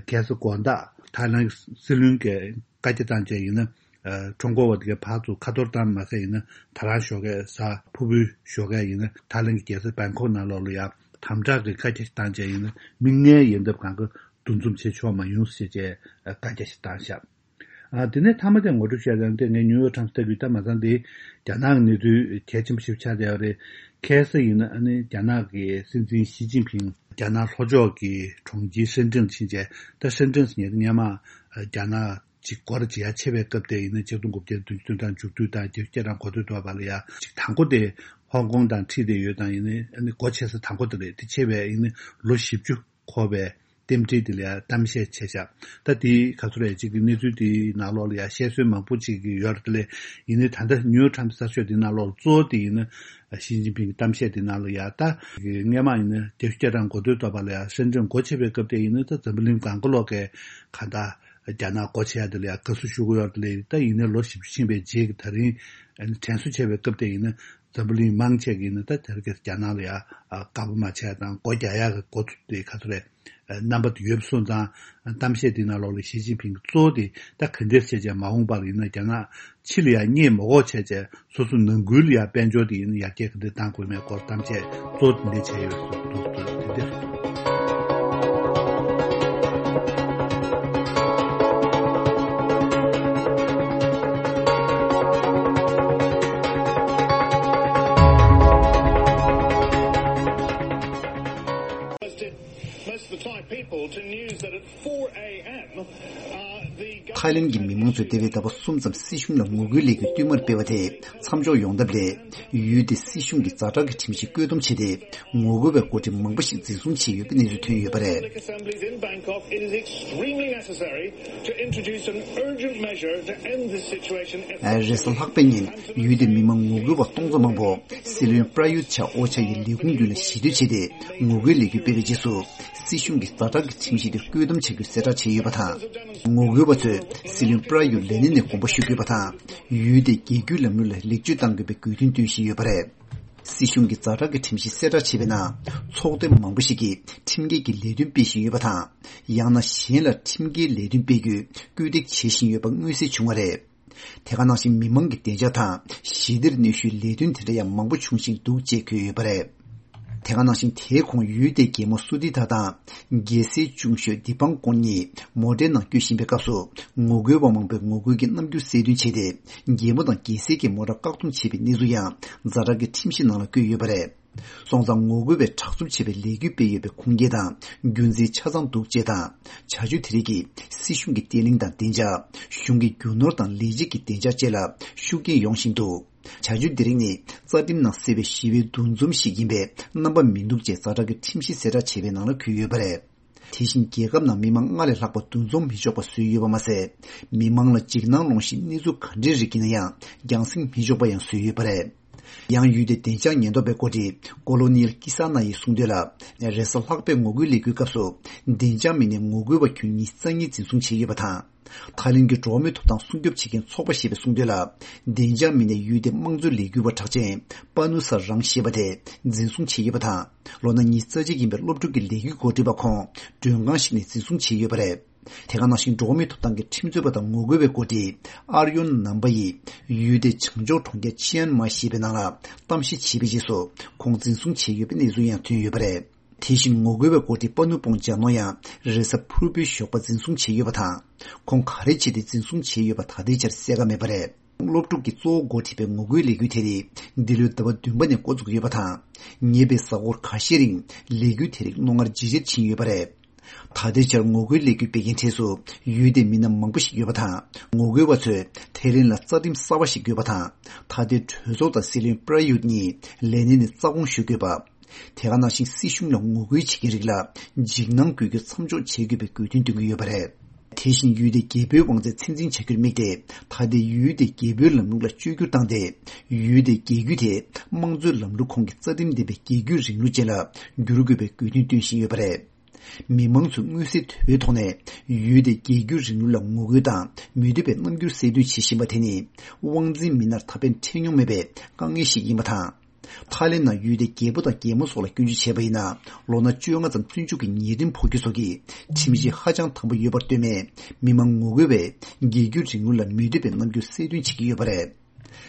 ཁ་སང་དགོང་དག་ཐའི་ལན་སྲིད་བློན་གྱིས་བཀའ་རྒྱ་བཏང་བྱས་ཡིན་ན། ཁྲོམ་སྐོར་བ་དེ་གའི་ཕར་ཚུར་ཁ་ཐོར་བཏང་མ་ཟད་ཡིན་ན་ད་རང་ཞོགས་ཀས་གཟའ་ཕུར་བུའི་ཞོགས་ཀས་ཡིན་ན་ཐའི་ལན་གྱི་རྒྱལ་ས་བེང་ཀོག་ནང་ལོགས་ལ་ཡང་དམ་དྲག་གི་བཀའ་རྒྱ་ཞིག་བཏང་བྱས་ཡིན་ན་མི་ལྔའི་ཡལ་འདབ་གང་ག་འདུ་འཛོམས་བྱེད་ཆོག་མ་ཡོང་ཟེར་བྱས་བཀའ་རྒྱ་ཞིག་བཏང་ཤག་ཨ་དེ་ནས་མཐའ་མ་དེ་ངོ་སྤྲོད་བྱས་ཙང་དེ་ངས་ནིའུ་ཡོག་ཊའིམ་སི་ལྟ་གི་ད་མ་ཚང་དེ་རྒྱ་ནག་གི་གནས་ཚུལ་གལ་ཆེན་པོ་ཞིག་ཆགས་བསྡད་ཡོད་རེད། ཁ་སང་ཡིན་ན་ཨ་ནི་རྒྱ་ནག་གི་སྲིད་འཛིན་ཞི་ཅིན་ཕིང་རྒྱ་ནག་ལྷོ་ཕྱོགས་ཀྱི་གྲོང་ཁྱེར་ཧྲེན་ཀྲེན་ཕྱིན་བྱས། ད་ཧྲེན་ཀྲེན་ཟེར་མཁན་དེ་སྔོན་མ་རྒྱ་ནག་ཅིག་སྒོ་ར་འབྱེད་ཡ་ཆེ་བའི་སྐབས་དེ་ཡིན་ན་ཆིག་སྟོང་དགུ་བརྒྱ་བདུན་ཅུ་དོན་གྲངས་མཇུག་བསྡུས་དང་བརྒྱད་ཅུ་གྱ་གྲངས་འགོ་སྟོད་ཐོག་བར་ལ་ཡ་ཅིག་དང་པོ་དེ་ཧོང་ཀོང་དང་འཁྲིལ་བསྡད་ཡོད་དང་ཡིན་ནའི་ཨ་ནི་སྒོ་ཕྱེ་ས་དང་པོ་དེ་རེད། དེ་ཆེ་བའི་ཡིན་ནའི་ལོ་བཞི་བཅུ་འཁོར་བའི་རྟེན་འབྲེལ་དེ་ལ་ཡ་གཏམ་བཤད་བྱས་བཞག་ད་དེ་ག་ཚོད་རེད་ཅིག་གི་གནས་ཚུལ་དེའི་ནང་ལོགས་ལ་ཡ་བཤད་སྲོལ་མང་པོ་ཅིག་གི་ཡོད་རེད། དེ་ལས་ཡིན་ནའི་ད་ལྟ་ནིའུ་ཡོག་ཊའིམ་སི་གསར་ཤོག་དེའི་ནང་ལོགས་གཙོ་བོ་དེ་ཡིན་ན་ཞི་ཅིན་ཕིང་གི་གཏམ་བཤད་དེའི་ནང་ལ་ཡ་ད་སྔས་མ་ཡིན་ན་བརྒྱད་ཅུ་གྱ་གྲངས་འགོ་སྟོད་ཐོག་བར་ལ་ཡ་ཧྲེན་ཀྲེན་སྒོ་ཕྱེ་བའི་སྐབས་དེ་ཡིན་ན་ད་འཛམ་བུ་གླིང་གང་ག་ལོག་གི་གང་ལྟར། རྒྱ་ནག་སྒོ་ཕྱེ་ཡ་དེ་ལ་ཡང་དགའ་བསུ་ཞུ་གི་ཡོད་རེད། དེ་ལས་ད་ཡིན་ནའི་ལོ་བཞི་བཅུ་ཕྱིན་པའི་རྗེས་ཀྱི་ད་རིང་དྲན་གསོ་བྱས་པའི་སྐབས་དེ་ཡིན་ན་འཛམ་བུ་གླིང་མང་ཆེ་གིས་ཡིན་ན་ད་དེ་རིང་ཁ་སང་རྒྱ་ནག་ལ་ཡང་དགའ་པོ་མ་བྱས་ཡ་དང་སྒོ་རྒྱག་ཡ་གི་འགོ་ཚུགས་དེ་ག་ཚོད་རེད། རྣམ་པ་དེ་ཡོད་པ་སོང་ཙང་གཏམ་བཤད་དེ་ནང་ལོགས་ལ་ཞི་ཅིན་ཕིང་གིས་གཙོ་བོ་དེ་ད་ག་འདྲས་བྱས་བྱས་མ་འོངས་པར་ཡིན་ན་རྒྱ་ནག་ཕྱི་ལ་ཡང་བསྙད་མ་དགོས་བྱས་བྱས། སོ་སོ་ནང་ཁུལ་ལ་ཡང་དཔལ་འབྱོར་དེ་ཡིན་ན་ཡར་རྒྱས་ག་འདྲ་གཏང་དགོས་མེད་སྐོར་གཏམ་བཤད་གཙོ་བོ་དེ་འདྲ་བྱས་ཡོད་ཟེར་འདུག་དེ་འདྲ་རེད། Most of the Thai people to news that at four a.m. ཐའི་ལན་གྱི་མི་མང་ཚོས་འདས་པའི་ཟླ་བ་གསུམ་ཙམ་སྲིད་གཞུང་ལ་ངོ་རྒོལ་ལས་འགུལ་བསྟུད་མར་སྤེལ་བ་དེས་མཚམས་འཇོག་ཡོང་ཐབས་སླད། ཡུལ་དེའི་སྲིད་གཞུང་གིས་ཛ་དྲག་གི་ཁྲིམས་གཞི་བཀོད་འདོམས་བྱས་ཏེ། ངོ་རྒོལ་བའི་འགོ་ཁྲིད་མང་པོ་ཞིག་འཛིན་བཟུང་བྱས་ཡོད་པའི་གནས་ཚུལ་ཐོན་ཡོད་པ་རེད། Assemblies in Bangkok, it is extremely necessary to introduce an urgent measure to end this situation effectively. རེས་གཟའ་ལྷག་པའི་ཉིན་ཡུལ་དེའི་མི་མང་ངོ་རྒོལ་བ་སྟོང་ཚོ་མང་པོ་སྲིད་བློན་པྲ་ཡུད་ཆ་ཨོ་ཆ་ཡི་ལས་ཁུངས་མདུན་ལ་ཞི་བསྡད་བྱས་ཏེ་ངོ་རྒོལ་ལས་འགུལ་སྤེལ་བའི་རྗེས་སུ། སྲིད་གཞུང་གིས་ཛ་དྲག་གི་ཁྲིམས་གཞི་དེ་བཀོད་འདོམས་བྱ་རྒྱུ་གསལ་བསྒྲགས་བྱས་ཡོད་པ་དང་། ངོ་རྒོལ་བ་ཚོས་སྲིད་བློན་པྲ་ཡུ་ལེ་ནན་ནས་དགོངས་པ་ཞུ་དགོས་པ་དང་། ཡུལ་དེའི་རྒྱལ་བརྒྱུད་ལམ་ལུགས་ལ་ལེགས་བཅོས་གཏང་དགོས་པའི་དགོས་འདུན་བཏོན་བཞིན་ཡོད་པ་རེད། སྲིད་གཞུང་གིས་ཛ་དྲག་གི་ཁྲིམས་གཞི་གསལ་བསྒྲགས་བྱས་པའི་ནང་། ཚོགས་སྡེ་མང་པོ་ཞིག་གིས་ཁྲིམས་འགལ་གྱི་ལས་དོན་སྤེལ་བཞིན་ཡོད་པ་དང་། ཡང་ན་གཞན་ལ་ཁྲིམས་འགལ་ལས་དོན་སྤེལ་རྒྱུའི་སྐུལ་འདེད་བྱེད་བཞིན་ཡོད་པ་མངོན་གསལ་བྱུང་བ་རེད། དེ་ག་ནང་བཞིན་མི་མང་གི་བདེ་འཇགས་དང་ཞི་བདེར་གནོད་ཤུལ་ལས་དོན་དེ་འདྲ་ཡང་མང་པོ་བྱུང་བཞིན་འདུག་ཅེས་འཁོད་ཡོད་པ་རེད། དེ་ག་ནང་བཞིན་དེའི་གོང་ཡུལ་དེའི་རྒྱལ་མོ་སུ་ཏི་ཐ་དང་རྒྱལ་སྲས་ཅུང་ཤོས་དི་པང་ཀོན་གཉིས་མོ་ཊའི་ནང་བསྐྱོད་བཞིན་པའི་སྐབས་སུ། ངོ་རྒོལ་བ་མང་པོས་ངོ་རྒོལ་གྱི་རྣམ་འགྱུར་གསལ་སྟོན་བྱས་ཏེ། རྒྱལ་མོ་དང་རྒྱལ་སྲས་ཀྱི་མོ་ཊ་བཀག་སྡོམ་བྱས་པའི་གནས་ཚུལ་ཡང་ཛ་དྲག་གི་ཁྲིམས་གཞི་ནང་ལ་བཀོད་ཡོད་པ་རེད། སོང་ཙང་ངོ་རྒོལ་བས་དྲག་རྩུབ་ཆེ་བའི་ལས་འགུལ་སྤེལ་ཡོད་པའི་ཁུངས་སྐྱེལ་དང་རྒྱུ་མཚན་ཆ་ཚང་འདུག་ཅེས་དང་། བྱ་སྤྱོད་དེ་རིགས་ཀྱིས་སྲིད་གཞུང་གི་བརྟན་ལྷིང་དང་བདེ་འཇགས། གཞུང་གི་རྒྱུ་ནོར་དང་ལས་བྱེད་ཀྱི་བདེ་འཇགས་བཅས་ལ་ཤུགས་རྐྱེན་ཡོང་བཞིན་འདུག་བྱ་སྤྱོད་འདི་རིགས་ནི་རྩ་ཁྲིམས་ནང་གསལ་བའི་ཞི་བའི་འདུ་འཛོམས་ཤིག་ཡིན་པས་རྣམ་པ་མི་འདུག་ཅེས་ཛ་དྲག་གི་ཁྲིམས་གཞི་གསལ་བསྒྲགས་བྱས་པའི་ནང་ལ་འཁོད་ཡོད་པ་རེད། དེ་བཞིན་རྒྱལ་ཁབ་ནང་མི་མང་སྔར་ལས་ལྷག་པ་འདུ་འཛོམས་མི་ཆོག་པ་བཟོས་ཡོད་པ་མ་ཟད། མི་མང་ལ་འཇིགས་སྣང་སློང་བཞིན་གནས་ཚུལ་ག་འདྲའི་རིགས་ཡིན་ན་ཡང་རྒྱང་སྲིང་མི་ཆོག་པ་ཡང་བཟོས་ཡོད་པ་རེད། ཡང་ཡུལ་དེའི་བདེ་འཇགས་ཉེན་རྟོག་པའི་འགོ་ཁྲིད་ཀོ་ལོ་ནིལ་ཀི་ས་ན་ཡིས་གསུངས་དོན་ལ། རེས་གཟའ་ལྷག་པའི་ངོ་རྒོལ་ལས་འགུལ་སྐབས་སུ་བདེ་འཇགས་མི་སྣས་ངོ་རྒོལ་བ་ཁྱོན་ཉི་ཤུ་རྩ་གཉིས་འཛིན་བཟུང་བྱས་ཡོད་པ་དང་། ཐའི་ལེན་གྱི་འགྲོ་བ་མིའི་ཐོབ་ཐང་སྲུང་སྐྱོབ་བྱེད་མཁན་ཚོགས་པ་ཞེས་པས་གསུངས་དོན་ལ། བདེ་འཇགས་མི་སྣས་ཡུལ་དེའི་དམངས་གཙོའི་ལས་འགུལ་བ་གྲགས་ཅན་པ་ནུ་ས་རང་ཞེས་པ་དེ་འཛིན་བཟུང་བྱས་ཡོད་པ་དང་། ལོ་ན་ཉི་ཤུ་རྩ་གཅིག་ཡིན་པའི་སློབ་ཕྲུག་གི་ལས་འགུལ་འགོ་ཁྲིད་པ་ཁོང་མགྲོན་ཁང་ཞིག་ནས་འཛིན་བཟུང་བྱས་ཡོད་པ་རེད། དེ་ག་ནང་བཞིན་འགྲོ་བ་མིའི་ཐོབ་ཐང་གི་ཁྲིམས་རྩོད་པ་དང་ངོ་རྒོལ་བའི་འགོ་ཁྲིད་ཨར་ཡོན་ནམ་པ་ཡིས་ཡུལ་དེའི་བྱང་ཕྱོགས་གྲོང་ཁྱེར་ཆི་ཡན་མ་ཞེས་པའི་ནང་ལ་གཏམ་བཤད་བྱས་པའི་རྗེས་སུ་ཁོང་འཛིན་བཟུང་བྱས་ཡོད་པའི་གནས་ཚུལ་ཡང་ཐོན་ཡོད་པ་རེད། དེ་བཞིན་ངོ་རྒོལ་བའི་འགོ་ཁྲིད་པ་ནུ་པོང་ཇ་ནོ་ཡང་རེས་གཟའ་ཕུར་བུའི་ཞོགས་པ་འཛིན་བཟུང་བྱས་ཡོད་པ་དང་། ཁོང་ག་རེ་བྱས་ཏེ་འཛིན་བཟུང་བྱས་ཡོད་པ་ད་ལྟའི་ཆར་གསལ་ཁ་མེད་པ་རེད། སློབ་ཕྲུག་གིས་གཙོ་བོ་འགོ་ཁྲིད་པའི་ངོ་རྒོལ་ལས་འགུལ་དེ་རིགས་འདི་ལོའི་ཟླ་བ་བདུན་པ་ནས་འགོ་བཙུགས་ཡོད་པ་དང་། ཉེ་བའི་གཟའ་འཁོར་ཁ་ཤས་རིང་ལས་འགུལ་དེ་རིགས་རྣོ་ངར་ཇེ་ཆེར་ཕྱིན་ཡོད་པ་རེད། ད་ལྟའི་ཆར་ངོ་རྒོལ་ལས་འགུལ་སྤེལ་མཁན་གྲས་སུ་ཡུལ་དེའི་མི་སྣ་མང་པོ་ཞིག་ཡོད་པ་དང་། ངོ་རྒོལ་བ་ཚོས་ཐའི་ལེན་ལ་རྩ་ཁྲིམས་གསར་བ་ཞིག་དགོས་པ་དང་། ད་ལྟའི་གྲོས་ཚོགས་དང་སྲིད་བློན་པྲ་ཡུད་གཉིས་ལས་གནས་ནས་རྩ་དགོངས་ཞུ་དགོས་པ། དེ་ག་ནང་བཞིན་སྲིད་གཞུང་ལ་ངོ་རྒོལ་བྱེད་མཁན་རིགས་ལ་འཇིགས་སྣང་སྐུལ་རྒྱུ་མཚམས་འཇོག་བྱེད་དགོས་པའི་དགོས་འདུན་འདོན་གྱི་ཡོད་པ་རེད། དེ་བཞིན་ཡུལ་དེའི་རྒྱལ་པོའི་དབང་ཚད་ཚད་འཛིན་བྱ་རྒྱུར་དམིགས་ཏེ། ད་ལྟའི་ཡུལ་དེའི་རྒྱལ་པོའི་ལམ་ལུགས་ལ་བཅོས་བསྒྱུར་བཏང་སྟེ། ཡུལ་དེའི་རྒྱལ་རྒྱུད་དེ་དམངས་གཙོའི་ལམ་ལུགས་ཁོངས་ཀྱི་རྩ་ཁྲིམས་ལྡན་པའི་རྒྱལ་རྒྱུད་རིང་ལུགས་ཅན་ལ་བསྒྱུར་དགོས་པའི་དགོས་འདུན་བཏོན་བཞིན་ཡོད་པ་རེད། མི་མང་ཚོས་མངོན་གསལ་དོད་པའི་ཐོག་ནས་ཡུལ་དེའི་རྒྱལ་རྒྱུད་རིང་ལུགས་ལ་ངོ་རྒོལ་དང་མི་འདོད་པའི་རྣམ་འགྱུར་གསལ་སྟོན་བྱེད་བཞིན་པ་དེ་ནི་དབང་འཛིན་མི་སྣར་ད་ཕན་འཕྲད་མྱོང་མེད་པའི་དཀའ་ངལ་ཞིག་ཡིན་པ་དང་། ཐའི་ལེན་ནང་ཡུལ་དེའི་རྒྱལ་པོ་དང་རྒྱལ་མོ་སོགས་ལ་སྐྱོན་བརྗོད་བྱས་པ་ཡིན་ན། ལོ་ན་བཅོ་ལྔ་ཙམ་བཙོན་འཇུག་གི་ཉེས་ཁྲིམས་ཕོག་རྒྱུ་སོགས་ཀྱི་ཁྲིམས་གཞི་ཧ་ཅང་དམ་པོ་ཡོད་པར་ལྟོས་མེད། མི་མང་ངོ་རྒོལ་བས་རྒྱལ་རྒྱུད་རིང་ལུགས་ལ་མི་འདོད་པའི་རྣམ་འགྱུར་གསལ་སྟོན་བྱེད་ཀྱི་ཡོད་པ་རེད།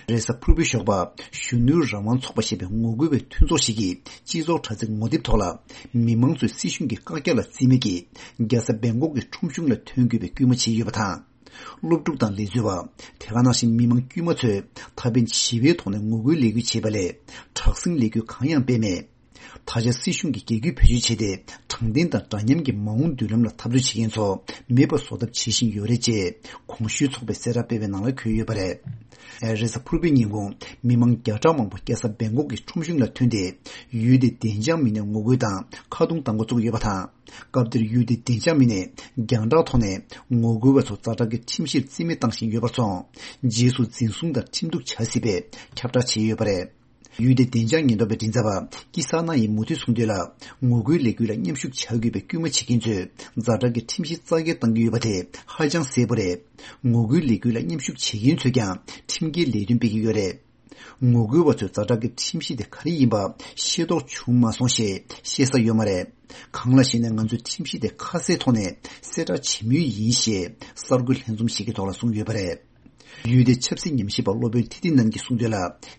རེས་གཟའ་ཕུར་བུའི་ཞོགས་པ། གཞོན་ནུའི་རང་དབང་ཚོགས་པ་ཞེས་པའི་ངོ་རྒོལ་བའི་མཐུན་ཚོགས་ཤིག་གིས་སྤྱི་ཚོགས་དྲ་ཚིགས་ངོ་དེབ་ཐོག་ལ། མི་མང་ཚོས་སྲིད་གཞུང་གི་བཀག་རྒྱ་ལ་བརྩི་མེད་ཀྱིས། རྒྱལ་ས་སྦེང་ཀོག་གི་ཁྲོམ་གཞུང་ལ་ཐོན་དགོས་པའི་སྐུལ་མ་བྱས་ཡོད་པ་དང་། སློབ་ཕྲུག་དང་ལས་བཟོ་བ། དེ་ག་ནང་བཞིན་མི་མང་དཀྱུས་མ་ཚོས་ད་ཕན་ཞི་བའི་ཐོག་ནས་ངོ་རྒོལ་ལས་འགུལ་བྱས་པ་ལས། དྲག་ཟིང་ལས་འགུལ་གང་ཡང་སྤེལ་མེད། ད་ཆ་སྲིད་གཞུང་གིས་རྒྱལ་རྒྱུད་བེད་སྤྱོད་བྱས་ཏེ། དྲང་བདེན་དང་འདྲ་མཉམ་གྱི་མ་འོངས་མདུན་ལམ་ལ་འཐབ་རྩོད་བྱེད་མཁན་ཚོ་མེད་པ་བཟོ་ཐབས་བྱེད་བཞིན་ཡོད་རེད་ཅེས་གོང་ཞུས་ཚོགས་པས་གསལ་བསྒྲགས་སྤེལ་བའི་ནང་ལ་འཁོད་ཡོད་པ་རེད། རེས་གཟའ་ཕུར་བུའི་ཉིན་གུང་། མི་མང་བརྒྱ་ཕྲག་མང་པོ་རྒྱལ་ས་སྦེང་ཀོག་གི་ཁྲོམ་གཞུང་ལ་ཐོན་ཏེ། ཡུལ་དེའི་བདེ་འཇགས་མི་སྣས་ངོ་རྒོལ་དང་ཁ་རྡུང་གཏང་འགོ་བཙུགས་ཡོད་པ་དང་། སྐབས་དེར་ཡུལ་དེའི་བདེ་འཇགས་མི་སྣས་རྒྱང་བསྒྲགས་ཐོག་ནས་ངོ་རྒོལ་བ་ཚོ་ཛ་དྲག་གི་ཁྲིམས་གཞིར་རྩིས་མེད་བཏང་བཞིན་ཡོད་པར་སོང་། རྗེས་སུ་འཛིན་བཟུང་དང་ཁྲིམས་གཏུག་བྱ་སྲིད་པའི་ཁྱབ་བསྒྲགས་བྱས་ཡོད་པ་རེད། ཡུལ་དེའི་བདེ་འཇགས་ཉེན་རྟོག་པའི་མགྲིན་ཚབ་པ་ཀི་ས་ན་ཡིས་མུ་མཐུད་གསུངས་དོན་ལ། ངོ་རྒོལ་ལས་འགུལ་ལ་མཉམ་ཞུགས་བྱ་དགོས་པའི་སྐུལ་མ་བྱེད་མཁན་ཚོས་ཛ་དྲག་གི་ཁྲིམས་གཞི་རྩ་འགེངས་གཏང་གི་ཡོད་པ་དེ་ཧ་ཅང་གསལ་པོ་རེད། ངོ་རྒོལ་ལས་འགུལ་ལ་མཉམ་ཞུགས་བྱེད་མཁན་ཚོས་ཀྱང་ཁྲིམས་འགལ་ལས་དོན་སྤེལ་གྱི་ཡོད་རེད། ངོ་རྒོལ་བ་ཚོས་ཛ་དྲག་གི་ཁྲིམས་གཞི་དེ་ག་རེ་ཡིན་པ་ཤེས་རྟོགས་བྱུང་མ་སོང་ཞེས་བཤད་ས་ཡོད་མ་རེད། གང་ལ་ཞེ་ན། ང་ཚོས་ཁྲིམས་གཞི་དེ་ཁ་གསལ་ཐོག་ནས་གསལ་བསྒྲགས་བྱེད་མུས་ཡིན་ཞེས་གསར་འགོད་ལྷན་འཛོམས་ཤིག་གི་ཐོག་ལ་གསུངས་ཡོད་པ་རེད། ཡུལ་དེའི་ཆབ་སྲིད་ཉམས་ཞིབ་པ་སློབ་དཔོན་ཐི་ཏི་ནན་གྱིས་གསུངས་དོན་ལ།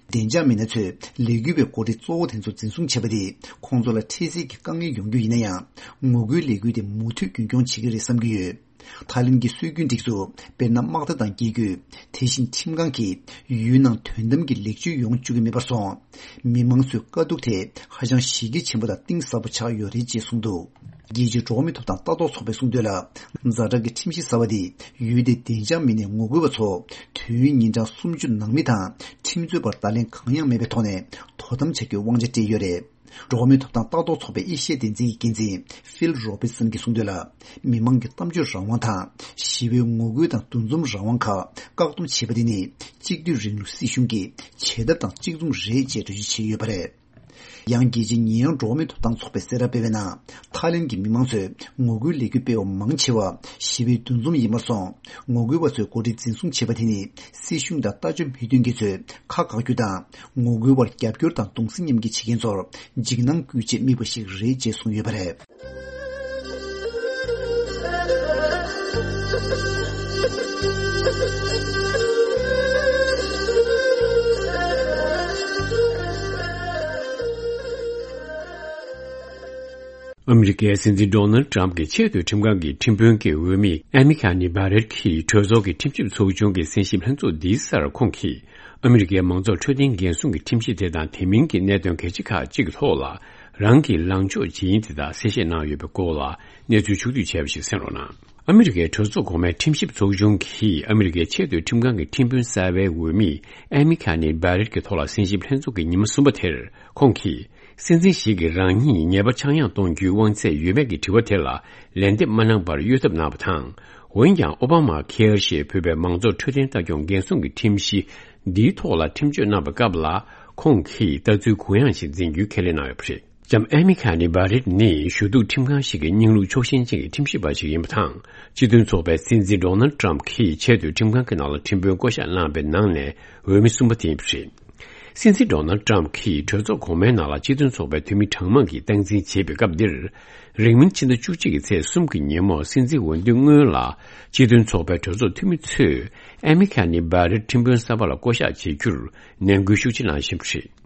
བདེ་འཇགས་མི་སྣ་ཚོས་ལས་འགུལ་བའི་འགོ་ཁྲིད་གཙོ་བོ་དེ་ཚོ་འཛིན་བཟུང་བྱས་པ་དེས་ཁོང་ཚོ་ལ་འཕྲལ་སེལ་གྱི་དཀའ་ངལ་ཡོང་རྒྱུ་ཡིན་ན་ཡང་། ངོ་རྒོལ་ལས་འགུལ་དེ་མུ་མཐུད་རྒྱུན་འཁྱོངས་བྱེད་ཀྱི་རེད་བསམ་གྱི་ཡོད། ཐའི་ལེན་གྱི་སྲོལ་རྒྱུན་སྒྲིག་འཛུགས། དཔེར་ན། དམག་སྡེ་དང་རྒྱལ་རྒྱུད། དེ་བཞིན་ཁྲིམས་ཁང་གིས་ཡུལ་ནང་དོན་དམ་གྱི་ལེགས་བཅོས་ཡོང་བཅུག་གི་མེད་པར་སོང་། མི་མང་ཚོའི་དཀའ་སྡུག་དེ་ཧ་ཅང་གཞི་རྒྱ་ཆེན་པོ་དང་གཏིང་ཟབ་པོ་ཆགས་ཡོད་རེད་ཅེས་གསུངས་འདུག་རྒྱལ་སྤྱིའི་འགྲོ་བ་མིའི་ཐོབ་ཐང་ལྟ་རྟོག་ཚོགས་པས་གསུངས་དོན་ལ། ཛ་དྲག་གི་ཁྲིམས་གཞི་གསར་བ་འདིས་ཡུལ་དེའི་བདེ་འཇགས་མི་སྣས་ངོ་རྒོལ་བ་ཚོ་དུས་ཡུན་ཉིན་གྲངས་སུམ་ཅུ་ནང་མི་དང་ཁྲིམས་རྩོད་པར་བརྡ་ལན་གང་ཡང་མེད་པའི་ཐོག་ནས་དོ་དམ་བྱ་རྒྱུའི་དབང་ཆ་སྤྲད་ཡོད་རེད། འགྲོ་བ་མིའི་ཐོབ་ཐང་ལྟ་རྟོག་ཚོགས་པའི་ཨེ་ཤི་ཡ་སྡེ་ཚན་གྱི་འགན་འཛིན་ཕིལ་རོ་བྷི་སན་གྱིས་གསུངས་དོན་ལ། མི་མང་གི་གཏམ་བརྗོད་རང་དབང་དང་ཞི་བའི་ངོ་རྒོལ་དང་འདུ་འཛོམས་རང་དབང་ཁག་བཀག་སྡོམ་བྱེད་པ་དེ་ནི་གཅིག་སྡུད་རིང་ལུགས་སྲིད་གཞུང་གི་བྱེད་ཐབས་དང་གཅིག་མཚུངས་རེད་ཅེས་འགྲེལ་བརྗོད་བྱས་ཡོད་པ་རེད། ཡང་རྒྱལ་སྤྱིའི་ཉེས་ཡངས་འགྲོ་བ་མིའི་ཐོབ་ཐང་ཚོགས་པས་གསལ་བསྒྲགས་སྤེལ་བའི་ནང་། ཐའི་ལེན་གྱི་མི་མང་ཚོས་ངོ་རྒོལ་ལས་འགུལ་སྤེལ་བ་མང་ཆེ་བ་ཞི་བའི་འདུ་འཛོམས་ཡིན་པར་སོང་། ངོ་རྒོལ་བ་ཚོས་འགོ་ཁྲིད་འཛིན་བཟུང་བྱས་པ་དེ་ནི་སྲིད་གཞུང་དང་ལྟ་སྤྱོད་མི་མཐུན་མཁན་ཚོས་ཁ་བཀག་རྒྱུ་དང་། ངོ་རྒོལ་བར་རྒྱབ་སྐྱོར་དང་གདུང་སེམས་མཉམ་སྐྱེད་བྱེད་མཁན་ཚོར་འཇིགས་སྣང་སྐུལ་ཆེད་དམིགས་པ་ཞིག་རེད་ཅེས་གསུངས་ཡོད་པ་རེད། ཨ་མི་རི་ཀའི་སྲིད་འཛིན་ཌོ་ནལ་ཌི་ཊརམ་ཕི་གྱི་ཆེས་མཐོའི་ཁྲིམས་ཁང་གི་ཁྲིམས་དཔོན་གྱི་འོས་མི་ཨེ་མི་ཁ་ནི་བྷ་རེད་ཀྱིས་གྲོས་ཚོགས་ཀྱི་ཁྲིམས་ཞིབ་ཚོགས་ཆུང་གི་གསན་ཞིབ་ལྷན་ཚོགས་འདིའི་སར་ཁོང་གིས། ཨ་མི་རི་ཀའི་མང་གཙོ་འཕྲོད་བསྟེན་འགན་སྲུང་གི་ཁྲིམས་གཞི་དེ་དང་དེ་མིན་གྱི་གནད་དོན་གལ་ཆེ་ཁག་ཅིག་གི་ཐོག་ལ་རང་གི་ལངས་ཕྱོགས་ཇི་ཡིན་དེ་དག་གསལ་བཤད་གནང་ཡོད་པའི་སྐོར་ལ་གནས་ཚུལ་ཕྱོགས་བསྡུས་བྱས་པ་ཞིག་གསན་རོགས་གནང་། ཨ་མི་རི་ཀའི་གྲོས་ཚོགས་གོང་མའི་ཁྲིམས་ཞིབ་ཚོགས་ཆུང་གིས་ཨ་མི་རི་ཀའི་ཆེས་མཐོའི་ཁྲིམས་ཁང་གི་ཁྲིམས་དཔོན་གསར་པའི་འོས་མི་ཨེ་མི་ཁ་ནི་བྷ་རེད་ཀྱི་ཐོག་ལ་གསན་ཞིབ་ལྷན་ཚོགས་ཀྱི་ཉི་མ་གསུམ་པ་དེར་ཁོང་གིས། སྲིད་འཛིན་ཞིག་གིས་རང་ཉིད་ཉེས་པ་ཆག་ཡང་གཏོང་རྒྱུའི་དབང་ཚད་ཡོད་མེད་ཀྱི་དྲི་བ་དེ་ལ་ལན་འདེབས་མ་གནང་བར་གཡོལ་ཐབས་གནང་བ་དང་། འོན་ཀྱང་ཨོ་བྷ་མ་ཁེར་ཞེས་འབོད་པའི་མང་གཙོ་འཕྲོད་བསྟེན་ལྟ་སྐྱོང་འགན་སྲུང་གི་ཁྲིམས་གཞི་འདིའི་ཐོག་ལ་ཁྲིམས་གཅོད་གནང་བའི་སྐབས་ལ་ཁོང་གིས་ལྟ་ཚུལ་གུ་ཡངས་ཤིག་འཛིན་རྒྱུའི་ཁས་ལེན་གནང་ཡོད་པ་རེད། ལྕམ་ཨེ་མི་ཁ་ནི་བྷ་རེད་ནི་ཞུ་གཏུག་ཁྲིམས་ཁང་ཞིག་གི་སྙིང་ལུགས་ཕྱོགས་ཞེན་ཅན་གྱི་ཁྲིམས་ཞིབ་པ་ཞིག་ཡིན་པ་དང་། སྤྱི་མཐུན་ཚོགས་པའི་སྲིད་འཛིན་ཌོ་ནལ་ཌི་ཊརམ་ཕི་གྱིས་ཆེས་མཐོའི་ཁྲིམས་ཁང་གི་ནང་ལ་ཁྲིམས་དཔོན་བསྐོ་གཞག་གནང་བའི་ནང་ནས་འོས་མི་གསུམ་པ་དེ་ཡིན་པ་རེད། སྲིད་འཛིན་ཌོ་ནལ་ཌི་ཊརམ་ཕི་གྱིས་གྲོས་ཚོགས་གོང་མའི་ནང་ལ་སྤྱི་མཐུན་ཚོགས་པའི་འཐུས་མི་གྲངས་མང་གིས་སྟངས་འཛིན་བྱེད་པའི་སྐབས་འདིར། རིང་མིན་ཕྱི་ཟླ་བཅུ་གཅིག་གི་ཚེས་གསུམ་གྱི་ཉིན་མོ་སྲིད་འཛིན་འོས་བསྡུའི་སྔོན་ལ། སྤྱི་མཐུན་ཚོགས་པའི་གྲོས་ཚོགས་འཐུས་མི་ཚོས་ཨེ་མི་ཁ་ནི་བྷ་རེད་ཁྲིམས་དཔོན་གསར་པ་ལ་བསྐོ་གཞག་བྱེད་རྒྱུར་ནན་སྐུལ་ཤུགས་ཆེ་གནང་བཞིན་པ་རེད།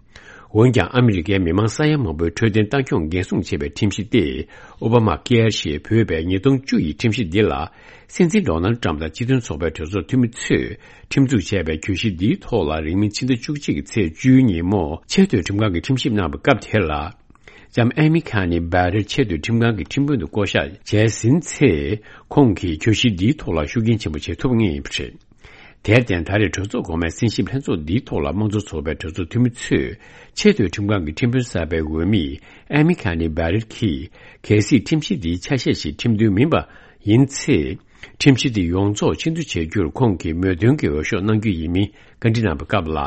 འོན་ཀྱང་ཨ་མི་རི་ཀའི་མི་མང་ས་ཡ་མང་པོའི་འཕྲོད་བསྟེན་ལྟ་སྐྱོང་འགན་སྲུང་བྱེད་པའི་ཁྲིམས་གཞི་སྟེ། ཨོ་བྷ་མ་ཀེར་ཞེས་འབོད་པའི་ཉིས་སྟོང་བཅུ་ཡི་ཁྲིམས་གཞི་འདི་ལ། སྲིད་འཛིན་ཌོ་ནལ་ཌི་ཊརམ་ཕི་དང་སྤྱི་མཐུན་ཚོགས་པའི་གྲོས་ཚོགས་འཐུས་མི་ཚོས་ཁྲིམས་འཛུགས་བྱས་པའི་གྱོད་གཞི་འདིའི་ཐོག་ལ་རིང་མིན་ཕྱི་ཟླ་བཅུ་གཅིག་གི་ཚེས་བཅུའི་ཉིན་མོ་ཆེས་མཐོའི་ཁྲིམས་ཁང་གི་ཁྲིམས་ཞིབ་གནང་བའི་སྐབས་དེ་ལ། ལྕམ་ཨེ་མི་ཁ་ནི་བྷ་རེད་ཆེས་མཐོའི་ཁྲིམས་ཁང་གི་ཁྲིམས་དཔོན་དུ་བསྐོ་གཞག་བྱས་ཟིན་ཚེ། ཁོང་གིས་གྱོད་གཞི་འདིའི་ཐོག་ལ་ཤུགས་རྐྱེན་ཆེན་པོ་བྱེད་ཐུབ་ངེས་ཡིན་པ་རེད། དེར་བརྟེན། ད་རེས་གྲོས་ཚོགས་གོང་མའི་གསན་ཞིབ་ལྷན་ཚོགས་འདིའི་ཐོག་ལ་དམངས་གཙོ་ཚོགས་པའི་གྲོས་ཚོགས་འཐུས་མི་ཚོས་ཆེས་མཐོའི་ཁྲིམས་ཁང་གི་ཁྲིམས་དཔོན་གསར་པའི་འོས་མི་ཨེ་མི་ཁ་ནི་བྷ་རེད་ཀྱིས། གལ་སྲིད་ཁྲིམས་གཞི་འདིའི་ཆ་ཤས་ཤིག་ཁྲིམས་མཐུན་མིན་པ་ཡིན་ཚེ། ཁྲིམས་གཞི་འདི་ཡོངས་རྫོགས་ཕྱིར་བསྡུ་བྱེད་རྒྱུར་ཁོང་གིས་མོས་མཐུན་གྱི་འོས་ཤོག་གནང་རྒྱུ་ཡིན་མིན་བཀའ་འདྲི་གནང་བའི་སྐབས་ལ།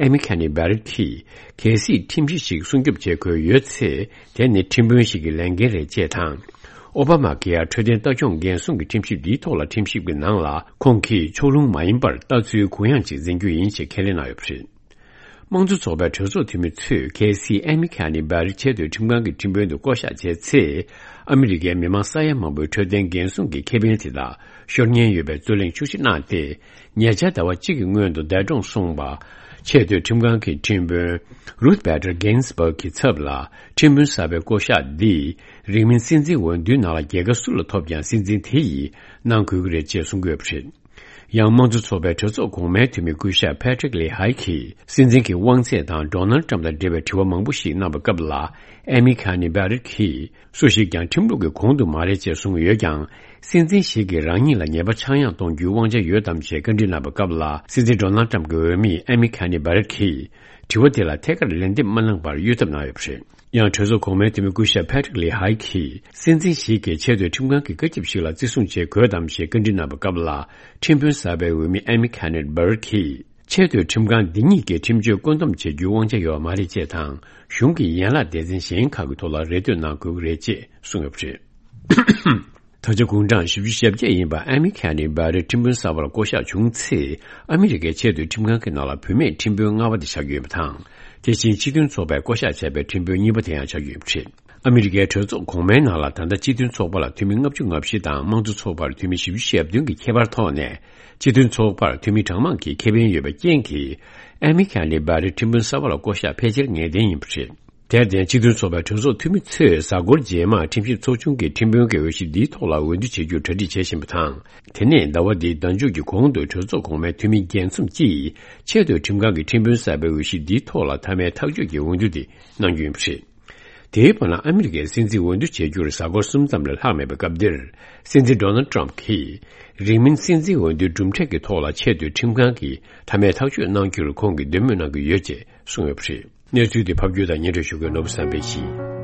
ཨེ་མི་ཁ་ནི་བྷ་རེད་ཀྱིས། གལ་སྲིད་ཁྲིམས་གཞི་ཞིག་སྲུང་སྐྱོབ་བྱེད་དགོས་ཡོད་ཚེ། དེ་ནི་ཁྲིམས་དཔོན་ཞིག་གི་ལས་འགན་རེད་ཅེས་དང་། ཨོ་བྷ་མ་ཀེར་འཕྲོད་བསྟེན་ལྟ་སྐྱོང་འགན་སྲུང་གི་ཁྲིམས་ཞིབ་འདིའི་ཐོག་ལ་ཁྲིམས་ཞིབ་ཀྱི་ནང་ལ་ཁོང་གིས་ཕྱོགས་ལྷུང་མ་ཡིན་པར་ལྟ་ཚུལ་གུ་ཡངས་ཅིག་འཛིན་རྒྱུ་ཡིན་ཞེས་ཁས་ལེན་གནང་ཡོད་པ་རེད། དམངས་གཙོ་ཚོགས་པའི་གྲོས་ཚོགས་འཐུས་མི་ཚོས་གལ་སྲིད་ཨེ་མི་ཁ་ནི་བྷ་རེད་ཆེས་མཐོའི་ཁྲིམས་ཁང་གི་ཁྲིམས་དཔོན་དུ་བསྐོ་གཞག་བྱས་ཚེ། ཨ་མི་རི་ཀའི་མི་མང་ས་ཡ་མང་པོའི་འཕྲོད་བསྟེན་འགན་སྲུང་གི་ཁེ་ཕན་དེ་དག་ཤོར་ཉེན་ཡོད་པའི་རྩོད་གླེང་ཤུགས་ཆེ་གནང་སྟེ། ཉེ་ཆར་ཟླ་བ་གཅིག་གི་སྔོན་དུ་འདས་གྲོངས་སོང་བ། ཆེས་མཐོའི་ཁྲིམས་ཁང་གི་ཁྲིམས་དཔོན་Ruth Bader Ginsburg གི་ཚབ་ལ་ཁྲིམས་དཔོན་གསར་པའི་བསྐོ་གཞག་འདིས། རིང་མིན་སྲིད་འཛིན་འོས་བསྡུའི་ནང་ལ་རྒྱལ་ཁ་སུ་ལ་ཐོབ་ཀྱང་སྲིད་འཛིན་དེ་ཡིས་གནང་དགོས་ཀྱི་རེད་ཅེས་གསུང་གི་ཡོད་པ་རེད། ཡང་། དམངས་གཙོ་ཚོགས་པའི་གྲོས་ཚོགས་གོང་མའི་འཐུས་མི་སྐུ་ཞབས་Patrick Leahy གིས། སྲིད་འཛིན་གྱི་དབང་ཚད་དང་ཌོ་ནལ་ཊམ་དང་འབྲེལ་བའི་དྲི་བ་མང་པོ་ཞིག་གནང་བའི་སྐབས་ལ། ཨེ་མི་ཁ་ནི་བྷ་རེད་ཀྱིས། སུ་ཞིག་ཀྱང་ཁྲིམས་ལུགས་ཀྱི་གོང་དུ་མ་རེད་ཅེས་གསུངས་ཡོད་ཀྱང་། སྲིད་འཛིན་ཞིག་གིས་རང་ཉིད་ལ་ཉེས་པ་ཆག་ཡང་གཏོང་རྒྱུའི་དབང་ཆ་ཡོད་དམ་ཞེས་བཀའ་འདྲི་གནང་བའི་སྐབས་ལ། སྲིད་འཛིན་ཌོ་ནལ་ཊམ་གྱི་འོས་མི་ཨེ་མི་ཁ་ནི་བྷ་རེད་ཀྱིས། དྲི་བ་དེ་ལ་ཐད་ཀར་ལན་འདེབས་མ་གནང་བར་གཡོལ་ཐབས་གནང་ཡོད་པ་རེད། ཡང་། གྲོས་ཚོགས་གོང་མའི་འཐུས་མི་སྐུ་ཞབས་Patrick Leahy གིས། སྲིད་འཛིན་ཞིག་གིས་ཆེས་མཐོའི་ཁྲིམས་ཁང་གི་བཀའ་ཁྱབ་ཞིག་ལ་བརྩི་སྲུང་བྱེད་དགོས་དམ་ཞེས་བཀའ་འདྲི་གནང་བའི་སྐབས་ལ། ཁྲིམས་དཔོན་གསར་པའི་འོས་མི་ཨེ་མི་ཁ་ནི་བྷ་རེད་ཀྱིས། ཆེས་མཐོའི་ཁྲིམས་ཁང་འདི་ཉིད་ཀྱིས་ཁྲིམས་གཅོད་བཀོད་འདོམས་བྱེད་རྒྱུའི་དབང་ཆ་ཡོད་པ་མ་རེད་ཅེས་དང་། གཞུང་གི་ཡན་ལག་སྡེ་ཚན་གཞན་ཁག་གི་ཐོག་ལ་རེ་ལྟོས་གནང་དགོས་ཀྱི་རེད་ཅེས་གསུངས་ཡོད་པ་རེད། ད་ཆ་དགུང་གྲངས་བཞི་བཅུ་ཞེ་བརྒྱད་ཡིན་པ་ཨ་མི་ཁ་ནི་བྷ་རེ་ཁྲིམས་དཔོན་གསར་པར་བསྐོ་གཞག་བྱུང་ཚེ། ཨ་མི་རི་ཀའི་ཆེས་མཐོའི་ཁྲིམས་ཁང་གི་ནང་ལ་བུད་མེད་ཁྲིམས་དཔོན་ལྔ་པ་དེ་ཆགས་ཀྱི་ཡོད་པ་དང་། དེ་བཞིན་སྤྱི་མཐུན་ཚོགས་པས་བསྐོ་གཞག་བྱས་པའི་ཁྲིམས་དཔོན་གཉིས་པ་དེ་ཡང་ཆགས་ཀྱི་ཡོད་པ་རེད། ཨ་མི་རི་ཀའི་གྲོས་ཚོགས་གོང་མའི་ནང་ལ་ད་ལྟ་སྤྱི་མཐུན་ཚོགས་པ་ལ་འཐུས་མི་ལྔ་བཅུ་ང་བཞི་དང་དམངས་གཙོ་ཚོགས་པར་འཐུས་མི་བཞི་བཅུ་ཞེ་བདུན་གྱི་ཁྱད་པར་ཐོག་ནས། སྤྱི་མཐུན་ཚོགས་པར་འཐུས་མི་གྲངས་མང་གི་ཁེ་ཕན་ཡོད་པའི་རྐྱེན་གྱིས། ཨ་མི་ཁ་ནི་བྷ་རེ་ཁྲིམས་དཔོན་གསར་པ་ལ་བསྐོ་གཞག་ཕལ་ཆེར་ངེས་གཏན་ཡིན་པ་རེད། དེར་བརྟེན། སྤྱི་མཐུན་ཚོགས་པའི་གྲོས་ཚོགས་འཐུས་མི་ཚོས་གཟའ་འཁོར་རྗེས་མར་ཁྲིམས་ཞིབ་ཚོགས་ཆུང་གི་ཁྲིམས་དཔོན་གྱི་འོས་གཞི་འདིའི་ཐོག་ལ་འོས་བསྡུ་བྱེད་རྒྱུར་གྲ་སྒྲིག་བྱེད་བཞིན་པ་དང་། དེ་ནས་ཟླ་བ་འདིའི་ཟླ་མཇུག་གི་གོང་དུ་གྲོས་ཚོགས་གོང་མའི་འཐུས་མི་བརྒྱད་འཛོམས་ཀྱིས་ཆེས་མཐོའི་ཁྲིམས་ཁང་གི་ཁྲིམས་དཔོན་གསར་པའི་འོས་གཞི་འདིའི་ཐོག་ལ་མཐའ་མའི་ཐག་གཅོད་ཀྱི་འོས་བསྡུ་དེ་གནང་རྒྱུ་ཡིན་པ་རེད། དེའི་བར་ན། ཨ་མི་རི་ཀའི་སྲིད་འཛིན་འོས་བསྡུ་བྱེད་རྒྱུར་གཟའ་འཁོར་གསུམ་ཙམ་ལས་ལྷག་མེད་པའི་སྐབས་འདིར། སྲིད་འཛིན་ཌོ་ནལ་ཊམ་གྱིས། རིང་མིན་སྲིད་འཛིན་འོས་བསྡུའི་གྲུབ་འབྲས་ཀྱི་ཐོག་ལ་ཆེས་མཐོའི་ཁྲིམས་ཁང་གིས་མཐའ་མའི་ཐག་གཅོད་གནང་རྒྱུར་ཁོང་གིས་འདོད་མོས་གནང་གི་ཡོད་ཅེས་གསུངས་ཡོད་པ་རེད། གནས་ཚུལ་འདི་ཕབ་སྒྱུར་དང་སྙན་སྒྲོན་ཞུ་མཁན་ནོར་བུ་བསམ་འཕེལ་ཡིན།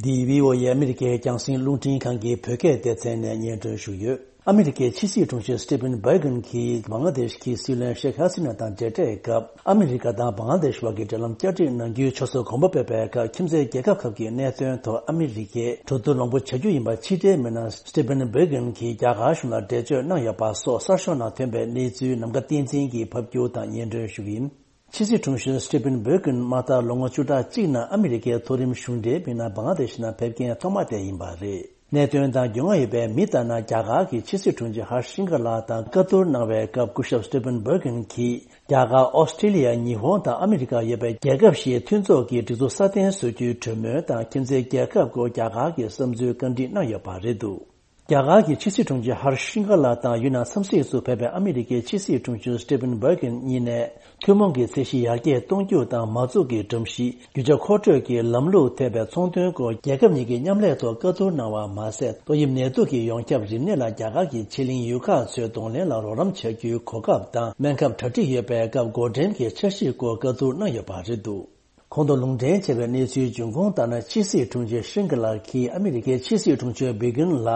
འདི་བྷི་ཨོ་ཨེ་ཨ་མི་རི་ཀའི་རྒྱང་སྲིང་རླུང་འཕྲིན་ཁང་གི་བོད་སྐད་སྡེ་ཚན་ནས་སྙན་སྒྲོན་ཞུ་ཡོད། ཨ་མི་རི་ཀའི་ཕྱི་སྲིད་དྲུང་ཆེ་སི་ཏི་ཕིན་བྷེ་གྷན་གྱིས་བང་ལ་དེཤ་གི་སྲིད་བློན་ཤེག་ཧ་སི་ན་དང་མཇལ་འཕྲད་སྐབས། ཨ་མི་རི་ཀ་དང་བང་ལ་དེཤ་བར་གྱི་འབྲེལ་ལམ་བསྐྱར་སྒྲིག་གནང་རྒྱུའི་ཕྱོགས་སུ་གོམ་པ་སྤོས་པའི་སྐབས། ཁྱིམ་མཚེས་རྒྱལ་ཁབ་ཁག་གི་གནད་དོན་ཐོག་ཨ་མི་རི་ཀས་གྲོས་བསྡུར་མང་པོ་བྱ་རྒྱུ་ཡིན་པ་ཕྱི་དྲིལ་མི་སྣ་སི་ཏི་ཕིན་བྷེ་གྷན་གྱིས་རྒྱ་གར་གཞུང་ལ་འགྲེལ་བརྗོད་གནང་ཡོད་པ་སོགས། གསར་ཤོག་ནང་ཐོན་པའི་གནས་ཚུལ་ནམ་མཁའ་བསྟན་འཛིན་གྱིས་ཕབ་སྒྱུར་དང་སྙན་སྒྲོན་ཞུ་གི་ཡིན། ཕྱི་སྲིད་དྲུང་གཞོན་སི་ཏི་ཕིན་བྷེ་གྷན་མ་མཐའ་ལོ་ངོ་བཅུ་ཕྲག་གཅིག་ནང་ཨ་མི་རི་ཀའི་མཐོ་རིམ་གཞུང་འབྲེལ་མི་སྣ་བང་ལ་དེཤ་ནང་ཕེབས་མཁན་ཐོག་མ་དེ་ཡིན་པ་རེད། གནད་དོན་དང་འགྱུར་བ་ཡོད་པའི་མི་ལྟར་ན། རྒྱ་གར་གྱི་ཕྱི་སྲིད་དྲུང་ཆེ་ཧར་ཤིང་ག་ལ་དང་བཀའ་བསྡུར་གནང་བའི་སྐབས། སྐུ་ཞབས་སི་ཏི་ཕིན་བྷེ་གྷན་གྱིས་རྒྱ་གར། ཨོ་སི་ཀྲི་ལི་ཡ། ཉི་ཧོང་དང་ཨ་མི་རི་ཀ་ཡོད་པའི་རྒྱལ་ཁབ་བཞིའི་མཐུན་ཚོགས་ཀྱི་སྒྲིག་འཛུགས་སྲ་བརྟན་བཟོ་རྒྱུའི་གྲོས་མོལ་དང་། ཁྱིམ་མཚེས་རྒྱལ་ཁབ་སྐོར་རྒྱ་གར་གྱི་བསམ་ཚུལ་བཀའ་འདྲི་གནང་ཡོད་པ་རེད་འདུག་རྒྱ་གར་གྱི་ཕྱི་སྲིད་དྲུང་ཆེ་ཧར་ཤིང་ག་ལ་དང་ཡུན་ནན་འཚམས་གཟིགས་སུ་ཕེབས་པའི་ཨ་མི་རི་ཀའི་ཕྱི་སྲིད་དྲུང་ཆེ་སི་ཏི་ཕིན་བྷེ་གྷན་གཉིས་ནས། ཐུན་མོང་གི་ཚད་གཞི་ཡར་རྒྱས་གཏོང་རྒྱུ་དང་། མ་འཛུགས་ཀྱི་སྒྲོམ་གཞི། རྒྱུ་ཆ་མཁོ་སྤྲོད་ཀྱི་ལམ་ལུགས་ཐེ་བའི་ཚོང་དོན་སྐོར་རྒྱལ་ཁབ་གཉིས་ཀྱི་མཉམ་ལས་ཐོག་བཀའ་བསྡུར་གནང་བ་མ་ཟད། ཏོག་དབྱིབས་ནད་དུག་གི་ཡོངས་ཁྱབ་རིམས་ནད་ལ་རྒྱ་གར་གྱི་ཆེད་གླིང་ཡུལ་ཁག་ཚོས་གདོང་ལེན་ལ་རོགས་རམ་བྱ་རྒྱུའི་གོ་སྐབས་དང་། སྨན་ཁབ་གྲ་སྒྲིག་ཡོད་པའི་སྐབས་འགོག་འདྲེན་གྱི་འཆར་གཞིའི་སྐོར་བཀའ་བསྡུར་གནང་ཡོད་པ་རེད་འདུག་གོང་དུ་ལུང་འདྲེན་བྱས་པའི་གནས་ཚུལ་འབྱུང་ཁུངས་ལྟར་ན། ཕྱི་སྲིད་དྲུང་ཆེ་ཤིང་ག་ལ་གིས་ཨ་མི་རི་ཀའི་ཕྱི་སྲིད་དྲུང་ཆེ་བྷེ་གྷན་ལ་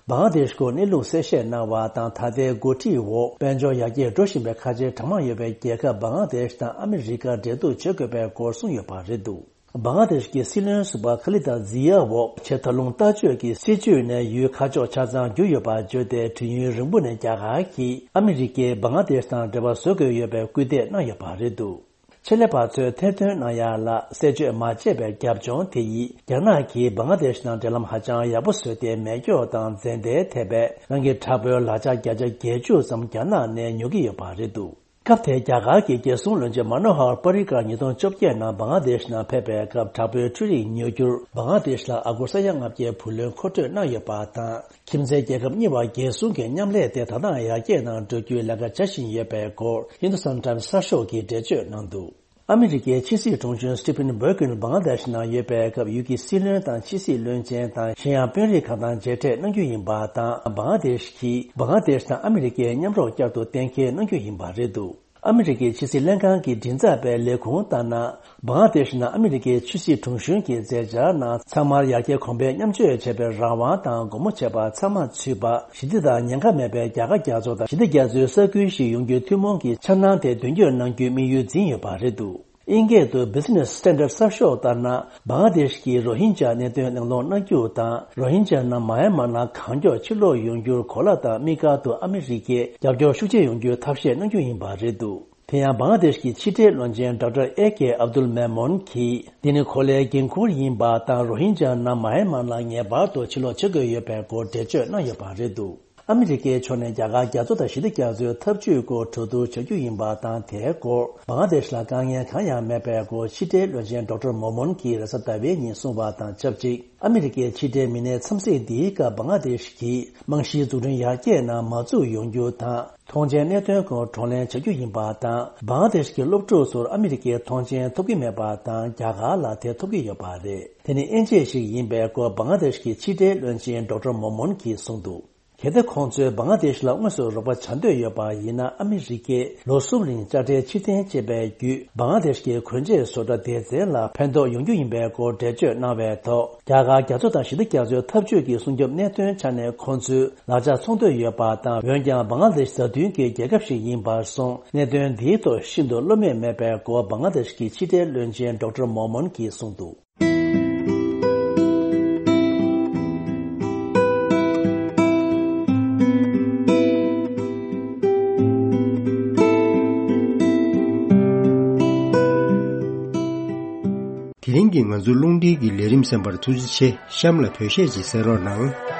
བང་ལ་དེཤ་སྐོར་གནས་ལུགས་གསལ་བཤད་གནང་བ་དང་། ད་ལྟའི་འགོ་ཁྲིད་འོག་དཔལ་འབྱོར་ཡར་རྒྱས་འགྲོ་བཞིན་པའི་ཁ་ཆེ་གྲངས་མང་ཡོད་པའི་རྒྱལ་ཁབ་བང་ལ་དེཤ་དང་ཨ་མི་རི་ཀ་འབྲེལ་གཏུག་བྱེད་དགོས་པའི་སྐོར་གསུངས་ཡོད་པ་རེད་འདུག་བང་ལ་དེཤ་གི་སྲིད་བློན་ཟུར་པ་ཁ་ལི་ད་ཛི་ཡ་འོག་ཆེས་མཐོ་ལོང་ལྟ་སྤྱོད་ཀྱི་སྲིད་བྱུས་ནས་ཡུལ་ཁ་ཕྱོགས་ཆ་ཚང་བསྒྱུར་ཡོད་པ་བརྗོད་དེ། དུས་ཡུན་རིང་པོ་ནས་རྒྱ་གར་གྱིས་ཨ་མི་རི་ཀས་བང་ལ་དེཤ་དང་འབྲེལ་བ་བཟོ་དགོས་ཡོད་པའི་སྐུལ་འདེད་གནང་ཡོད་པ་རེད་འདུག་ཆེད་ལས་པ་ཚོས་ཐེར་འདོན་གནང་ཡ་ལ་གསལ་བརྗོད་མ་བྱས་པའི་རྒྱབ་ལྗོངས་དེ་ཡིས། རྒྱ་ནག་གིས་བང་ལ་དེཤ་དང་འབྲེལ་ལམ་ཧ་ཅང་ཡག་པོ་བཟོས་ཏེ། མེ་སྒྱོགས་དང་རྫས་མདའ་ཐེབས་པའི་རང་གི་དྲག་པོའི་ལག་ཆ་བརྒྱ་ཆ་བརྒྱད་ཅུ་ཙམ་རྒྱ་ནག་ནས་ཉོ་གི་ཡོད་པ་རེད་འདུག་སྐབས་དེར་རྒྱ་གར་གྱི་རྒྱལ་སྲུང་བློན་ཆེན་མ་ནོ་ཧར་པ་རི་ཀར་ཉིས་སྟོང་བཅོ་བརྒྱད་ནང་བང་ལ་དེཤ་ནང་ཕེབས་པའི་སྐབས། དྲག་པོའི་འཕྲུལ་རིག་ཉོ་རྒྱུར་བང་ལ་དེཤ་ལ་ཨ་སྒོར་ས་ཡ་ལྔ་བརྒྱའི་བུ་ལོན་མཁོ་སྤྲོད་གནང་ཡོད་པ་དང་། ཁྱིམ་མཚེས་རྒྱལ་ཁབ་གཉིས་བར་རྒྱལ་སྲུང་གི་མཉམ་ལས་དེ་ད་ལྟའང་ཡར་རྒྱས་ནང་འགྲོ་རྒྱུའི་ལས་ཀ་བྱ་བཞིན་ཡོད་པའི་སྐོར་ཧིན་དུ་སྟན་ཊའིམ་སི་གསར་ཤོག་གིས་འགྲེལ་བརྗོད་གནང་འདུག་ཨ་མི་རི་ཀའི་ཕྱི་སྲིད་དྲུང་ཆེ་སི་ཏི་ཕིན་བྷེ་གྷན་བང་ལ་དེཤ་ནང་ཡོད་པའི་སྐབས། ཡུལ་གྱི་སྲིད་བློན་དང་ཕྱི་སྲིད་བློན་ཆེན་དང་། གཞན་ཡང་དཔོན་རིགས་ཁག་དང་མཇལ་འཕྲད་གནང་རྒྱུ་ཡིན་པ་དང་། བང་ལ་དེཤ་གིས་བང་ལ་དེཤ་དང་ཨ་མི་རི་ཀའི་མཉམ་རོགས་བསྐྱར་དུ་གཏན་འཁེལ་གནང་རྒྱུ་ཡིན་པ་རེད་འདུག་ཨ་མི་རི་ཀའི་ཕྱི་སྲིད་ལྷན་ཁང་གི་མགྲིན་ཚབ་པའི་ལས་ཁུངས་ལྟར་ན། བང་ལ་དེཤ་ནང་ཨ་མི་རི་ཀའི་ཕྱི་སྲིད་དྲུང་གཞོན་གྱི་མཛད་འཆར་ནང་། ཚང་མར་ཡར་རྒྱས་གོང་འཕེལ་མཉམ་སྤྱོད་བྱེད་པའི་རང་དབང་དང་། སྒོ་མོ་འབྱེད་པ་ཚང་མ་ཚུད་པ། ཞི་བདེ་དང་ཉེན་ཁ་མེད་པའི་རྒྱ་གར་རྒྱ་མཚོ་དང་། ཞི་བདེ་རྒྱ་མཚོའི་ས་ཁུལ་ཞིག་ཡོང་རྒྱུའི་ཐུན་མོང་གི་འཆར་སྣང་དེ་དོན་འཁྱོལ་གནང་རྒྱུའི་དམིགས་ཡུལ་འཛིན་ཡོད་པ་རེད་འདུག་ཨིན་སྐད་དུ་བྷི་ཛི་ནེ་སི་སི་ཊན་ཌར་ཌི་གསར་ཤོག་ལྟར་ན། བང་ལ་དེཤ་གིས་རོ་ཧིན་ཇཱ་གནད་དོན་གླེང་སློང་གནང་རྒྱུ་དང་། རོ་ཧིན་ཇཱ་རྣམས་མཱ་ཡན་མར་ནང་གང་མགྱོགས་ཕྱིར་ལོག་ཡོང་རྒྱུར་གོ་ལ་དང་དམིགས་བཀར་དུ་ཨ་མི་རི་ཀས་རྒྱབ་སྐྱོར་ཤུགས་ཆེ་ཡོང་རྒྱུའི་ཐབས་ཤེས་གནང་རྒྱུ་ཡིན་པ་རེད་འདུག་དེ་ཡང་བང་ལ་དེཤ་གི་ཕྱི་འབྲེལ་བློན་ཆེན་ཌོག་ཊར་ཨེ་ཀེ་ཨབ་དུལ་མེ་མོན་གྱིས། འདི་ནི་གོ་ལའི་འགན་ཁུར་ཡིན་པ་དང་། རོ་ཧིན་ཇཱ་རྣམས་མཱ་ཡན་མར་ནང་ངེས་པར་དུ་ཕྱིར་ལོག་བྱེད་དགོས་ཡོད་པའི་སྐོར་འགྲེལ་བརྗོད་གནང་ཡོད་པ་རེད་འདུག་ཨ་མི་རི་ཀའི་ཕྱོགས་ནས་རྒྱ་གར་རྒྱ་མཚོ་དང་ཞི་བདེ་རྒྱ་མཚོའི་འཐབ་ཇུས་སྐོར་གྲོས་བསྡུར་བྱ་རྒྱུ་ཡིན་པ་དང་། དེའི་སྐོར་བང་ལ་དེཤ་ལ་དཀའ་ངལ་གང་ཡང་མེད་པའི་སྐོར་ཕྱི་འབྲེལ་བློན་ཆེན་ཌོག་ཊར་མོ་མོན་གྱིས་རེས་གཟའ་ཟླ་བའི་ཉིན་གསུངས་པ་དང་ཆབས་ཅིག་ཨ་མི་རི་ཀའི་ཕྱི་འབྲེལ་མི་སྣའི་འཚམས་གཟིགས་འདིའི་སྐབས། བང་ལ་དེཤ་གིས་རྨང་གཞིའི་འཛུགས་སྐྲུན་ཡར་རྒྱས་ནང་མ་འཛུགས་ཡོང་རྒྱུ་དང་། ཐོངས་མཆན་གནད་དོན་སྐོར་བགྲོ་གླེང་བྱ་རྒྱུ་ཡིན་པ་དང་། བང་ལ་དེཤ་གི་སློབ་ཕྲུག་ཚོར་ཨ་མི་རི་ཀའི་ཐོངས་མཆན་ཐོབ་ཀྱི་མེད་པ་དང་། རྒྱ་གར་ལ་དེ་ཐོབ་ཀྱི་ཡོད་པ་རེད། དེ་ནི་དབྱེ་འབྱེད་ཞིག་ཡིན་པའི་སྐོར་བང་ལ་དེཤ་གི་ཕྱི་འབྲེལ་བློན་ཆེན་ཌོག་ཊར་མོ་མོན་གྱིས་གསུངས་འདུག་གལ་ཏེ་ཁོང་ཚོས་བང་ལ་དེཤ་ལ་དངོས་སུ་རོགས་པ་བྱ་འདོད་ཡོད་པ་ཡིན་ན། ཨ་མི་རི་ཀས་ལོ་གསུམ་རིང་དཔྱ་ཁྲལ་ཕྱིར་འཐེན་བྱས་པའི་བརྒྱུད། བང་ལ་དེཤ་གི་གོན་ཆས་བཟོ་གྲྭ་སྡེ་ཚན་ལ་ཕན་ཐོགས་ཡོང་རྒྱུ་ཡིན་པའི་སྐོར་འགྲེལ་བརྗོད་གནང་བའི་ཐོག་རྒྱ་གར་རྒྱ་མཚོ་དང་ཞི་བདེ་རྒྱ་མཚོའི་འཐབ་ཇུས་ཀྱི་སྲུང་སྐྱོབ་གནད་དོན་ཆ་ནས་ཁོང་ཚོས་ལག་ཆ་འཚོང་འདོད་ཡོད་པ་དང་། འོན་ཀྱང་བང་ལ་དེཤ་བཟའ་བཏུང་གི་རྒྱལ་ཁབ་ཞིག་ཡིན་པར་སོང་། གནད་དོན་འདིའི་ཐོག་ཤིན་ཏུ་བློ་མོས་མེད་པའི་སྐོར་བང་ལ་དེཤ་གི་ཕྱི་འབྲེལ་བློན་ཆེན་ཌོག་ཊར་མོ་མོན་གྱིས་གསུངས་འདུག་དེ་རིང་གི་ང་ཚོའི་རླུང་འཕྲིན་གྱི་ལས་རིམ་གསན་པར་ཐུགས་རྗེ་ཆེ། གཤམ་ལ་བོད་གཞས་ཅིག་གསན་རོགས་གནང་།